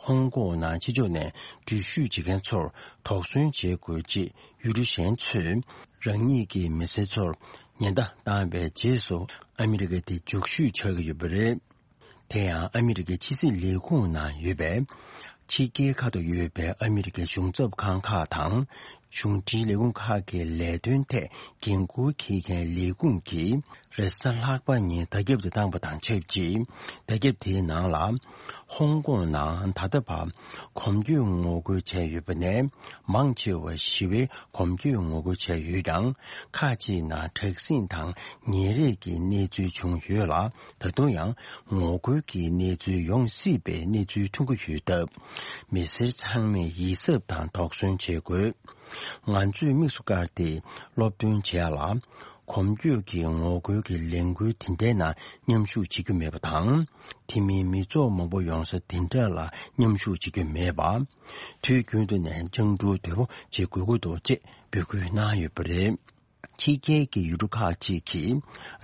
ཧོང་ཀོང་ནང་ཕྱི་ཕྱོགས་ནས་འགྲུལ་བཞུད་བྱེད་མཁན་ཚོར་དོགས་ཟོན་བྱེད་དགོས་ཅེས་ཡུལ་གྲུ་གཞན་ཚོས་རང་ཉིད་ཀྱི་མི་སེར་ཚོར་ཉེན་བརྡ་བཏང་བའི་རྗེས་སུ། ཨ་མི་རི་ཀ་དེ་མཇུག་ཤོས་ཆགས་ཀྱི་ཡོད་པ་རེད། དེ་ཡང་ཨ་མི་རི་ཀའི་ཕྱི་སྲིད་ལས་ཁུངས་ནང་ཡོད་པའི་ཕྱི་རྒྱལ་ཁག་ཏུ་ཡོད་པའི་ཨ་མི་རི་ཀའི་གཞུང་ཚབ་ཁང་ཁག་དང་། གཞུང་འབྲེལ་ལས་ཁུངས་ཁག་གི་ལས་དོན་ཐད་འགན་འཁུར་འཁྱེར་མཁན་ལས་ཁུངས་ཀྱིས་རེས་གཟའ་ལྷག་པ་ཉིན་བརྡ་ཁྱབ་དེ་བཏང་པ་དང་ཆབས་ཅིག་བརྡ་ཁྱབ་དེའི་ནང་ལ། ཧོང་ཀོང་ནང་ད་ལྟ་བར་གོམ་བགྲོད་ངོ་རྒོལ་བྱས་ཡོད་པ་ནས། མང་ཆེ་བ་ཞི་བའི་གོམ་བགྲོད་ངོ་རྒོལ་བྱས་ཡོད་ཀྱང་། ཁག་ཅིག་ནང་དྲག་ཟིང་དང་ཉེ་རེས་ཀྱི་གནས་ཚུལ་བྱུང་ཡོད་ལ། ད་དུང་ཡང་ངོ་རྒོལ་གྱི་གནས་ཚུལ་ཡོང་སྲིད་པའི་གནས་ཚུལ་ཐོན་གྱི་ཡོད་སྟབས། མི་སེར་ཚང་མས་ཡིད་གཟབ་དང་དོགས་ཟོན་བྱེད་དགོས། ང་ཚོས་དམིགས་སུ་བཀར་ཏེ་སློབ་སྟོན་བྱས་ལ། གོམ་བགྲོད་ཀྱི་ངོ་རྒོལ་གྱི་ལས་འགུལ་དེ་འདྲའི་ནང་མཉམ་ཞུགས་བྱེད་རྒྱུ་མེད་པ་དང་། དེ་མིན་མི་ཚོགས་མང་པོ་ཡོང་ས་དེ་འདྲ་ལ་མཉམ་ཞུགས་བྱེད་རྒྱུ་མེད་པ། དུས་རྒྱུན་དུ་ནས་སྤྱང་གྲུང་དོད་པོ་བྱེད་དགོས་ཀྱི་འདུག་ཅེས་འབོད་སྐུལ་གནང་ཡོད་པ་རེད། ཕྱི་རྒྱལ་གྱི་ཡུལ་གྲུ་ཁག་ཅིག་གིས་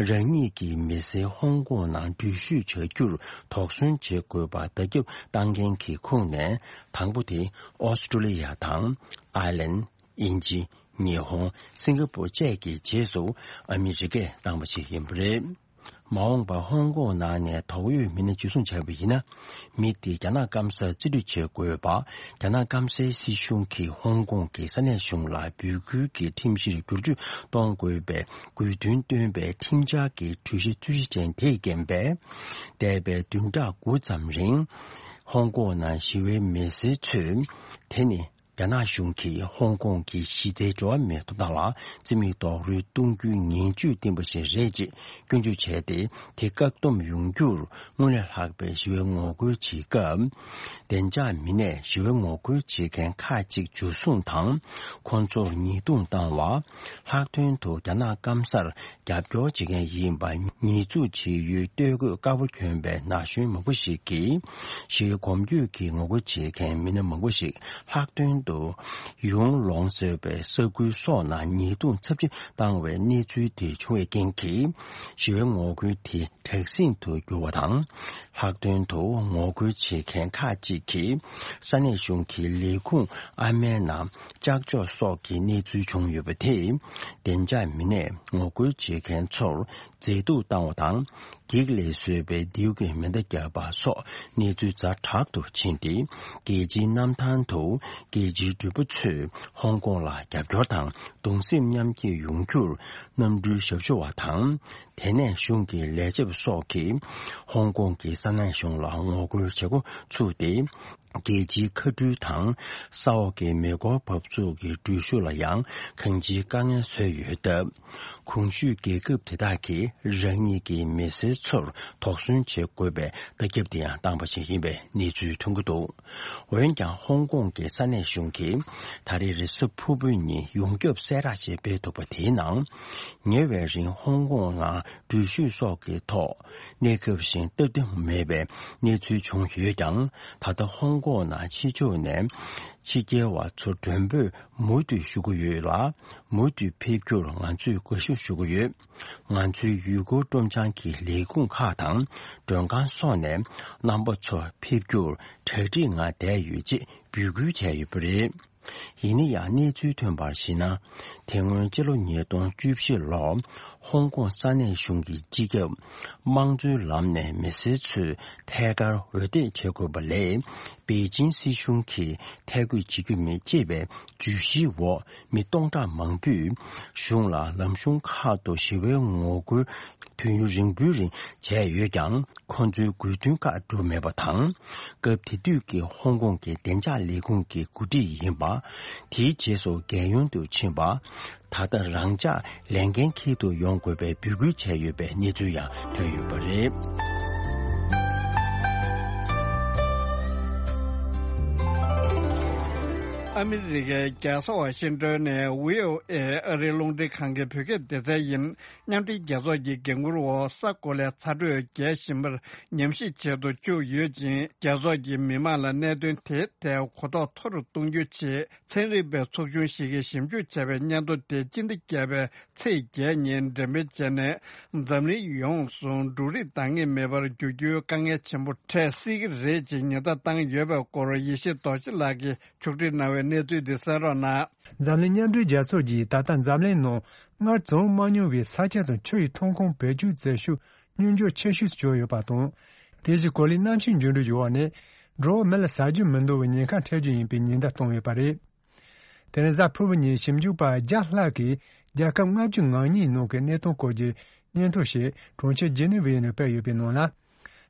རང་ཉིད་ཀྱི་མི་སེར་ཧོང་ཀོང་ནང་འགྲུལ་བཞུད་བྱ་རྒྱུར་དོགས་ཟོན་བྱེད་དགོས་པ་བརྡ་ཁྱབ་བཏང་མཁན་གྱི་ཁོངས་ནས། དང་པོ་དེ་ཨོ་སི་ཀྲོ་ལི་ཡ་དང་། ཨའི་ལན། དབྱིན་ཇི། ཉི་ཧོང་། སིང་ག་པོར་བཅས་ཀྱི་རྗེས་སུ་ཨ་མི་རི་ཀས་བཏང་བ་ཞིག་ཡིན་པ་རེད། མ་འོངས་པར་ཧོང་ཀོང་ནང་ནས་དོགས་ཡོད་མི་སྣ་འཇུ་བཟུང་བྱས་པ་ཡིན་ན། མི་དེ་རྒྱ་ནག་སྐམ་སར་རྩིས་སྤྲོད་བྱེད་དགོས་པ། རྒྱ་ནག་སྐམ་སའི་སྲིད་གཞུང་གིས་ཧོང་ཀོང་གི་ས་གནས་གཞུང་ལ་འབོད་སྐུལ་གྱི་ཁྲིམས་གཞིར་བསྒྱུར་བཅོས་གཏོང་དགོས་པའི་དགོས་འདུན་བཏོན་པའི་ཁྲིམས་འཆར་གྱི་གྲོས་གཞི་རྩོད་གཞི་ཅན་དེས་རྐྱེན་པས། འདས་པའི་བདུན་ཕྲག་དགུ་ཙམ་རིང་། ཧོང་ཀོང་ནང་ཞི་བའི་མི་སེར་ཚོས། དེ་ནི། རྒྱ་ནག་གཞུང་གིས་ཧོང་ཀོང་གི་གཞི་རྩའི་འགྲོ་བ་མིའི་ཐོབ་ཐང་ལ་རྩིས་མེད་རྡོག་རོལ་གཏོང་རྒྱུའི་ངན་ཇུས་བསྟན་པ་ཞིག་རེད་ཅེས་སྐྱོན་བརྗོད་བྱས་ཏེ། དེ་བཀག་སྡོམ་ཡོང་རྒྱུར་སྔོན་ལས་ལྷག་པའི་ཞི་བའི་ངོ་རྒོལ་བྱེད་སྐབས། བདེ་འཇགས་མི་སྣས་ཞི་བའི་ངོ་རྒོལ་བྱེད་མཁན་ཁག་ཅིག་འཇུ་བཟུང་དང་། ཁོང་ཚོར་ཉེས་རྡུང་བཏང་བ། ལྷག་དོན་དུ་རྒྱ་ནག་སྐམ་སར་རྒྱབ་སྐྱོར་བྱེད་མཁན་ཡིན་པ་ཉེས་འཛུགས་བྱེད་ཡུལ་སྟོད་གོས་དཀར་པོ་གྱོན་པའི་ན་གཞོན་མང་པོ་ཞིག་གིས། ཞི་བའི་གོམ་བགྲོད་ཀྱི་ངོ་རྒོལ་བྱེད་མཁན་མི་སྣ་མང་པོ་ཞིག་ལྷག་དོན་དུ། ཡུང་ལོང་ཟེར་བའི་ས་ཁུལ་སོགས་ནང་ཉེས་རྡུང་ཚབས་ཆེ་བཏང་བའི་གནས་ཚུལ་དེ་བྱུང་བའི་རྐྱེན་གྱིས། ཞི་བའི་ངོ་རྒོལ་དེ་དྲག་ཟིང་དུ་གྱུར་བ་དང་། ལྷག་དོན་དུ་ངོ་རྒོལ་བྱེད་མཁན་ཁག་ཅིག་གིས། ས་གནས་གཞུང་གི་ལས་ཁུངས་ཨ་མའི་ནང་ལྕགས་ཕྱོགས་སོགས་ཀྱི་གནས་ཚུལ་བྱུང་ཡོད་པ་དེས། བདེ་འཇགས་མི་སྣས་ངོ་རྒོལ་བྱེད་མཁན་ཚོར་མཛེས་སྡུག་བཏང་བ་དང་། འགྱིག་ལས་བཟོས་པའི་མདེའུ་གི་མེ་མདའ་བརྒྱབ་པ་སོགས་གནས་ཚུལ་ཛ་དྲག་ཏུ་ཕྱིན་ཏེ། རྒྱལ་སྤྱིའི་གནམ་ཐང་དུ་རྒྱལ་སྤྱིའི་འགྲུལ་པ་ཚོས་ཧོང་ཀོང་ལ་རྒྱབ་སྐྱོར་དང་གདུང་སེམས་མཉམ་སྐྱེད་ཡོང་རྒྱུར་གནམ་གྲུའི་ཞབས་ཞུ་བ་དང་། དེ་ནས་གཞུང་གི་ལས་བྱེད་པ་སོགས་ཀྱིས་ཧོང་ཀོང་གི་ས་གནས་གཞུང་ལ་ངོ་རྒོལ་བྱེད་འགོ་ཚུགས་ཏེ། རྒྱལ་སྤྱིའི་མཁའ་འགྲུལ་དང་ས་འོག་གི་མེ་འཁོར་འབབ་ཚུགས་ཀྱི་འགྲུལ་བཞུད་ལ་ཡང་གང་ཅིའི་དཀའ་ངལ་བཟོས་ཡོད་སྟབས། གོང་ཞུས་རྒྱལ་ཁབ་དེ་དག་གིས་རང་ཉིད་ཀྱི་མི་སེར་ཚོར་དོགས་ཟོན་བྱེད་དགོས་པའི་བརྡ་ཁྱབ་དེ་ཡང་བཏང་པ་ཞིག་ཡིན་པའི་གནས་ཚུལ་ཐོན་གྱི་འདུག། འོན་ཀྱང་ཧོང་ཀོང་གི་ས་གནས་གཞུང་གིས་ད་རེས་རེས་གཟའ་ཕུར་བུ་ཉིན་ཡོངས་ཁྱབ་གསལ་བསྒྲགས་ཤིག་སྤེལ་འདུག་པ། དེའི་ནང་ཉེ་བའི་རིང་ཧོང་ཀོང་ནང་འགྲུལ་བཞུད་སོགས་ཀྱི་ཐོག་གནས་སྐབས་བཞིན་སྟབས་བདེ་མེད་པའི་གནས་ཚུལ་བྱུང་ཡོད་ཀྱང་། ད་ལྟ་ཧོང་ཀོང་ནང་ཕྱི་ཕྱོགས་ནས་ཕྱི་རྒྱལ་བ་ཚོ་མགྲོན་འབོད་མུ་མཐུད་ཞུ་གི་ཡོད་ལ། མུ་མཐུད་ཕེབས་རྒྱུར་ང་ཚོས་དགའ་བསུ་ཞུ་གི་ཡོད། ང་ཚོའི་ཡུལ་སྐོར་སྤྲོ་འཆམ་གྱི་ལས་ཁུངས་ཁག་དང་མགྲོན་ཁང་སོགས་ནས་རྣམ་པ་ཚོ་ཕེབས་རྒྱུར་གྲ་སྒྲིག་ངང་བསྡད་ཡོད་ཅེས་འབོད་སྐུལ་བྱས་ཡོད་པ་རེད། ཡིན་ན་ཡང་གནས་ཚུལ་ཐོན་པར་གཞིགས་ན། དེ་སྔོན་སྤྱི་ལོ་ཉིས་སྟོང་བཅུ་བཞི་ལོར་ཧོང་ཀོང་ས་གནས་གཞུང་གི་སྤྱི་ཁྱབ་དམངས་གཙོའི་ལམ་ནས་མི་སེར་ཚོས་ཐད་ཀར་འོས་འདེམས་བྱེད་དགོས་པ་ལས། པེ་ཅིང་སྲིད་གཞུང་གིས་ཐད་བསྐོས་བྱེད་རྒྱུ་མེད་ཅེས་པའི་བརྗོད་གཞིའི་འོག་མི་སྟོང་ཕྲག་མང་པོས་གཞུང་ལ་ལམ་གཞུང་ཁག་ཏུ་ཞི་བའི་ངོ་རྒོལ་དུས་ཡུན་རིང་པོའི་རིང་བྱས་ཡོད་ཀྱང་། ཁོ་ཚོའི་དགོས་འདུན་ཁག་འགྲུབ་མེད་པ་དང་། སྐབས་དེ་དུས་ཀྱི་ཧོང་ཀོང་གི་བདེ་འཇགས་ལས་ཁུངས་ཀྱི་འགོ་ཁྲིད་ཡིན་པ། དེའི་རྗེས་སུ་རྒྱལ་ཡོངས་དུ་ཕྱིན་པ། ད་ལྟ་རང་འཇགས་ལས་འགན་འཁྱེར་དུ་ཡོང་དགོས་པའི་འབོད་སྐུལ་བྱས་ཡོད་པའི་གནས་ཚུལ་ཡང་ཐོན་ཡོད་པ་རེད། ཨ་མི་རི་ཀའི་རྒྱལ་ས་ཝ་ཤིང་ཏོན་ནས་བྷི་ཨོ་ཨེ་ཨ་རིའི་རླུང་འཕྲིན་ཁང་གི་བོད་སྐད་སྡེ་ཚན་ཡིན། མཉམ་འབྲེལ་རྒྱལ་ཚོགས་ཀྱི་འགན་འཁུར་འོག་ས་གོ་ལའི་ཚ་དྲོད་རྒྱས་བཞིན་པར་ཉམས་ཞིབ་བྱེད་དུ་བཅུག་ཡོད་ཅིང་། རྒྱལ་ཚོགས་ཀྱིས་མི་མང་ལ་གནད་དོན་དེའི་ཐད་གོ་རྟོགས་མཐོ་རུ་གཏོང་རྒྱུའི་ཆེད། ཚན་རིག་པའི་ཚོགས་ཆུང་ཞིག་གིས་ཞིབ་འཇུག་བྱས་པའི་སྙན་ཐོ་དེ་སྤྱི་ཟླ་བརྒྱད་པའི་ཚེས་བརྒྱད་ཉིན་འགྲེམས་སྤེལ་བྱས་ནས། འཛམ་གླིང་ཡོངས་སུ་འབྲུ་རིགས་འདང་ངེས་མེད་པར་འགྱུར་རྒྱུའི་དཀའ་ངལ་ཆེན་པོ་འཕྲད་སྲིད་ཀྱི་རེད་ཅེས་ཉེན་བརྡ་བཏང་ཡོད་པའི་སྐོར་ཡེ་ཤེས་རྡོ་རྗེ་ལགས་ཀྱིས་ཕྱོགས་སྒྲིག་གནང་བའི་གནས་ཚུལ་འདི་གསན་རོགས་གནང་། འཛམ་གླིང་མཉམ་འབྲེལ་རྒྱལ་ཚོགས་ཀྱིས་ད་ལྟ་འཛམ་གླིང་ནང་སྔར་བྱུང་མ་མྱོང་བའི་ས་ཆ་དང་ཆུ་ཡི་ཐོན་ཁུངས་བེད་སྤྱོད་མཛད་ཤུགས་སྙོམས་འཇུག་ཆེ་ཤོས་སུ་གྱུར་ཡོད་པ་དང་། དེ་བཞིན་གོ་ལའི་གནམ་གཤིས་འགྱུར་འགྲོས་ཀྱི་འོག་ནས་འགྲོ་བ་མི་ལ་ཟ་རྒྱུ་མི་འདང་བའི་ཉེན་ཁ་འཕྲད་རྒྱུ་ཡིན་པའི་ཉེན་བརྡ་བཏང་ཡོད་པ་རེད། དེ་རིང་གཟའ་ཕུར་བུ་ཉིན་ཞིབ་འཇུག་པ་བརྒྱ་ལྷག་གིས་རྒྱལ་ཁབ་ལྔ་བཅུ་ང་གཉིས་ནང་གི་གནས་སྟངས་སྐོར་གྱི་སྙན་ཐོ་ཞིག་གྲོང་ཁྱེར་ཇི་ནི་ཝའི་ནང་སྤེལ་ཡོད་པའི་ནང་ལ།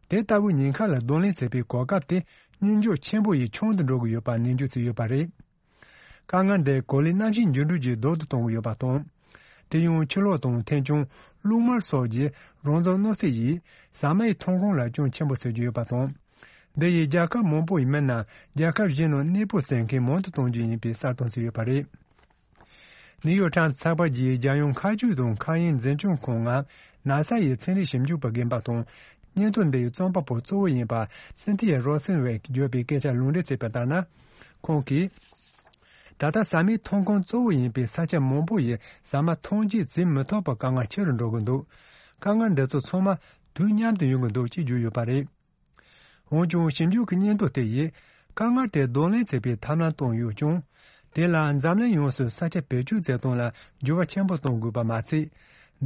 དེ་ལྟ་བུའི་ཉེན་ཁ་ལ་གདོང་ལེན་བྱེད་པའི་གོ་སྐབས་དེ་སྙོམས་འཇུག་ཆེན་པོ་ཡིས་ཆུང་དུ་འགྲོ་གི་ཡོད་པ་ནན་བརྗོད་བྱས་ཡོད་པ་རེད། དཀའ་ངལ་འདི་གོ་ལའི་གནམ་གཤིས་འགྱུར་འགྲོས་ཀྱིས་ཟློག་ཏུ་གཏོང་གི་ཡོད་པ་དང་། དེ་ཡང་ཆུ་ལོག་དང་ཐན་སྐྱོན། རླུང་དམར་སོགས་ཀྱི་རང་བཙོང་གནོད་འཚེ་ཡིས་ཟ་མ་ཡི་ཐོན་ཁུངས་ལ་སྐྱོན་ཆེན་པོ་བཟོ་གི་ཡོད་པ་དང་། འདི་ཡིས་རྒྱལ་ཁབ་མང་པོ་ཡི་མི་རྣམས་རྒྱལ་ཁབ་གཞན་ནང་གནས་སྤོ་བྱེད་མཁན་མང་དུ་གཏོང་རྒྱུ་ཡིན་པའི་གསལ་སྟོན་བྱས་ཡོད་པ་རེད། ནིའུ་ཡོག་ཊའིམ་ཚགས་པར་གྱིས་རྒྱལ་ཡོངས་མཁའ་སྤྱོད་དང་མཁའ་དབྱིངས་འཛིན་སྐྱོང་ཁང་ནང་ན་ས་ཡི་ཚན་རིག་ཞིབ་འཇུག་པ་རྒན་པ་དང་། སྙན་ཐོ་འདི་ཡི་རྩོམ་པ་པོ་གཙོ་བོ་ཡིན་པ་སིན་ཐི་ཡ་རོ་སན་ཝེག་གིས་བརྗོད་པའི་སྐད་ཆར་ལུང་འདྲེན་བྱས་པ་ལྟར་ན། ཁོང་གིས། ད་ལྟ་ཟ་མའི་ཐོན་ཁུངས་གཙོ་བོ་ཡིན་པའི་ས་ཆ་མང་པོ་ཡི་ཟ་མ་ཐོན་སྐྱེད་བྱེད་མི་ཐུབ་པར་དཀའ་ངལ་ཆེ་རུ་འགྲོ་གི་འདུག་དཀའ་ངལ་འདི་ཚོ་ཚང་མ་དུས་མཉམ་དུ་ཡོང་གི་འདུག་ཅེས་བརྗོད་ཡོད་པ་རེད། འོན་ཀྱང་ཞིབ་འཇུག་གི་སྙན་ཐོ་དེ་ཡིས་དཀའ་ངལ་དེ་གདོང་ལེན་བྱེད་པའི་ཐབས་ལམ་བཏོན་ཡོད་ཀྱང་། དེ་ལ་འཛམ་གླིང་ཡོངས་སུ་ས་ཆ་བེད་སྤྱོད་བྱེད་སྟངས་ལ་འགྱུར་བ་ཆེན་པོ་གཏོང་དགོས་པ་མ་ཚད།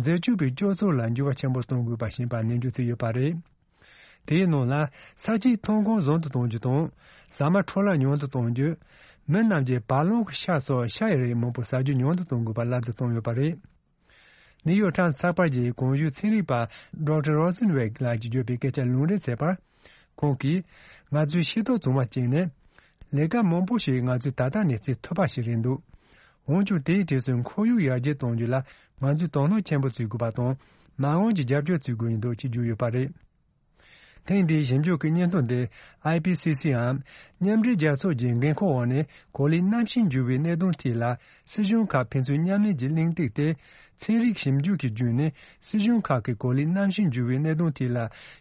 འཛད་སྤྱོད་པའི་སྤྱོད་ཚུལ་ལ་འགྱུར་བ་ཆེན་པོ་གཏོང་དགོས་པ་ཞིག་ཡིན་པ་ནན་བརྗོད་བྱས་ཡོད་པ་རེད། དེའི་ནང་ལ་ས་ཆའི་ཐོན་ཁུངས་བཟང་དུ་གཏོང་རྒྱུ་དང་། ཟ་མ་འཕྲོ་བརླག་ཉུང་དུ་གཏོང་རྒྱུ། མི་རྣམས་ཀྱིས་བར་ལོང་གི་ཤ་སོགས་ཤ་ཡི་རིགས་མང་པོ་ཟ་རྒྱུ་ཉུང་དུ་གཏོང་དགོས་པ་ལབ་སྟེ་བཏོན་ཡོད་པ་རེད། ནིའུ་ཡོག་ཊའིམ་ཚགས་པར་གྱི་གོང་ཞུས་ཚན་རིག་པ་ཌོག་ཊར་རོ་སན་ཝེག་ལགས་ཀྱིས་བརྗོད་པའི་སྐད་ཆར་ལུང་འདྲེན་བྱས་པར། ཁོང་གིས། ང་ཚོས་ཤེས་རྟོགས་བྱུང་བ་གཅིག་ནི། ལས་ཀ་མང་པོ་ཞིག་ང་ཚོས་ད་ལྟ་ནས་བྱེད་ཐུབ་པ་ཞིག་རེད་འདུག་འོན་ཀྱང་དེའི་གྲས་སུ་ཁོར་ཡུག་ཡར་རྒྱས་གཏོང་རྒྱུ་ལ་ང་ཚོས་དོ་སྣང་ཆེན་པོ་བྱེད་དགོས་པ་དང་། མ་འོངས་ཀྱི་རྒྱབ་སྐྱོར་བྱེད་དགོས་ཡིན་འདུག་ཅེས་བརྗོད་ཡོད་པ་རེད། ཐེངས་འདིའི་ཞིབ་འཇུག་གི་སྙན་ཐོ་འདི་ཨའི་པི་སི་སི་འམ་མཉམ་འབྲེལ་རྒྱལ་ཚོགས་ཀྱི་འགན་ཁུར་འོག་ནས་གོ་ལའི་གནམ་གཤིས་འགྱུར་བའི་གནད་དོན་ཐད་ལ་སྲིད་གཞུང་ཁག་ཕན་ཚུན་མཉམ་ལས་ཀྱི་གླེང་སྟེགས་ཏེ། ཚན་རིག་ཞིབ་འཇུག་གི་བརྒྱུད་ནས་སྲིད་གཞུང་ཁག་གིས་གོ་ལའི་གནམ་གཤིས་འགྱུར་བའི་གནད་དོན་ཐད་ལ་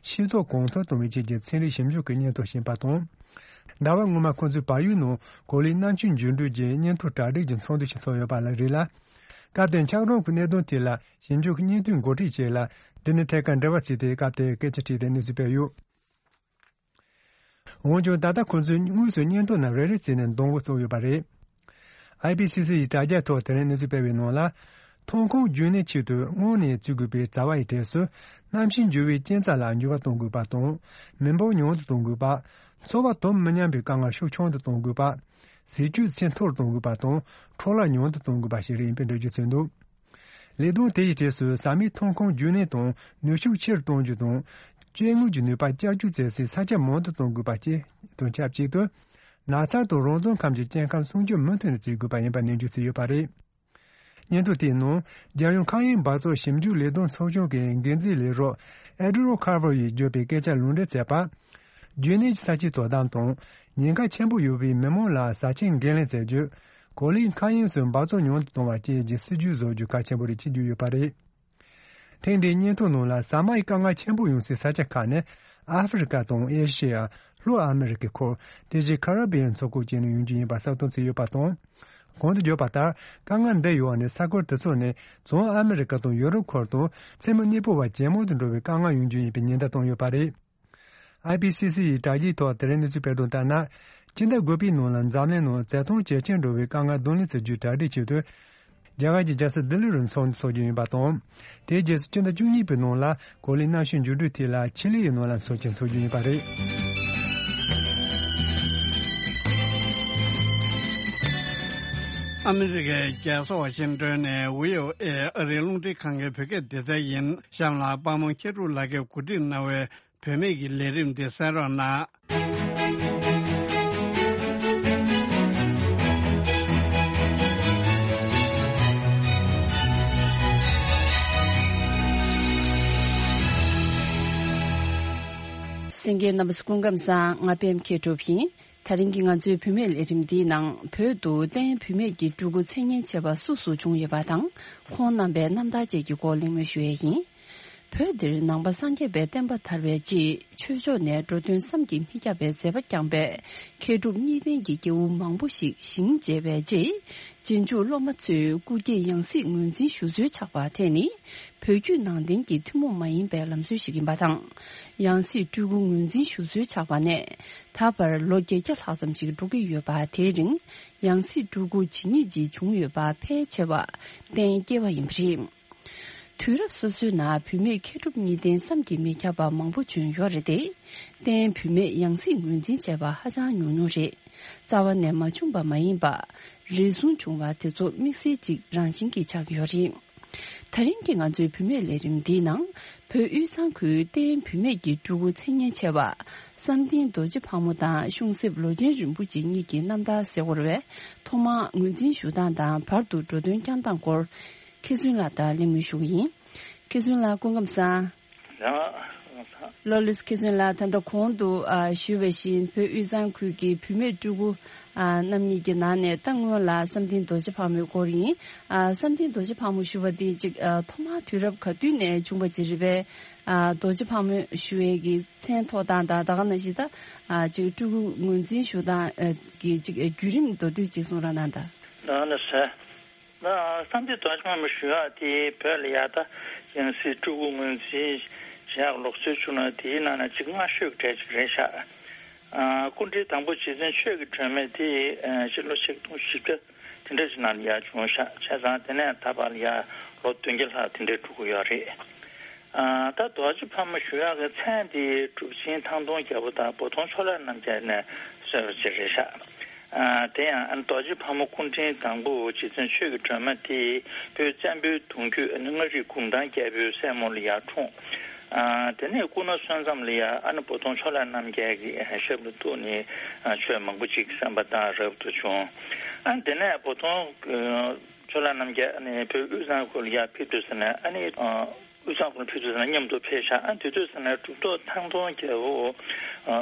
ཤེས་རྟོགས་གོང་མཐོར་གཏོང་བའི་ཆེད་ཀྱི་ཚན་རིག་ཞིབ་འཇུག་གི་སྙན་ཐོ་ཞིག་ཡིན་པ་དང་། ཟླ་བ་སྔོན་མ་ཁོང་ཚོས་བལ་ཡུལ་ནང་གོ་ལའི་གནམ་གཤིས་འགྱུར་འགྲོས་ཀྱི་སྙན་ཐོ་གྲ་སྒྲིག་གི་ཚོགས་འདུ་ཞིག་ཚོགས་ཡོད་པ་ལ་རེད་ལ། སྐབས་དེར་འཁྱགས་རོམ་གྱི་གནད་དོན་དེ་ལ་ཞིབ་འཇུག་གི་སྙན་ཐོའི་འགོ་ཁྲིད་ཅིག་ལ་འདི་ནས་ཐད་ཀར་འབྲེལ་བ་བྱས་ཏེ། སྐབས་དེར་སྐད་ཆ་དྲིས་ཏེ་གནས་ཚུལ་སྤེལ་ཡོད། འོན་ཀྱང་ད་ལྟ་ཁོ་ཚོས་དངོས་སུ་སྙན་ཐོ་རྣམས་རེ་རེ་བྱས་ནས་འདོན་འགོ་བཙུགས་ཡོད་པ་རེད། ཨའི་པི་སི་སི་ཡི་དྲ་རྒྱའི་ཐོག་དེ་རིང་གནས་ཚུལ་སྤེལ་བའི་ནང་ལ། ཐོན་ཁུངས་རྒྱུན་གནས་ཆེད་དུ་སྔོན་ནས་བརྩི་དགོས་པའི་བྱ་བ་ཡི་གྲས་སུ། གནམ་གཤིས་འགྱུར་བའི་རྐྱེན་རྩ་ལ་འགྱུར་བ་གཏོང་དགོས་པ་དང་། མི་འབོར་ཉུང་དུ་གཏོང་དགོས་པ། འཚོ་བ་དོ་མི་མཉམ་པའི་དཀའ་ངལ་ཤུགས་ཆུང་དུ་གཏོང་དགོས་པ། ཟས་བཅུད་ཚད་མཐོ་རུ་གཏོང་དགོས་པ་དང་། འཕྲོ་བརླག་ཉུང་དུ་གཏོང་དགོས་པ་ཞིག་རེད་ཡིན་པའི་འགྲེལ་བརྗོད་བྱས་འདུག་ལས་དོན་དེ་ཡི་གྲས་སུ་ཟ་མའི་ཐོན་ཁུངས་རྒྱུན་གནས་དང་ནུས་ཤུགས་ཆེ་རུ་གཏོང་རྒྱུ་དང་། སྐྱེ་དངོས་ཀྱི་ནུས་པ་བསྐྱར་བཅོས་བྱེད་སའི་ས་ཆ་མང་དུ་གཏོང་དགོས་པ་བཅས་དང་ཆབས་ཅིག་ཏུ། ནགས་ཚལ་དང་རང་བཙོང་ཁམས་ཀྱི་སྐྱེ་ཁམས་སྲུང་སྐྱོབ་མུ་མཐུད་ནས་བྱེད་དགོས་པ་ཡིན་པ་ནན་བརྗོད་བྱས་ཡོད་པ་རེད། སྙན་ཐོ་དེའི་ནང་རྒྱལ་ཡོངས་མཁའ་དབྱིངས་འབག་བཙོག་ཞིབ་འཇུག་ལས་དོན་ཚོགས་ཆུང་གི་འགན་འཛིན་ལས་རོགས་ཨེ་ཌི་རོ་ཁར་བར་ཡིས་བརྗོད་པའི་སྐད་ཆར་ལུང་འདྲེན་བྱས་པ། རྒྱུན་གནས་ཀྱི་ས་ཆའི་དོ་དམ་དང་། ཉེན་ཁ་ཆེན་པོ་ཡོད་པའི་མི་མང་ལ་བཟའ་ཆས་འགན་ལེན་བྱ་རྒྱུ། གོ་ལའི་མཁའ་དབྱིངས་སུ་འབག་བཙོག་ཉུང་དུ་གཏོང་བ་བཅས་ཀྱི་སྲིད་ཇུས་བཟོ་རྒྱུ་གལ་ཆེན་པོ་རེད་ཅེས་བརྗོད་ཡོད་པ་རེད། ཐེངས་འདིའི་སྙན་ཐོའི་ནང་ལ་ཟ་མ་ཡི་དཀའ་ངལ་ཆེན་པོ་ཡོང་སའི་ས་ཆ་ཁག་ནི་ཨ་ཧྥེ་རི་ཀ་དང་ཨེ་ཤེ་ཡ། ལྷོ་ཨ་མེ་རི་ཀའི་ཁུལ། དེ་བཞིན་ཁ་ར་བི་ཡན་མཚོ་ཁུལ་བཅས་ནས་ཡོང་རྒྱུ་ཡིན་པ་གསལ་སྟོན་བྱས་ཡོད་པ་དང་། གོང་དུ་བརྗོད་པ་ལྟར། དཀའ་ངལ་འདི་ཡོད་ནི་ས་ཁུལ་དེ་ཚོ་ནི་བྱང་ཨ་མེ་རི་ཀ་དང་ཡོ་རོབ་ཁུལ་དུ་མཚན་མོ་གནས་སྤོ་བ་ཇེ་མང་དུ་འགྲོ་བའི་དཀའ་ངལ་ཡོང་རྒྱུ་ཡིན་པའི་ཉེན་བརྡ་བཏང་ཡོད་པ་རེད། ཨའི་པི་སི་སི་ཡི་དྲ་རྒྱའི་ཐོག་དེ་རིང་གནས་ཚུལ་སྤེལ་དོན་ལྟར་ན། སྤྱི་ཟླ་དགུ་པའི་ནང་ལ་འཛམ་གླིང་ནང་བཙན་གཏོང་ཇེ་ཆེར་འགྲོ་བའི་དཀའ་ངལ་གདོང་ལེན་བྱ་རྒྱུའི་གྲ་སྒྲིག་ཆེད་དུ། རྒྱ་གར་གྱི་རྒྱལ་ས་ལྡི་ལི་རུ་ཚོགས་འདུ་འཚོགས་རྒྱུ་ཡིན་པ་དང་། དེའི་རྗེས་སུ་སྤྱི་ཟླ་བཅུ་གཉིས་པའི་ནང་ལ་གོ་ལའི་གནམ་གཤིས་འགྱུར་འགྲོས་ཐད་ལ་ཆི་ལི་ཡི་ནང་ལ་ཚོགས་ཆེན་འཚོགས་རྒྱུ་ཡིན་པ་རེད། ཨ་མི་རི་ཀའི་རྒྱལ་ས་ཝ་ཤིང་ཏོན་ནས་བྷི་ཨོ་ཨེ་ཨ་རིའི་རླུང་འཕྲིན་ཁང་གི་བོད་སྐད་སྡེ་ཚན་ཡིན། གཤམ་ལ་པདྨ་མཁས་གྲུབ་ལགས་ཀྱིས་གོ་སྒྲིག་གནང་བའི་བུད་མེད་ཀྱི་ལས་རིམ་འདི་གསན་རོགས་གནང་། གསན་མཁན་རྣམ་པ་ཚོ་སྐུ་ཁམས་བཟང་། ང་པད་མ་མཁས་གྲུབ་ཡིན། དེ་རིང་གི་ང་ཚོའི་བུད་མེད་ལས་རིམ་འདིའི་ནང་བོད་དུ་བསྟན་བུད་མེད་ཀྱི་སྤྲུལ་སྐུ་མཚན་སྙན་ཆེ་བ་སུ་སུ་བྱུང་ཡོད་པ་དང་། ཁོང་རྣམ་པའི་རྣམ་ཐར་བཅས་ཀྱི་སྐོར་གླེང་མོལ་ཞུ་ཡས་ཡིན། བོད་འདིར་ནང་པ་སངས་རྒྱས་པའི་བསྟན་པ་དར་བའི་རྗེས་ཆོས་ཕྱོགས་ནས་འགྲོ་དོན་བསམ་གྱིས་མི་ཁྱབ་པའི་མཛད་པ་བསྐྱངས་པའི་མཁས་གྲུབ་གཉིས་ལྡན་གྱི་སྐྱེ་བོ་མང་པོ་ཞིག་ཞིང་མཇལ་བའི་རྗེས། རྗེས་འཇུག་སློབ་མ་ཚོས་སྐུ་སྐྱེ་ཡང་སྲིད་ངོས་འཛིན་ཞུ་སྲོལ་ཆགས་པ་དེ་ནི་བོད་བརྒྱུད་ནང་བསྟན་གྱི་ཐུན་མོང་མ་ཡིན་པའི་ལམ་སྲོལ་ཞིག་ཡིན་པ་དང་། ཡང་སྲིད་སྤྲུལ་སྐུ་ངོས་འཛིན་ཞུ་སྲོལ་ཆགས་པ་ནས་ད་བར་ལོ་བརྒྱད་བརྒྱ་ལྷག་ཙམ་ཞིག་འགྲོ་གི་ཡོད་པ། དེའི་རིང་ཡང་སྲིད་སྤྲུལ་སྐུ་ཇི་སྙེད་ཅིག་བྱུང་ཡོད་པ་ཕལ་ཆེ་བ་གཏན་སྐྱེལ་བ་ཡིན་པ་རེད། དུས་རབས་སོ་སོའི་ནང་བུད་མེད་མཁས་གྲུབ་གཉིས་ལྡན་བསམ་གྱིས་མི་ཁྱབ་པ་མང་པོ་བྱོན་ཡོད་རེད་དེ། བསྟན་བུད་མེད་ཡང་སྲིད་ངོས་འཛིན་བྱས་པ་ཧ་ཅང་ཉུང་ཉུང་རེད། རྩ་བ་ནས་མ་བྱུང་པ་མ་ཡིན་པ། རེ་ཟུང་བྱུང་བ་དེ་ཚོ་དམིགས་བསལ་གཅིག་རང་བཞིན་གྱིས་ཆགས་ཡོད་རེད། དེ་རིང་གི་ང་ཚོའི་བུད་མེད་ལས་རིམ་འདིའི་ནང་བོད་དབུས་གཙང་ཁུལ་བསྟན་བུད་མེད་ཀྱི་སྤྲུལ་སྐུ་མཚན་སྙན་ཆེ་བ་བསམ་གཏན་རྡོ་རྗེ་ཕག་མོ་དང་གཤོང་གསེབ་ལོ་ཆེན་རིན་པོ་ཆེ་གཉིས་ཀྱི་རྣམ་ཐར་གསལ་བོར་བས་ཐོག་མར་ངོས་འཛིན་ཞུ་སྟངས་དང་བར་དུ་འགྲོ་དོན་བསྐྱངས་སྟངས་སྐོར། མཁས་བཙུན་ལགས་དང་གླེང་མོལ་ཞུ་གི་ཡིན། མཁས་བཙུན་ལགས་སྐུ་ཁམས་བཟང་། ལགས་སོ། ལགས་སོ། མཁས་བཙུན་ལགས། ད་ལྟ་གོང་དུ་ཨ་ཞུས་པ་བཞིན་བོད་དབུས་གཙང་ཁུལ་གྱི་བུད་མེད་སྤྲུལ་སྐུ་ཨ་རྣམ་གཉིས་ཀྱི་ནང་ནས་ད་སྔོན་ལ་བསམ་གཏན་རྡོ་རྗེ་ཕག་མོའི་སྐོར་ཡིན། ཨ་བསམ་གཏན་རྡོ་རྗེ་ཕག་མོ་ཞུ་བ་འདི་ཅིག་ཨ་ཐོག་མར་དུས་རབས་ག་དུས་ནས་བྱུང་བ་ཅིག་རེད་པས། ཨ་རྡོ་རྗེ་ཕག་མོ་ཞུ་ཡས་ཀྱི་མཚན་ཐོགས་སྟངས་དང་ད་ག་ནང་བཞིན་ད་ཨ་ཅིག་སྤྲུལ་སྐུ་ངོས་འཛིན་ཞུ་སྟངས་ཨ་གི་ཅིག་བརྒྱུད་རིམ་མདོར་བསྡུས་ཅིག་གསུང་རོགས་གནང་དང་། ལགས་སོ། ད་བསམ་གཏན་རྡོ་རྗེ་ཕག་མོ་ཞུ་ཡག་དེ་བོད་ལ་ཡ་ད་ཡང་སྲིད་སྤྲུལ་སྐུ་ངོས་འཛིན་བྱེད་ཡག་ལུགས་སྲོལ་བྱུང་ན་དེའི་ནང་ན་ཅིག་སྔ་ཤོས་གྲས་ཅིག་རེད་ཤག་ཨ་སྐུ་ཕྲེང་དང་པོ་རྗེ་བཙུན་ཆོས་ཀྱི་སྒྲོན་མེ་དེ་ཨ་སྤྱི་ལོ་ཆིག་སྟོང་བཞི་བརྒྱ་དེ་འདྲ་ཅིག་ནང་ལ་ཡ་བྱུང་ཤག་བྱས་ཙང་དེ་ནས་ད་བར་ལ་ཡ་ལོ་བདུན་བརྒྱ་ལྷག་དེ་འདྲ་འགྲོ་གི་ཡོད་རེད། ཨ་ད་རྡོ་རྗེ་ཕག་མོ་ཞུ་ཡག་གི་མཚན་དེ་གྲུབ་ཆེན་ཐང་སྟོང་རྒྱལ་པོ་དང་བོ་དོང་ཕྱོགས་ལས་རྣམ་རྒྱལ་ནས་གསོལ་བ་ཅིག་རེད་ཤག་ཨ་དེ་ཡང་ཨ་རྡོ་རྗེ་ཕག་མོ་སྐུ་ཕྲེང་དང་པོ་རྗེ་བཙུན་ཆོས་ཀྱི་སྒྲོན་མེ་དེ་བོད་བཙན་པོའི་གདུང་རྒྱུད་ཨ་ནི་མངའ་རིས་གུང་ཐང་རྒྱལ་པོའི་སྲས་མོ་ལ་ཡར་འཁྲུངས། ཨ་དེ་ནས་སྐུ་ན་གསོན་མཚམས་ལ་ཡ་ཨ་ནི་བོ་དོང་ཕྱོགས་ལས་རྣམ་རྒྱལ་གྱི་ཞབས་ལ་གཏུགས་ནས་ཨ་ཆོས་མང་པོ་ཅིག་གསན་པ་དང་རབ་ཏུ་བྱུང་། ཨ་དེ་ནས་བོ་དོང་ཕྱོགས་ལས་རྣམ་རྒྱལ་ཨ་ནི་བོད་དབུས་གཙང་ཁུལ་ལ་ཡ་ཕེབས་དུས་ཙམ་ནས་ཨ་ནི་ཨ། དབུས་གཙང་ཁུལ་ཕེབས་དུས་ཙམ་ལ་མཉམ་དུ་ཕེབས་ཤག་ཨ་དེ་དུས་ཙམ་ལ་གྲུབ་ཐོབ་ཐང་སྟོང་རྒྱལ་པོ་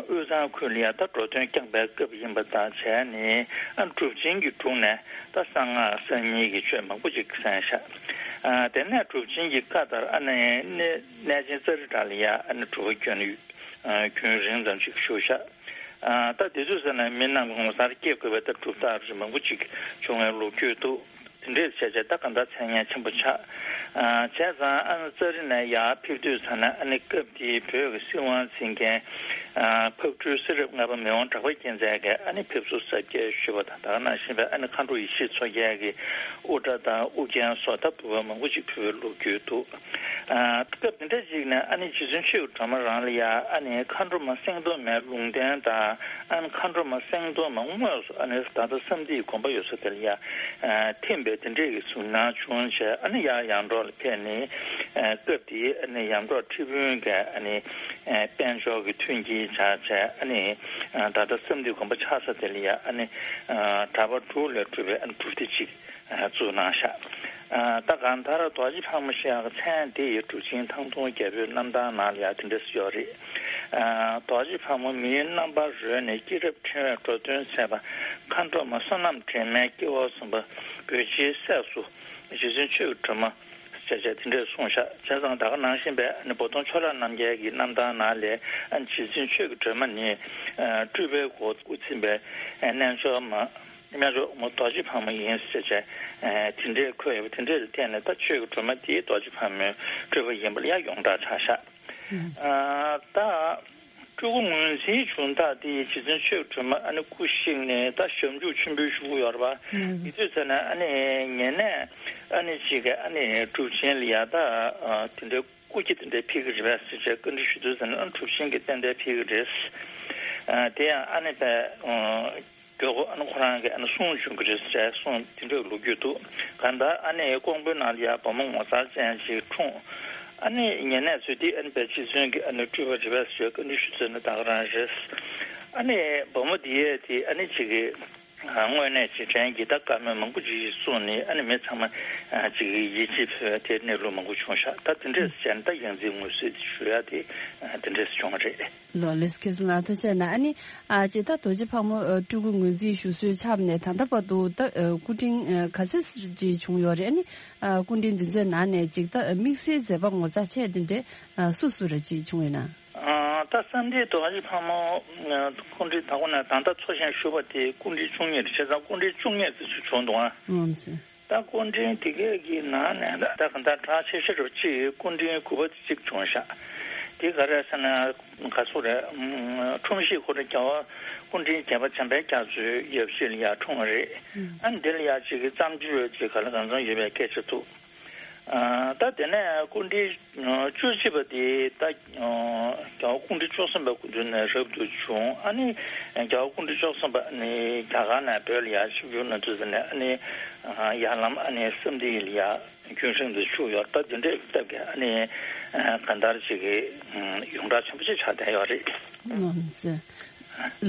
དབུས་གཙང་ཁུལ་ལ་ཡ་ད་འགྲོ་དོན་བསྐྱངས་པའི་སྐབས་ཡིན་པ་དང་བྱས་ནས་ཨ་གྲུབ་ཆེན་གྱི་དྲུང་ནས་ད་གསང་སྔགས་གསར་རྙིང་གི་ཆོས་མང་པོ་ཅིག་གསན་ཤག་ཨ་དེ་ནས་གྲུབ་ཆེན་གྱི་བཀའ་ལྟར་ཨ་ནི་གནས་གནས་ཆེན་ཙཱ་རི་ཊ་ལ་ཡ་ཨ་ནི་སྒྲུབ་པ་རྒྱུན་རིང་ཙམ་ཅིག་བཞུགས་ཤག་ཨ་ད་དེ་དུས་ཙམ་ལ་མི་རྣམས་ངོ་མཚར་སྐྱེ་དགོས་པའི་ད་གྲུབ་རྟགས་རིགས་མང་པོ་ཅིག་བྱུང་བའི་ལོ་རྒྱུས་འདུག་དེ་འདྲས་བྱས་བྱས་ད་གང་ལྟར་མཚན་སྙན་ཆེན་པོ་ཆགས། ཨ་བྱས་ཙང་ཨ་ནི་ཙཱ་རི་ནས་ཡར་ཕེབས་དུས་ཙམ་ན་ཨ་ནི་སྐབས་དེའི་བོད་ཀྱི་སྲིད་དབང་འཛིན་མཁན་ཨ་ཕག་གྲུའི་སྲིད་རབས་ལྔ་པ་མི་དབང་གྲགས་པ་རྒྱལ་མཚན་གྱིས་ཨ་ནི་ཕེབས་བསུ་གཟབ་རྒྱས་ཞུས་པ་དང་ད་ག་ནང་བཞིན་པའི་ཨ་ནི་མཁའ་འགྲོ་ཡེ་ཤེས་མཚོ་རྒྱལ་གྱིས་དབུ་སྐྲ་དང་དབུ་རྒྱན་སོགས་ད་འབུལ་བ་མང་པོ་ཅིག་ཕུལ་བའི་ལོ་རྒྱུས་འདུག་ཨ་སྐབས་དེ་འདྲ་ཅིག་ནས་ཨ་ནི་རྗེ་བཙུན་ཆོས་ཀྱི་སྒྲོན་མེ་རང་ལ་ཡ་ཨ་ནི་མཁའ་འགྲོ་མ་སེང་གདོང་མའི་ལུང་བསྟན་དང་ཨ་ནི་མཁའ་འགྲོ་མ་སེང་གདོང་མ་དངོས་སུ་ཨ་ནི་ད་ལྟ་བསམ་གཏན་དགོན་པ་ཡོད་ས་དེ་ལ་ཡ་ཨ་ཐིམ་པའི་དེ་འདྲས་ཀྱི་གཟིགས་སྣང་བྱུང་བྱས་ཨ་ནི་ཡར་ཡར་འབྲོག་ལ་ཕེབས་ནས་ཨ་སྐབས་དེའི་ཨ་ནི་ཡར་འབྲོག་ཁྲི་དཔོན་གྱི་ཨ་ནི་ཨ་དཔལ་འབྱོར་གྱི་མཐུན་རྐྱེན་བྱས་བྱས་ཨ་ནི་ཨ་ད་ལྟ་བསམ་གཏན་དགོན་པ་ཆགས་ས་དེ་ལ་ཡ་ཨ་ནི་ཨ་གྲྭ་པ་དྲུག་ལས་གྲུབ་པའི་ཨ་ནི་སྒྲུབ་སྡེ་གཅིག་བཙུགས་གནང་ཤག་ཨ་ད་གང་ལྟར་རྡོ་རྗེ་ཕག་མོ་ཞེས་པའི་མཚན་དེ་ཡི་གྲུབ་ཆེན་ཐང་སྟོང་རྒྱལ་པོའི་རྣམ་ཐར་ནང་ལ་ཡང་དེ་འདྲ་ཡོད་རེད། ཨ་རྡོ་རྗེ་ཕག་མོ་མིའི་རྣམ་པར་རོལ་ནས་སྐྱེས་རབས་ཕྲེང་བའི་འགྲོ་དོན་མཛད་པ་མཁའ་འགྲོ་མ་བསོད་ནམས་དྲན་མེད་སྐྱེ་བ་གསུམ་པ་བོད་རྗེའི་སྲས་སུ་རྗེ་བཙུན་ཆོས་ཀྱི་སྒྲོན་མ་ཞེས་བྱས་དེ་འདྲས་གསུངས་ཤག་བྱས་ཙང་ད་ག་ནང་བཞིན་པའི་ཨ་ནི་བོ་དོང་ཕྱོགས་ལས་རྣམ་རྒྱལ་གྱི་རྣམ་ཐར་ནང་ལས་ཨ་ནི་རྗེ་བཙུན་ཆོས་ཀྱི་སྒྲོན་མ་ནི་ཨ་སྤྲུལ་པའི་སྒོ་དབུ་འཛིན་པའི་ཨ་རྣལ་འབྱོར་མ། རྣལ་འབྱོར་མ་རྡོ་རྗེ་ཕག་མོ་ཡིན་ཟེར་བྱས་དེ་འདྲའི་འཁོད་ཡོད་པ་དེ་འདྲའི་ཐད་ནས་ད་ཆོས་ཀྱི་སྒྲོན་མ་དེའི་རྡོ་རྗེ་ཕག་མོའི་སྤྲུལ་པ་ཡིན་པ་ལ་ཡང་ཡོངས་གྲགས་ཆགས་ཤག་ཨ་ད་ སྤྲུལ་སྐུ་ངོས་འཛིན་བྱུང་ཐག་དེ་རྗེ་བཙུན་ཆོས་སྒྲོན་མ་ཨ་ནི་སྐུ་གཤེགས་ནས་ད་ཞབས་འཇུག་ཆེན་པོའི་གཞུག་གུ་ཡོད་རེད་པ། ཨུམ། དེ་དུས་ཙམ་ན་ཨ་ནི་ཉེ་གནས་ཨ་ནི་གཅིག་གི་ཨ་ནི་གྲུབ་ཆེན་ལ་ཡ་ད་དེ་འདྲའི་སྐུ་སྐྱེ་དེ་འདྲའི་ཕེབས་ཀྱི་རེད་པས་ཟེར་བྱས་བཀའ་འདྲི་ཞུ་དུས་ཙམ་ན་ཨ་ནི་གྲུབ་ཆེན་གྱིས་ཏན་ཏན་ཕེབས་ཀྱི་རེད། དེ་ཡང་ཨ་ནི་པས། མགྱོགས་པོ་ཨ་ནི་ཁོ་རང་གིས་ཨ་ནི་གསུང་བྱུང་གི་རེད་ཟེར་གསུང་དེ་འདྲའི་ལོ་རྒྱུས་འདུག་གང་ལྟར་ཨ་ནི་ཀོང་པོའི་ནང་ལ་ཡ་བུ་མོ་ངོ་མཚར་ཅན་ཞིག་འཁྲུངས། ཨ་ནི་ཉེ་གནས་ཚོས་དེ་ཨ་ནི་པས་རྗེ་བཙུན་གྱི་ཨ་ནི་སྤྲུལ་པ་རེད་པས་ཟེར་བཀའ་འདྲི་ཞུ་ཚུལ་ནི་ད་ག་རང་རེད། ཨ་ནི་བུ་མོ་དེ་ཡས་དེ་ཨ་ནི་ཅིག་གི་དངོས་གནས་ཅིག་དྲན་གྱི་ད་བཀའ་མོལ་མང་པོ་ཅིག་གསུངས་ནས་ཨ་ནི་མི་ཚང་མ་ཅིག་གི་ཡིད་ཆེས་ཕུལ་བ་དེ་གནས་ལུགས་མང་པོ་བྱུང་ཤག་ད་དེ་འདྲས་བྱས་ན་ད་ཡང་རྩིས་ངོས་བཟུང་ཞུ་ཡ་དེ་དེ་འདྲས་བྱུང་བ་རེད། ལོ་ལེགས་ཁྱེད་ཚོ་ལ་ཐུགས་རྗེ་གནང་། ཨ་ནི་ཨ་ཅེ་ད་རྡོ་རྗེ་ཕག་མོ་ཨ་སྤྲུལ་སྐུ་ངོས་འཛིན་ཞུ་སྲོལ་ཆགས་ནས་ད་ལྟ་བར་དུ་ད་ཨ་སྐུ་ཕྲེང་ཨ་ག་ཚད་ཅིག་བྱུང་ཡོད་རེད། ཨ་ནི་ཨ་སྐུ་ཕྲེང་འདི་ཚོའི་ནང་ནས་ཅིག་ད་ཨ་དམིགས་བསལ་མཛད་པ་ངོ་མཚར་ཆེ་དེ་འདྲས་ཨ་སུ་སུ་རེ་ཅིག་བྱུང་ཡོད་ན། ཨ་ད་བསམ་གཏན་རྡོ་རྗེ་ཕག་མོ་ཨ་སྐུ་ཕྲེང་ད་གོ་ན་ད་ལྟ་འཚོ་ཞིང་བཞུགས་པ་དེ་སྐུ་ཕྲེང་བཅུ་གཉིས་རེད། བྱས་ཙང་སྐུ་ཕྲེང་བཅུ་གཉིས་ཙམ་ཅིག་བྱུང་འདུག་ཨ། ཨང་ཟེར། ད་སྐུ་ཕྲེང་དེ་གའི་གི་ནང་ནས་ད་གང་ལྟར་གྲགས་ཆེ་ཤོས་རུ་གཅིག་སྐུ་ཕྲེང་དགུ་པ་དེ་གཅིག་བྱུང་ཤག་དེ་ག་རེ་ཟེར་ན་ག་ཚོད་རེད། ཨུམ། འཁྲུངས་གཞིས་ཁོ་རང་རྒྱལ་བ་སྐུ་ཕྲེང་བརྒྱད་པ་འཇམ་དཔལ་རྒྱ་མཚོའི་ཡབ་གཞིས་ལ་ཡར་འཁྲུངས་པ་རེད། ཨ་འདི་ལ་ཡར་གཅིག་གི་བརྩམས་ཆོས་ཅིག་ག་ལ་གང་འཚམ་ཡོད་པའི་སྐད་ཆ་འདུག་ཨ་ད་དེ་ནས་སྐུ་ཕྲེང་བཅུ་གཅིག་པ་དེ་ད་རྒྱལ་བ་སྐུ་ཕྲེང་བཅུ་གསུམ་པ་སྐུ་མདུན་ནས་རབ་ཏུ་བྱུང་། ཨ་ནི་རྒྱལ་བ་སྐུ་ཕྲེང་བཅུ་གསུམ་པ་ནི་རྒྱ་གར་ནས་བོད་ལ་ཡར་ཆིབས་བསྒྱུར་གནང་དུས་ཙམ་ནས་ཨ་ནི་ཡར་ལམ་ཨ་ནི་བསམ་གཏན་ལ་ཡར་རྒྱུན་རིང་དུ་བཞུགས་ཡོད། ད་དེ་འདྲའི་སྟབས་ཀྱིས་ཨ་ནི་གང་ལྟར་ཅིག་གི་ཡོངས་གྲགས་ཆེན་པོ་ཅིག་ཆགས་བསྡད་ཡོད་རེད།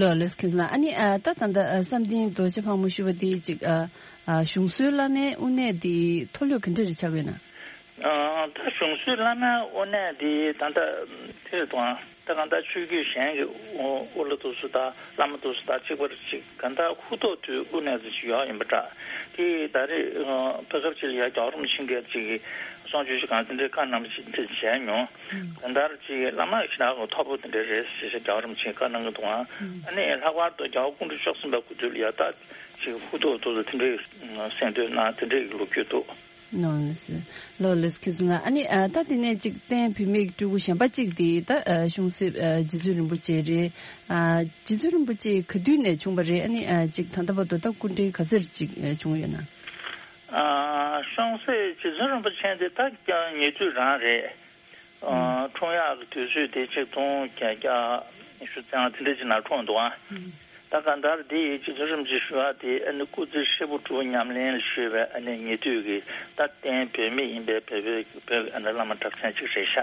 ལོ་ལེགས་ཁྱེད་ལ། ཨ་ནི་ཨ་ད་ད་ལྟ་ཨ་བསམ་གཏན་རྡོ་རྗེ་ཕག་མོ་ཞུ་བ་དེ་ཅིག་ཨ་ཨ་གཞུང་སྲོལ་བླ་མའི་དབུ་གནས་དེ་མཐོ་ལོས་ག་འདྲ་རེ་ཆགས་ཡོད་ན། ཨ་ད་གཞུང་སྲོལ་བླ་མའི་དབུ་གནས་དེ་ད་ལྟ་དེ་རེད་དང་ད་གང་ལྟར་ཆོས་བརྒྱུད་གཞན་གྱི་དབུ་བླ་དེ་ཚོ་དང་བླ་མ་དེ་ཚོ་དང་གཅིག་པ་རེད། ཅིག་གང་ལྟར་ཧུར་ཐག་ཏུ་དབུ་གནས་དེ་ཅིག་ཡོད་ཡིན་པ་འདྲ། དེ་ད་རེས་ཨ་བོད་སྐབས་ཅིག་ལ་ཡ་རྒྱལ་བ་རིན་པོ་ཆེ་གིས་ཅིག་གསུང་ཆོས་ཞུ་གང་དེ་འདྲའི་བཀའ་གནང་བ་ཅིག་དེ་བྱས་མྱོང་། གང་ལྟར་ཅིག་བླ་མ་ཞེ་དྲག་གི་མཐོ་པོ་དེ་འདྲ་རེད་ཟེར་བྱས་རྒྱལ་བ་རིན་པོ་ཆེས་བཀའ་གནང་གི་འདུག་ཨང་། ཨ་ནི་ལྷག་པར་དུ་རྒྱལ་བ་སྐུ་ཕྲེང་བཅུ་གསུམ་པའི་སྐུ་དུས་ལ་ཡ་ད་ཅིག་ཧུར་ཐག་ཏུ་དེ་འདྲའི་གསན་ཐོས་གནང་དེ་འདྲའི་ལོ་རྒྱུས་འདུག་ནོ་ལེ་སི། ལོ་ལེ་སི་ཁྱེད་ཚོ་ན། ཨ་ནི་ཨ་ད་དེ་ནས་ཅིག་རྟེན་བུད་མེད་སྤྲུལ་སྐུ་གཞན་པ་ཅིག་དེ་ད་ཨ་གཞུང་སྲིད་ཨ་རྗེ་བཙུན་རིན་པོ་ཆེ་རེད། ཨ་རྗེ་བཙུན་རིན་པོ་ཆེ་ག་དུས་ནས་བྱུང་བ་རེད། ཨ་ནི་ཨ་ཅིག་ད་ལྟ་བར་དུ་ད་སྐུ་ཕྲེང་ག་ཚོད་ཅིག་ཨ་བྱུང་ཡོད་ན། ཨ་གཞུང་སྲིད་རྗེ་བཙུན་རིན་པོ་ཆེ་དེ་ད་ཀྱང་ཉེ་དུས་རང་རེད། ཨ་འཁྲུངས་ཡག་གི་དུས་ཚོད་དེ་ཆིག་སྟོང་བརྒྱད་བརྒྱ་ཉི་ཤུ་རྩ་ལྔ་དེ་འདྲ་ཅིག་ནང་འཁྲུངས་འདུག་ཨ། ད་གང་ལྟར་དེ་ཡི་རྗེ་བཙུན་རིན་པོ་ཆེ་ཞུ་བ་དེ་ཨ་ནི་སྐུ་ཚེ་ཧྲིལ་པོ་སྒྲུབ་པ་ཉམས་ལེན་ལ་གཞོལ་བའི་ཨ་ནི་ཉེ་དུས་ཀྱི་ད་རྟེན་བུད་མེད་ཡིན་པའི་བོད་པའི་བོད་ཀྱི་ཨ་ནི་བླ་མ་གྲགས་ཅན་ཅིག་རེད་ཤག་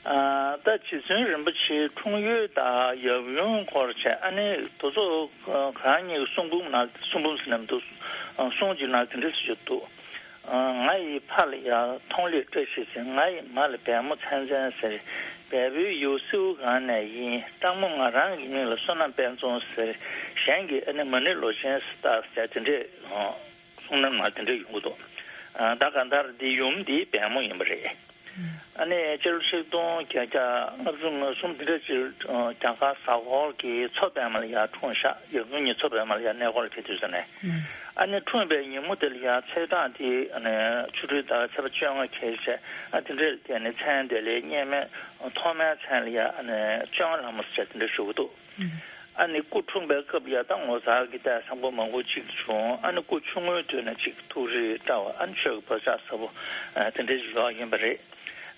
ཨ་ད་རྗེ་བཙུན་རིན་པོ་ཆེའི་འཁྲུངས་ཡུལ་དང་ཡབ་ཡུམ་སྐོར་བྱས་ཨ་ནི་དེ་ཚོ་གང་ཉིད་ཀྱི་གསུང་འབུམ་ནང་གསུང་འབུམ་ཟེར་ན་མི་འདུག་གསུང་ཅིག་ནང་དེ་འདྲ་ཞིག་འདུག་ང་ཡི་ཕ་ལ་ཡ་མཐོང་ལེགས་བཀྲ་ཤིས་ཟེར། ང་ཡི་མ་ལ་བལ་མོ་ཚན་ཚན་ཟེར། བལ་པོའི་ཡུལ་སེའུ་སྒང་ནས་ཡིན། སྤྲང་མོ་ང་རང་གི་མིང་ལ་བསོད་ནམས་དཔལ་འཛོམས་ཟེར། གཞན་གྱིས་ཨ་ནི་མ་ཎི་ལོ་ཆེན་ཟེར་ད་ཟེར་དེ་འདྲས་གསུང་ནམ་ང་དེ་འདྲས་ཡོང་གི་འདུག་ད་ག་མཐར་འདི་ཡུམ་འདི་བལ་མོ་ཡིན་པ་རེད། ཨ་ནི་སྤྱི་ལོ་ཆིག་སྟོང་བརྒྱད་བརྒྱ་ལྔ་བཅུ་ང་གསུམ་འདི་འདྲ་ཅིག་རྒྱ་གར་གཟའ་འཁོར་གྱི་མཚོ་པདྨ་ལ་ཡར་འཁྲུངས་ཤག་ཡབ་ཡུམ་གཉིས་མཚོ་པདྨ་ལ་ཡར་གནས་སྐོར་ལ་ཕེབས་དུས་ཙམ་ནས། ཨ་ནི་འཁྲུངས་པའི་ཉིན་མོ་དེ་ལ་ཡར་ཚེས་གྲངས་དེ་ཨ་ནི་ཆོ་འཕྲུལ་ཟླ་བའི་ཚེས་པ་བཅོ་ལྔ་ཁེལ་བྱས་ཨ་དེ་འདྲའི་དེ་ནི་མཚན་དེ་ལས་སྙེ་མའི་ཐོག་མའི་མཚན་ལ་ཡར་ཨ་ནི་བཅོ་ལྔ་ལྷ་མོ་ཟེར་བྱས་དེ་འདྲ་ཞུ་གི་འདུག་ཨ་ནི་སྐུ་འཁྲུངས་པའི་སྐབས་ལ་ཡ་ད་ངོ་མཚར་གྱི་ལྟས་བཟང་པོ་མང་པོ་ཅིག་བྱུང་། ཨ་ནི་སྐུ་ཆུང་ངུའི་དུས་ནས་ཅིག་ཐུགས་རིག་བཀྲ་བ་ཨ་ནི་ཆོས་ཀྱི་བག་ཆགས་ཟབ་པོ་ཨ་དེ་འདྲའི་ཡོག་ཡིན་པ་རེད།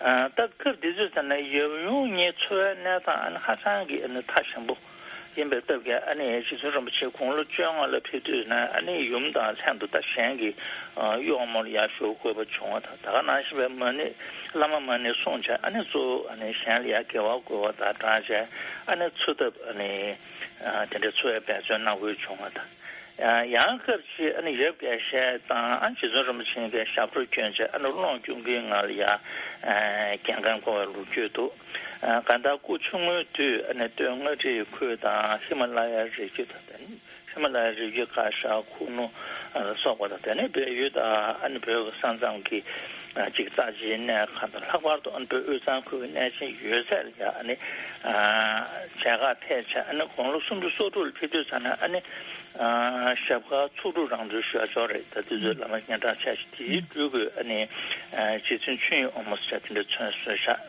ཨ་ད་སྐབས་དེ་ཚོའི་ཟེར་ན་ཡབ་ཡུམ་གཉིས་འཚོ་བའི་གནས་སྟངས་ཨ་ནི་ཧ་ཅང་གི་ཨ་ནི་ཐག་ཞན་པོ་ཡིན་པའི་སྟབས་ཀྱིས་ཨ་ནི་རྗེ་བཙུན་རིན་པོ་ཆེ་དགུང་ལོ་བཅོ་ལྔ་ལ་ཕེབས་དུས་ན་ཨ་ནི་ཡུམ་དང་ལྷན་དུ་ད་གཞན་གྱི་ཨ་གཡོག་མོར་ཡར་ཞུགས་དགོས་པ་བྱུང་བ་དང་། ད་ག་ནང་བཞིན་པའི་མ་ཎི་བླ་མ་མ་ཎི་གསུངས་བྱས་ཨ་ནི་གཙོ་བོ་ཨ་ནི་གཞན་ལ་ཡར་དགེ་བ་བསྐུལ་བ་དང་སྦྲགས་བྱས་ཨ་ནི་འཚོ་ཐབས་ཨ་ནི། ཨ་དེ་འདྲའི་འཚོ་བའི་འབད་བརྩོན་གནང་དགོས་བྱུང་བ་དང་། ཨ་ཡང་སྐབས་ཤིག་ཨ་ནི་ཡབ་རྒྱལ་བཤད་དང་ཨ་རྗེ་བཙུན་རིན་པོ་ཆེ་གིས་ཞབས་བྲོ་བསྐྱོན་བྱས་ཨ་ནི་གློག་གྱོན་གོས་ངང་ལ་ཡ་ཨ་རྒྱལ་ཁམས་བསྐོར་བའི་ལོ་རྒྱུས་འདུག་ཨ་གང་ལྟར་སྐུ་ཆུང་ངུའི་དུས་ཨ་ནི་སྟོད་མངའ་རིས་ཁུལ་དང་ཧི་མ་ལ་ཡའི་རི་རྒྱུད་དང་དེ་ནི་ཧི་མ་ལ་ཡའི་རི་རྒྱུད་ཀ་ཤ་ཁུ་ནུ་ལ་སོགས་པ་དང་དེ་ནི་བལ་ཡུལ་དང་ཨ་ནི་བོད་ཀྱི་ས་མཚམས་ཀྱི་ཨ་ཅིག་རྩ་ཆེའི་གནས་ཁག་དང་ལྷག་པར་དུ་ཨ་ནི་བོད་དབུས་གཙང་ཁུལ་གྱི་གནས་ཆེན་ཡོད་ཚད་ལ་ཡ་ཨ་ནི་ཨ་མཇལ་ཁ་ཐེག་བྱས་ཨ་ནི་དགུང་ལོ་སུམ་ཅུ་སོ་དྲུག་ལ་ཕེབས་དུས་ཙམ་ན་ཨ་ནི་ཨ་ཞབས་དཀར་ཚོགས་དྲུག་རང་གྲོལ་ཞུ་ཡ་ཅིག་རེད། ད་དུས་ཚོད་བླ་མ་སྙན་གྲགས་ཆེ་ཞིག་དེའི་སྤྲུལ་སྐུ་ཨ་ནི་ཨ་རྗེ་བཙུན་ཆོས་དབྱིངས་དབང་མོ་ཟེར་དེ་འདྲ་མཚན་གསོལ་ཤག་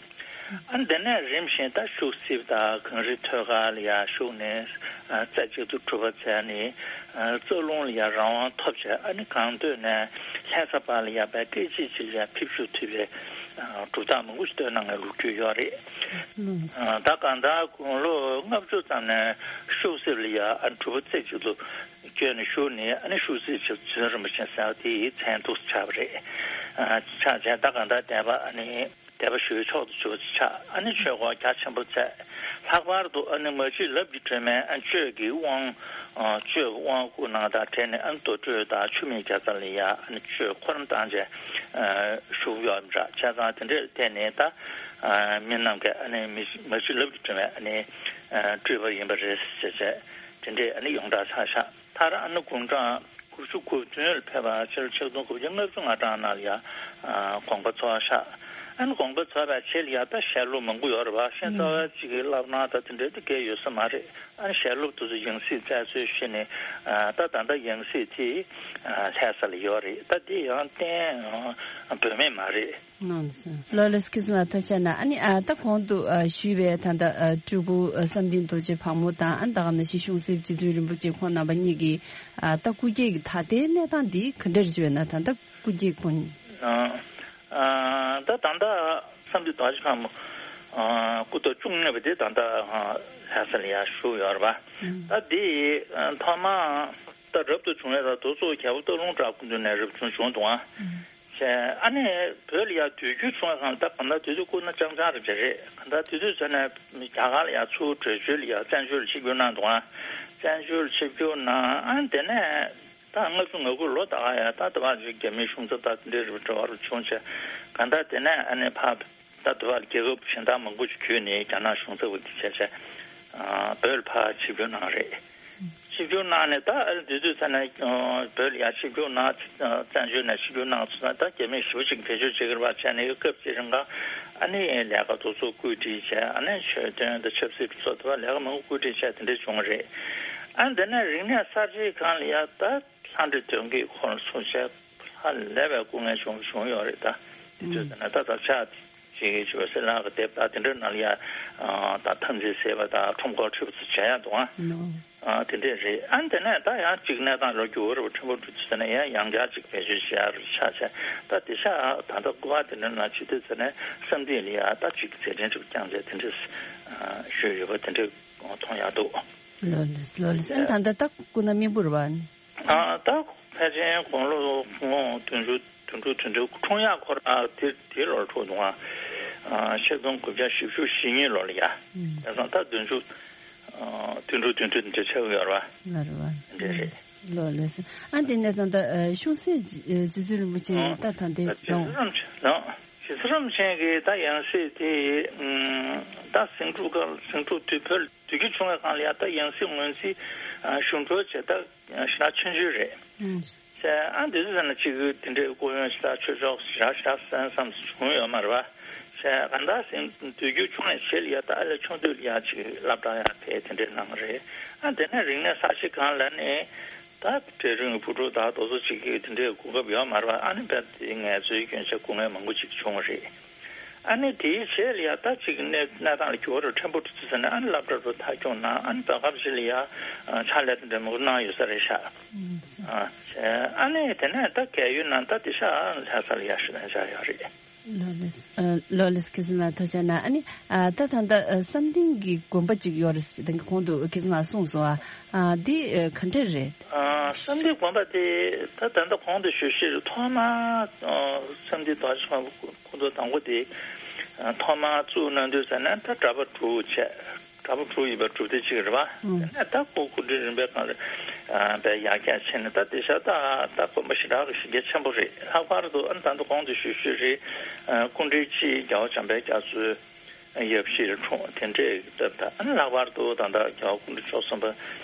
ཨ་ནི་དེ་ནས་རིམ་བཞིན་ད་ཤུག་སིབ་དང་གངས་རི་ཐོད་དཀར་ལ་ཡ་ཞུགས་ནས་རྩེ་གཅིག་ཏུ་གྲུབ་པ་བྱས་ནས་རྩ་རླུང་ལ་ཡ་རང་དབང་ཐོབ་བྱས། ཨ་ནི་གངས་སྟོད་ནས་ལྷ་ས་བར་ལ་ཡ་པའི་སྐད་ཅིག་གཅིག་ལ་ཡ་ཕེབས་ཞུགས་ཐུབ་པའི་གྲུབ་རྟགས་མང་པོ་ཞིག་བཏོན་གནང་བའི་ལོ་རྒྱུས་ཡོད་རེད། ད་གང་ལྟར་དགུང་ལོ་ལྔ་བཅུ་ཙམ་ནས་ཤུག་སིབ་ལ་ཡ་ཨ་ནི་གྲུབ་པ་རྩེ་གཅིག་ཏུ་བསྐྱོན་ནས་བཞུགས་ནས། ཨ་ནི་ཤུག་སིབ་རྗེ་བཙུན་རིན་པོ་ཆེ་ཟེར་བ་དེ་ཡི་མཚན་ཐོགས་སུ་ཆགས་པ་རེད། ཨ་ཆགས་བྱས་ད་གང་ལྟར་དད་པ་ཨ་ནི་དད་པ་ཞུ་བའི་མཆོག་ཏུ་གྱུར་པ་ཆགས། ཨ་ནི་ཆོས་སྒོ་རྒྱ་ཆེན་པོ་བཙལ། ལྷག་པར་དུ་ཨ་ནི་མ་གཅིག་ལབ་ཀྱི་སྒྲོན་མེ་ཨ་ཆོས་ཀྱི་དབང་ཆོས་ཀྱི་དབང་བསྐུར་གནང་དང་འབྲེལ་ནས། ཨ་ནི་རྡོ་གྲུ་དང་ཆུ་སྨད་རྒྱ་ཚ་ལ་ཡ་ཨ་ནི་ཆོས་འཁོར་བསྐོར་བཏང་བྱས་བཞུགས་ཡོད་པ་འདྲ། བྱས་ཙང་དེ་འདྲའི་ཐད་ནས་ད་མི་རྣམས་ཀྱིས་ཨ་ནི་མི་མ་གཅིག་ལབ་ཀྱི་སྒྲོན་མེ་ཨ་ནི་སྤྲུལ་པ་ཡིན་པ་རེད་ཟེར་བྱས་དེ་འདྲའི་ཨ་ནི་ཡོངས་གྲགས་ཆགས་ཤག་མཐར་ཨ་ནི་དགུང་གྲངས་དགུ་བཅུ་གོ་བདུན་ལ་ཕེབས་པ་ཕྱི་ལོ་ཆིག་སྟོང་དགུ་བརྒྱ་ལྔ་བཅུ་ང་གྲངས་ནང་ལ་ཡ་དགོངས་པ་རྫོགས་ཤག་ཨ་ནི་དགོངས་པ་རྫོགས་པའི་རྗེས་ལ་ཡ་ད་ཞལ་སློབ་མང་པོ་ཡོད་རེད་བ། ཤེས་ཚ་བ་གཅིག་གི་བསླབ་གནང་ད་དེ་འདྲའི་དེ་གས་ཡོད་ས་མ་རེད། ཨ་ནི་ཞལ་སློབ་དེ་ཚོ་ཡང་སྲིད་བཙལ་འཚོལ་བྱས་ནས་ད་ད་ལྟ་ཡང་སྲིད་དེ་ལྷ་ས་ལ་ཡོད་རེད། ད་དེ་ཡང་གཏན་བོད་མི་མ་རེད། ལགས་སོ། ལགས་སོ། ཁྱེད་ཚོ་ལ་ཐུགས་རྗེ་ཆེ་གནང་། ཨ་ནི་ཨ་ད་གོང་དུ་ཨ་ཞུས་པའི་ད་ལྟ་ཨ་སྤྲུལ་སྐུ་ཨ་བསམ་གཏན་རྡོ་རྗེ་ཕག་མོ་དང་། ཨ་ནི་ད་ག་ནང་བཞིན་གཤོང་གསེབ་རྗེ་བཙུན་རིན་པོ་ཆེ་ཁོང་རྣམ་པ་གཉིས་ཀྱི་ཨ་ད་སྐུ་སྐྱེ་གི་ད་ལྟའི་གནས་སྟངས་འདི་ག་འདྲ་རེད་ཅེ་ན། ད་ལྟ་སྐུ་སྐྱེ་ཁོང་། ཨ་ཨ་ད་ད་ལྟ་བསམ་གཏན་རྡོ་རྗེ་ཕག་མོ་ཨ་སྐུ་ཐོག་བཅུ་གཉིས་པ་དེ་ད་ལྟ་ཨ་ལྷ་ས་ལ་ཡར་བཞུགས་ཡོད་རེད་པ། ཨ་ད་འདི་ཨ་ཐོག་མ། ད་རབ་ཏུ་བྱུང་བའི་ད་རྡོ་བཙུགས་རྒྱལ་པོ་སྟག་ལུང་བྲག་སྐུ་མདུན་ནས་རབ་བྱུང་བྱུང་འདུག་ཨ། བྱས་ཨ་ནི་བོད་ལ་ཡ་དུས་འགྱུར་བྱུང་བའི་སྒང་ད་གང་ལྟར་དུས་ཚོད་སྐུ་ན་རྐྱང་རྐྱང་རེད་ཅེས་རེད། གང་ལྟར་དུས་ཚོད་ཚོད་ནས་རྒྱ་གར་ལ་ཡ་ཚུར་བྲོས་བྱོལ་ལ་ཡ་བཙན་བྱོལ་ལ་ཆིབས་བསྒྱུར་གནང་འདུག་ཨ། བཙན་བྱོལ་ལ་ཆིབས་བསྒྱུར་གནང་། ཨ་ནི་དེ་ནས་ད་ལྔ་བཅུ་ང་དགུ་ལོ་ད་ག་ཡ་ད་ད་བར་རྒྱ་མིའི་གཞུང་ཚབ་ད་དེ་འདྲའི་རུ་འབྲེལ་བ་རུ་བྱུང་བྱས། གང་ལྟར་དེ་ནས་ཨ་ནི་ཕ། ད་དུ་བ་རྒྱལ་ཁབ་གཞན་དག་མང་པོ་ཞིག་བརྒྱུད་ནས་རྒྱ་ནག་གཞུང་ཚབ་ཀྱི་བྱས་བྱས་བོད་ལ་ཕར་ཆིབས་བསྒྱུར་གནང་རེད། ཆིབས་བསྒྱུར་གནང་ནས་ད་ཨ་ནི་དུས་ཚོད་ཚར་ནས་བོད་ལ་ཡར་ཆིབས་བསྒྱུར་གནང་། བཙན་བྱོལ་ནས་ཆིབས་བསྒྱུར་གནང་ཚར་ན་ད་རྒྱ་མི་ཞེ་པོ་ཅིག་བེད་སྤྱོད་བྱེད་ཀྱི་རེད་པ། བྱས་ནས་སྐབས་ཅིག་རིང་ག་ཨ་ནི་ལས་ཀ་དེ་ཚོ་བཀོད་སྒྲིག་བྱས། ཨ་ནི་ཆོས་དོན་དང་ཆབ་སྲིད་སོགས་དུ་བ་ལས་ཀ་མང་པོ་བཀོད་སྒྲིག་བྱས་དེ་འདྲ་བྱུང་བ་རེད། ཨ་ནི་དེ་ནས་རིག་གནས་གསར་བརྗེའི་སྒང་ལ་ཡ་ད། ལྷ་འདྲེ་གདོན་བགེགས་འཁོར་ལ་སོགས་བྱས་ཧ་ལས་པའི་སྐུ་ངལ་བྱུང་བྱུང་ཡོད་རེད། ད་དེ་དུས་ད་ན་ད་ད་ཆ་ཅིག་གི་ཇོ་སྲས་ལགས་ཀྱི་དེབ་ད་དེ་འདྲ་ནང་ལ་ཡ་ད་ཐམས་ཅད་ཟད་པ་དང་ཁྲོམ་སྐོར་ཁྲིད་པ་ཚོ་བྱས་ཡ་འདུག་ཨ། ཨ་དེ་འདྲས་རེད། ཨ་དེ་ནས་ད་ཡང་ཅིག་གནས་སྟངས་ལ་འགྱུར་བ་རེ་བ་ཕྲན་བུ་འགྲོ་དུས་ད་ན་ཡང་ཡང་བསྐྱར་ཅིག་བེད་སྤྱོད་བྱེད་ཡ་རུ་ཆགས་བྱས། ད་དེ་ཤ་ད་ད་སྐུ་པར་དེ་འདྲ་ནང་ཕྱི་དུས་ད་ན་བསམ་གཏན་ལ་ཡ་ད་ཅིག་མཛད་འཕྲིན་ཅིག་བསྐྱངས་བྱས་དེ་འདྲས་ཞུས་ཡོད་པ་དེ་འདྲས་མཐོང་ཡ་འདུག་ལགས་ལགས་ལགས་ལགས། ཨ་ད་ལྟ་ད་སྐུ་ན་མི་བུར་བ་ནི། ཨ་ད་ཕལ་ཆེར་དགུང་ལོ་ངོ་བདུན་ཅུ་བདུན་ཅུ་དོན་དྲུག་འཁྲུངས་ཡག་ཁོ་རང་དེ་དེ་ལོར་འཁྲུངས་འདུག་ཨ། ཆིག་སྟོང་དགུ་བརྒྱ་བཞི་བཅུ་ཞེ་གཉིས་ལོ་ལ་ཡ། ཨ་དེ་སང་ད་བདུན་ཅུ་བདུན་ཅུ་དོན་དྲུག་འདི་འདྲ་ཆགས་ཀྱི་ཡོད་རེད་བ། ལ་རེད་བ། འདྲ་རེད། ལགས་ལགས། ཨ་དེ་ནས་ད་ལྟ་གཤོང་སྲས་རྗེ་བཙུན་རིན་པོ་ཆེ་ད་ད་ལྟའི་རྗེ་བཙུན་རིན་པོ་ཆེ་ལགས། རྗེ་བཙུན་རིན་པོ་ཆེ་གི་ད་ཡང་སྲིད་དེ་ད་ཟིང་འཁྲུག་སྐབས་ཟིང་འཁྲུག་དུས་བོད་དུས་རྒྱུན་བྱུང་བའི་སྒང་ལ་ཡ་ད་ཡང་སྲིད་ངོས་འཛིན་ཞུ་འགྲོ་བྱས་ད་ཞེ་དྲག་ཆུང་ཆུང་རེད། ཨ་འདི་ཚོ་ཟེར་ན་གཅིག་གི་དེ་འདྲའི་སྐུ་ཡོན་ཞེ་དྲག་ཆོས་ཕྱོགས་ཞེ་དྲག་ཞེ་དྲག་གསན་བསམ་བྱུང་ཡོད་མ་རེད་བ། གང་ལྟར་ཟིང་དུས་རྒྱུན་བྱུང་བའི་ཆེད་ལ་ཡ་ད་ཨ་ལས་ཆུང་དུས་ལ་ཡ་ཅིག་སློབ་གྲྭ་ཡ་ཕེབས་དེ་འདྲའི་གནང་རེད། ཨ་དེ་ནས་རིག་གནས་གསར་བརྗེ་སྒང་ལ་ནི། ད་གྲལ་རིམ་བུ་ཕྲུག་དག་དེ་ཚོ་གཅིག་གིས་དེ་འདྲའི་གོ་སྐབས་ཡོད་མ་རེད་བ། ཨ་ནི་རྦད་དེ་ངལ་རྩོལ་སྐྱོན་ཆ་སྐུ་ངལ་མང་པོ་ཅིག་བྱུང་བ་རེད། ཨ་ནི་དེའི་རྗེས་ལ་ཡ་ད་ཅིག་གནས་གནས་སྟངས་ལ་འགྱུར་བ་རུ་ཕྲན་བུ་འགྲོ་ཚུལ་ཟེར་ནས་ཨ་ནི་སློབ་གྲྭ་རུ་མཐར་སྐྱོང་གནང་། ཨ་ནི་བོད་ཁམས་ཅིག་ལ་ཡ་ཕྱག་ལས་དེ་འདྲ་མང་པོ་གནང་ཡོད་ས་རེད་ཤག་ཨ་ཨ་ནི་དེ་ནས་ད་གལ་ཡོད་ན་ད་དེ་ཤག་ལྷ་ས་ལ་ཡ་ཞུ་ན་བཞག་ཡོད་རེད། ལགས་ལགས། ཨ་ལགས་ལགས། ཁྱེད་ཚོ་ལ་ཐུགས་རྗེ་གནང་། ཨ་ནི་ཨ་ད་ད་ལྟ་ཨ་བསམ་གཏན་གྱི་དགོན་པ་ཅིག་ཡོད་རེད་ཟེར་དེ་གོང་དུ་ཁྱེད་ཚོ་ལ་གསུངས་སོང་། ཨ་ཨ་འདི་ཨ་ག་འདྲ་རེད། ཨ་བསམ་གཏན་དགོན་པ་དེ་ད་ད་ལྟ་གོང་དུ་ཞུས་ཞེས་ཐོག་མ་ཨ་བསམ་གཏན་རྡོ་རྗེ་ཁོང་ཁོང་ཚོ་དང་པོ་དེ་ཨ་ཐོག་མ་བཙུགས་གནང་དུས་ཟེར་ན་ད་གྲྭ་པ་དྲུག་བྱས། གྲྭ་པ་དྲུག་ཡོད་པའི་སྒྲུབ་སྡེ་གཅིག་རེད་བ། ཨང་། དེ་ནས་ད་ཁོ་སྐུ་ཕྲེང་རིམ་པས་གང་རེད། ཨ་པའི་ཡར་རྒྱས་ཕྱིན་ནས་ད་དེ་ཤ་ད་ད་དགོན་པ་ཞེ་དྲག་གི་གཞི་རྒྱ་ཆེན་པོ་རེད། ལྷག་པར་དུ་ཨ་ད་ད་གོང་དུ་ཞུས་ཞུས་རེད། ཨ་སྐུ་ཕྲེང་གཅིག་རྒྱལ་བ་བྱམས་པའི་རྒྱ་མཚོའི་ཡབ་གཞིས་ལ་འཁྲུངས་དེ་འདྲའི་སྟབས་ད། ཨ་ལྷག་པར་དུ་ད་ད་རྒྱལ་བ་སྐུ་ཕྲེང་བཅུ་གསུམ་པ་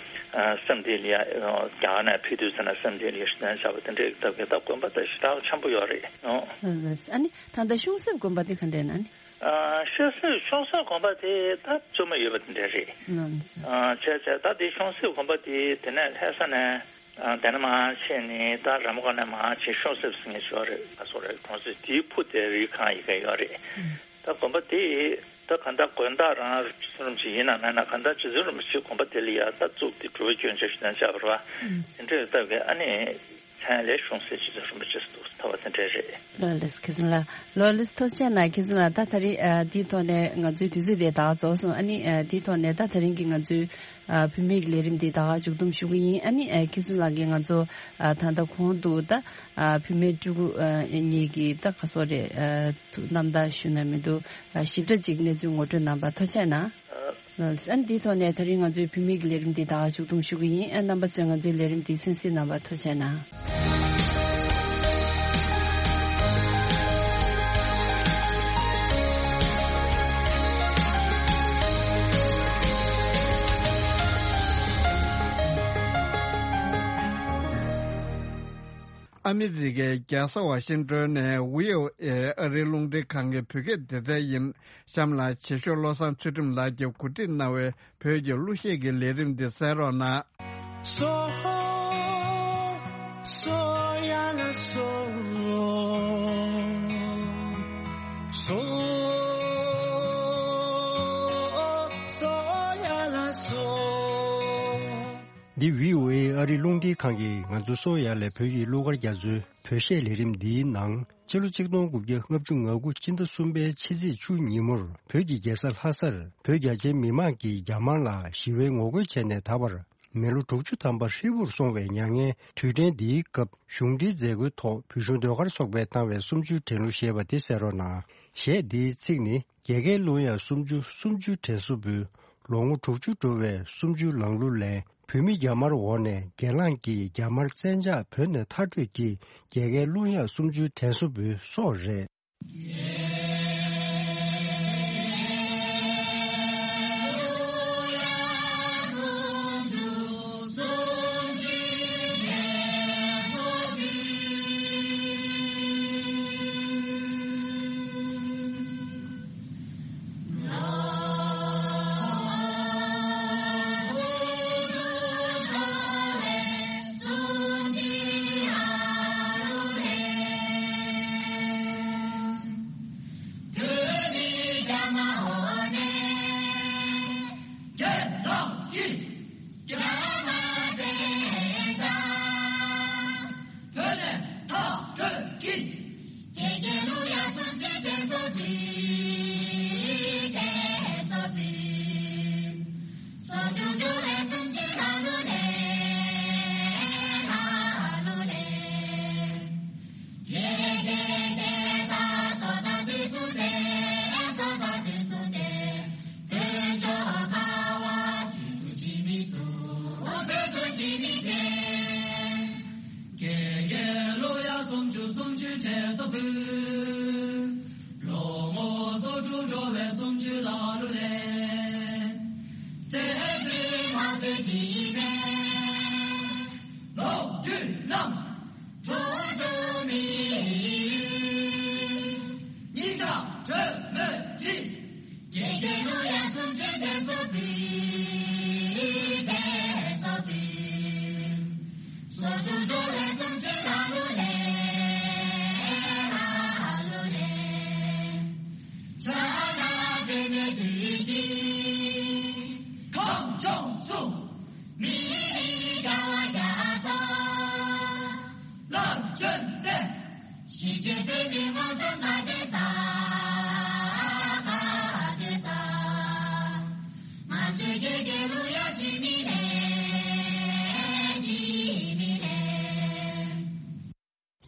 ཨ་བསམ་གཏན་ལ་ཡ་རྒྱ་གར་ནས་ཕེབས་དུས་ཙམ་ན་བསམ་གཏན་ལ་ཡ་ཞུ་དོན་བྱ་བ་དེ་འདྲའི་སྟབས་ཀྱིས་ད་དགོན་པ་ད་ཞེ་དྲག་ཆེན་པོ་ཡོད་རེད་ཨོ། ཨ་ནི་ད་ད་གཤོང་གསེབ་དགོན་པ་དེ་ག་འདྲ་ན་ནི། ཨ་ཤོད་སེར་གཤོང་སེར་དགོན་པ་དེ་ད་བཅོས་མ་ཡོད་པ་དེ་འདྲ་རེད། ལགས་སོ། ཨ་བྱས་བྱས་ད་དེ་གཤོང་སེར་དགོན་པ་དེ་དེ་ནས་ལྷ་ས་ནས་ཨ་དེ་ནས་མར་ཕྱིན་ནས་ད་ར་མོ་ཀ་ནས་མར་ཕྱིན་གཤོང་སེར་ཟེར་མཁན་ཞིག་ཡོད་རེད། ཨ་སོ་རེད། གྲོང་གསེབ་དེའི་ཕུ་དེ་རི་ཁང་ཡི་གེ་ཡོད་རེད། ཨུམ། ད་ ད་དགོན་པ་དེ་ད་གང་ལྟར་དགོན་བདག་རང་རྗེ་བཙུན་རིན་པོ་ཆེ་ཡིན་ན་མེད་ན་གང་ལྟར་རྗེ་བཙུན་རིན་པོ་ཆེའི་དགོན་པ་དེ་ལ་ཡ་ད་བཙུགས་ཏེ་སྒྲུབ་པ་སྐྱོན་ཅན་ཞུ་ན་བྱ་བ་རེད་བ། དེ་འདྲའི་སྟབས་ཀྱིས་ཨ་ནི་མཚན་ལས་བྱུང་ཟེར་རྗེ་བཙུན་རིན་པོ་ཆེ་ཟེར་འདུག་ད་བ་དེ་འདྲ་རེད། ལོ་ལེགས་ཁྱེད་ཚོ་ལ། ལོ་ལེགས་ཐུགས་རྗེ་གནང་། ཁྱེད་ཚོ་ལ་ད་ད་རིང་ཨ་འདིའི་ཐོག་ནས་ང་ཚོའི་དུས་ཚོད་དེ་ད་རྫོགས་སོང་། ཨ་ནི་ཨ་འདིའི་ཐོག་ནས་ད་ད་རིང་གི་ང་ཚོའི་ཨ་བུད་མེད་ཀྱི་ལས་རིམ་དེ་ད་ག་མཇུག་བསྡོམས་ཞུ་གི་ཡིན། ཨ་ནི་ཨ་ཁྱེད་ཚོ་ལགས་ཀྱིས་ང་ཚོ་ཨ་ད་ལྟ་གོང་དུ་ད་ཨ་བུད་མེད་སྤྲུལ་སྐུ་ཨ་གཉིས་ཀྱི་ད་ག་སོ་རེད་ཨ་ཐུགས་རྣམ་ཐར་ཞུ་ན་མི་འདུག་ཨ་ཞིབ་ཕྲ་ཅིག་གནས་ཚུལ་ངོ་སྤྲོད་གནང་བར་ཐུགས་རྗེ་གནང་། ཨ་ནི་འདིའི་ཐོག་ནས་ད་རིང་ང་ཚོའི་བུད་མེད་ཀྱི་ལས་རིམ་འདི་ད་ག་མཇུག་བསྡོམས་ཞུ་གི་ཡིན། ཨ་རྣམ་པ་ཚོས་ང་ཚོའི་ལས་རིམ་འདི་གསན་གཟིགས་གནང་བར་ཐུགས་རྗེ་གནང་། ཨ་མི་རི་ཀའི་རྒྱལ་ས་ཝ་ཤིང་ཏོན་ནས་བྷི་ཨོ་ཨེ་ཨ་རིའི་རླུང་འཕྲིན་ཁང་གི་བོད་སྐད་སྡེ་ཚན་ཡིན། གཤམ་ལ་བྱེད་ཤོག་བློ་བཟང་ཚུལ་ཁྲིམས་ལགས་ཀྱིས་གོ་སྒྲིག་གནང་བའི་བོད་ཀྱི་གླུ་གཞས་ཀྱི་ལས་རིམ་འདི་གསན་རོགས་གནང་། སོ། སོ་ཡ་ལ་སོ། སོ། སོ་ཡ་ལ་སོ། འདི་བྷི་ཨོ་ཨེ་ཨ་རིའི་རླུང་འཕྲིན་ཁང་གིས་ང་ཚོའི་སོ་ཡ་ལ་བོད་ཀྱི་གླུ་གར་རྒྱ་མཚོའི་བོད་གཞས་ལས་རིམ་འདིའི་ནང་། ཕྱི་ལོ་ཆིག་སྟོང་དགུ་བརྒྱ་ལྔ་བཅུ་ང་དགུ་སྤྱི་ཟླ་གསུམ་པའི་ཕྱི་ཚེས་བཅུ་ཉིན་མོར་བོད་ཀྱི་རྒྱལ་ས་ལྷ་སར་བོད་རྒྱ་ཆེའི་མི་མང་གིས་རྒྱ་དམར་ལ་ཞི་བའི་ངོ་རྒོལ་བྱས་ནས་ད་བར་མི་ལོ་དྲུག་ཅུ་ཐམ་པ་ཧྲིལ་པོར་སོང་བའི་མྱ་ངན་དུས་དྲན་འདིའི་སྐབས་གཞུང་འབྲེལ་མཛད་སྒོའི་ཐོག་བོད་གཞུང་ཟློས་གར་ཚོགས་པས་བཏང་བའི་གསུམ་བཅུའི་དྲན་གླུ་ཞེས་པ་དེ་གསན་རོགས་གནང་། གཞས་འདིའི་ཚིག་ནི། རྒྱལ་ཁའི་གླུ་དབྱངས་སུམ་ཅུ་སུམ་ཅུ་དྲན་གསོ་འབུལ། ལོ་ངོ་དྲུག་ཅུ་འགྲོ་བའི་སུམ་ཅུ་ལང་གླུ་ལེན། བོད་མི་རྒྱ་དམར་འོག་ནས་སྒེར་ལངས་ཀྱིས་རྒྱ་དམར་བཙན་ཕྱག་བོད་ནས་མཐར་སྐྲོད་ཀྱིས་རྒྱལ་ཁའི་གླུ་དབྱངས་སུམ་ཅུ་དྲན་གསོ་འབུལ་སོགས་རེད། རྒྱལ་ཁའི་གླུ་དབྱངས་སུམ་ཅུ་སུམ་ཅུ་དྲན་གསོ་འབུལ། ལོ་ངོ་སོ་དྲུག་འགྲོ་བའི་སུམ་ཅུ་ལ་གླུ་ལེན། བཙན་གྱིས་མ་བཙལ་གྱི་མེད། ལོ་རྒྱུས་རྣམས་གྲོགས་སུ་མི། སྙིང་ཁྲག་དྲོན་མོས་བྲིས། རྒྱལ་ཁའི་གླུ་དབྱངས་སུམ་ཅུ་དྲན་གསོ་འབུལ། དྲན་གསོ་འབུལ། སོ་དྲུག་འགྲོ་བའི་སུམ་ཅུ་ལ་གླུ་ལེན། ལ་གླུ་ལེན། ཕྱག་ན་པདྨོའི་བདུད་བཞི། ཁམས་ལྗོངས་སུ། མི་རིགས་རྒྱལ་བ་རྒྱ་མཚོ། ལ་བརྟེན་ཏེ། ཞི་བྱེད་པའི་མི་དབང་ཙོང་ཁ་སྡེ་ས། ཁ་སྡེ་ས། ང་ཚོའི་རྒྱལ་ཁའི་གླུ་དབྱངས་འཆི་མེད་ལེན། འཆི་མེད་ལེན།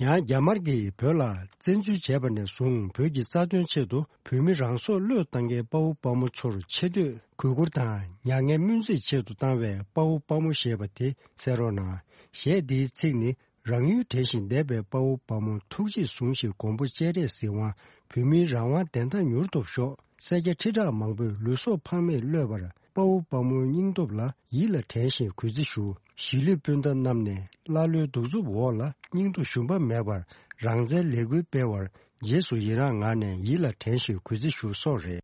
ཡང་རྒྱ་དམར་གྱིས་བོད་ལ་བཙན་འཛུལ་བྱས་པ་ནས་བཟུང་བོད་ཀྱི་རྩ་དོན་ཆེད་དུ་བོད་མི་རང་སྲོག་བློས་བཏང་མཁན་དཔའ་བོ་དཔའ་མོ་ཚོར་ཆེ་བསྟོད་གུས་བཀུར་དང་མྱ་ངན་སྨོན་རྩིས་ཆེད་དུ་བཏང་བའི་དཔའ་བོ་དཔའ་མོ་ཞེས་པ་དེ་གསན་རོགས་གནང་། གཞས་འདིའི་ཚིག་ནི། རང་ཡུལ་དྲན་བཞིན་བསྡད་པའི་དཔའ་བོ་དཔའ་མོ་ཐུགས་རྗེས་བཟུང་ཞིང་མགོན་པོ་སྤྱན་རས་གཟིགས་དབང་བོད་མིའི་རང་དབང་བདེན་མཐའ་མྱུར་ཐོབ་ཤོག་སེར་སྐྱ་ཁྲི་ཕྲག་མང་པོས་ལུས་སྲོག་ཕངས་མེད་བློས་པར་དཔའ་བོ་དཔའ་མོའི་སྙིང་སྟོབས་ལ་ཡིད་ལ་དྲན་ཞིང་གུས་བརྩི་ཞུ། གཞིས་ལུས་སྤུན་ཟླ་རྣམས་ནས་ཀླ་ཀློའི་གདུག་རྩུབ་འོག་ལ་སྙིང་སྟོབས་ཞུམ་པ་མེད་པར་རང་བཙན་ལས་འགུལ་སྤེལ་བར་རྗེས་སུ་ཡི་རང་ངང་ནས་ཡིད་ལ་དྲན་ཞིང་གུས་བརྩི་ཞུ་སོགས་རེད།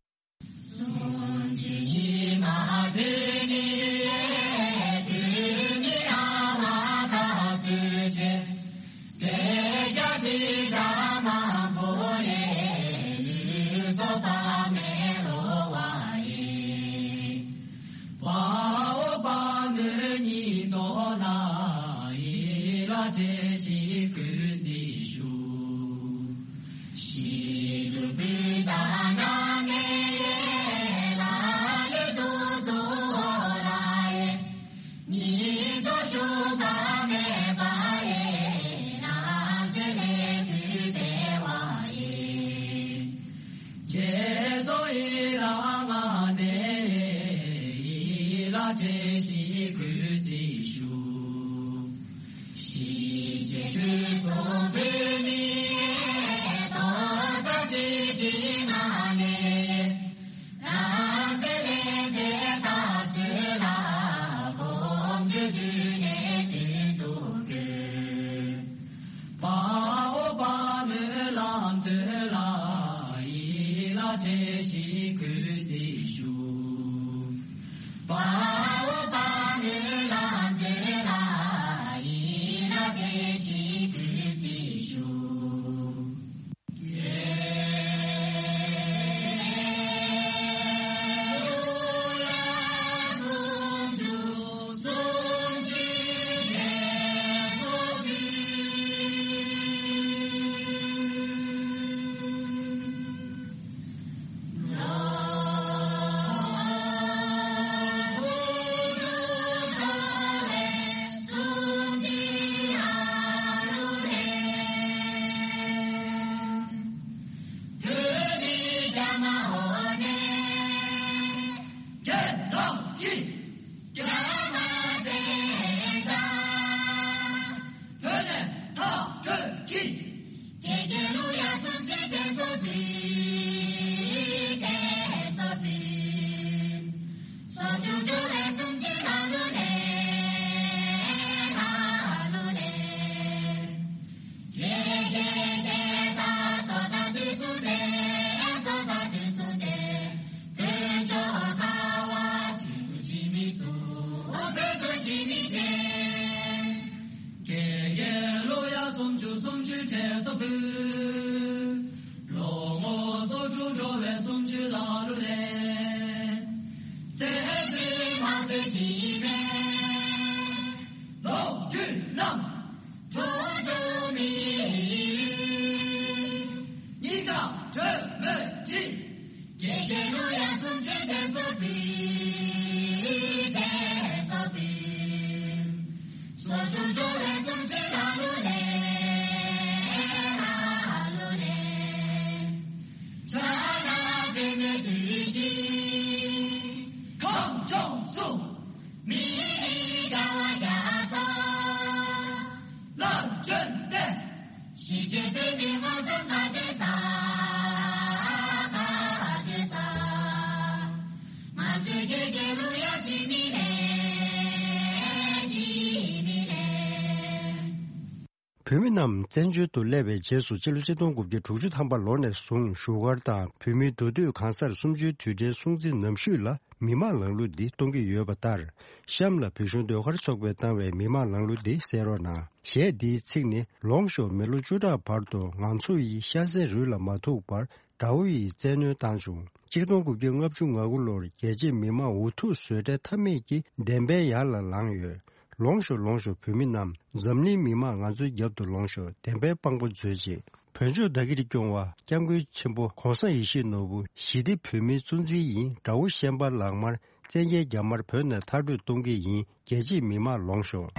བཀྲ་ཤིས་གུས་བརྩི་ཞུ། ཞི་བྱེད་ཆོས་སྲུང་བོད་མིའི་རྡོག་རྩ་གཅིག་སྒྲིལ་གནང་ནས། རང་བཙན་ལེན་པའི་འཐབ་རྩོད་ལ་གོམ་བགྲོད་བརྒྱུད་ནས་མདུན་དུ་བསྐྱོད། དཔའ་བོ་དཔའ་མོའི་ལམ་སྟོན་ལ་ཡིད་ལ་བཀྲ་ཤིས་གུས་བརྩི་ཞུ། དཔའ་བོ་དཔའ་མོའི་ལམ་སྟོན་ལ་ཡིད་ལ་བཀྲ་ཤིས་གུས་བརྩི་ཞུ། དགེ་རྒན་ལོ་ཡ་སུམ་ཅུ་སུམ་ཅུ་བགྲེས་སོ་བུ། ལོ་ངོ་སོ་དྲུག་འགྲོ་བའི་སུམ་ཅུ་ལ་ལུ་ལེན། རྩེ་གཅིག་མ་རྩེ་གཅིག་མེད། ལོ་རྒྱུས་རྣམས། གྲོགས་གྲོགས་མི། སྙིང་ཐག་གྲོས་མོས་འདྲིས། དགེ་རྒན་ལོ་ཡ་སུམ་ཅུ་བགྲེས་སོ་བུ། བགྲེས་སོ་བུ། སོ་དྲུག་འགྲོ་བའི་སུམ་ཅུ་ལ་ལུ་ལེན། ལ་ལུ་ལེན། ཆ་ལ་པེ་མེ་དུས་ཤིང་། གངས་ལྗོངས་སུ། མི་རིགས་དགའ་བ་རྒྱ་མཚོ། ལ་བརྗོད་དེ། གཞིས་བྱེས་བོད་མི་མངོན་སུམ་ག་དེ་ས། ག་དེ་ས། ང་ཚོའི་དགེ་རྒན་ལོ་ཡ་ཅི་མི་ལེ། ཅི་མི་ལེ། བོད་མི་རྣམས་བཙན་བྱོལ་དུ་སླེབས་པའི་རྗེས་སུ་ཕྱི་ལོ་ཆིག་སྟོང་དགུ་བརྒྱ་དྲུག་ཅུ་ཐམ་པ་ལོ་ནས་བཟུང་བཞུགས་སྒར་དང་བོད་མིའི་འདུས་སྡོད་གང་སར་གསུམ་བཅུའི་དུས་དྲན་སྲུང་བརྩི་ནམ་ཞུས་ལ་མི་མང་ལངས་གླུ་འདི་གཏོང་གི་ཡོད་པ་ལྟར། གཤམ་ལ་བོད་གཞུང་ཟློས་གར་ཚོགས་པས་བཏང་བའི་མི་མང་ལངས་གླུ་འདི་གསན་རོགས་གནང་། གཞས་འདིའི་ཚིག་ནི། ལོངས་ཤོག་མི་ལོ་བཅུ་ཕྲག་བར་དུ་ང་ཚོ་ཡི་ཤ་ཟའི་རུས་ལ་མ་ཐུག་པར་དགྲ་བོ་ཡིས་བཙན་གནོན་བཏང་བྱུང་། ཆིག་སྟོང་དགུ་བརྒྱ་ལྔ་བཅུ་ང་དགུ་ལོར་རྒྱལ་གཅེས་མི་མང་འུ་ཐུག་བཟོད་བྲལ་མཐའ་མེད་ཀྱིས་བདེན་པའི་ཡར་ལ་ལངས་ཡོད། ལོངས་ཤོག་ལོངས་ཤོག་བོད་མི་རྣམས། འཛམ་གླིང་མི་མང་ང་ཚོའི་རྒྱབ་ཏུ་ལོངས་ཤོག་བདེན་པའི་དཔང་པོ་མཛོད་ཅིག་བོད་ལྗོངས་བདག་གིར་སྐྱོང་བ་སྐྱབས་མགོན་ཆེན་པོ་༸གོང་ས་ཡིད་བཞིན་ནོར་བུ་ཞི་བདེ་བོད་མིའི་གཙོ་འཛིན་ཡིན། དགྲ་བོ་ཤན་པ་ལག་དམར་བཙན་རྒྱལ་རྒྱ་དམར་བོད་ནས་མཐར་སྐྲོད་གཏོང་གི་ཡིན། རྒྱལ་གཅེས་མི་མང་ལོངས་ཤོག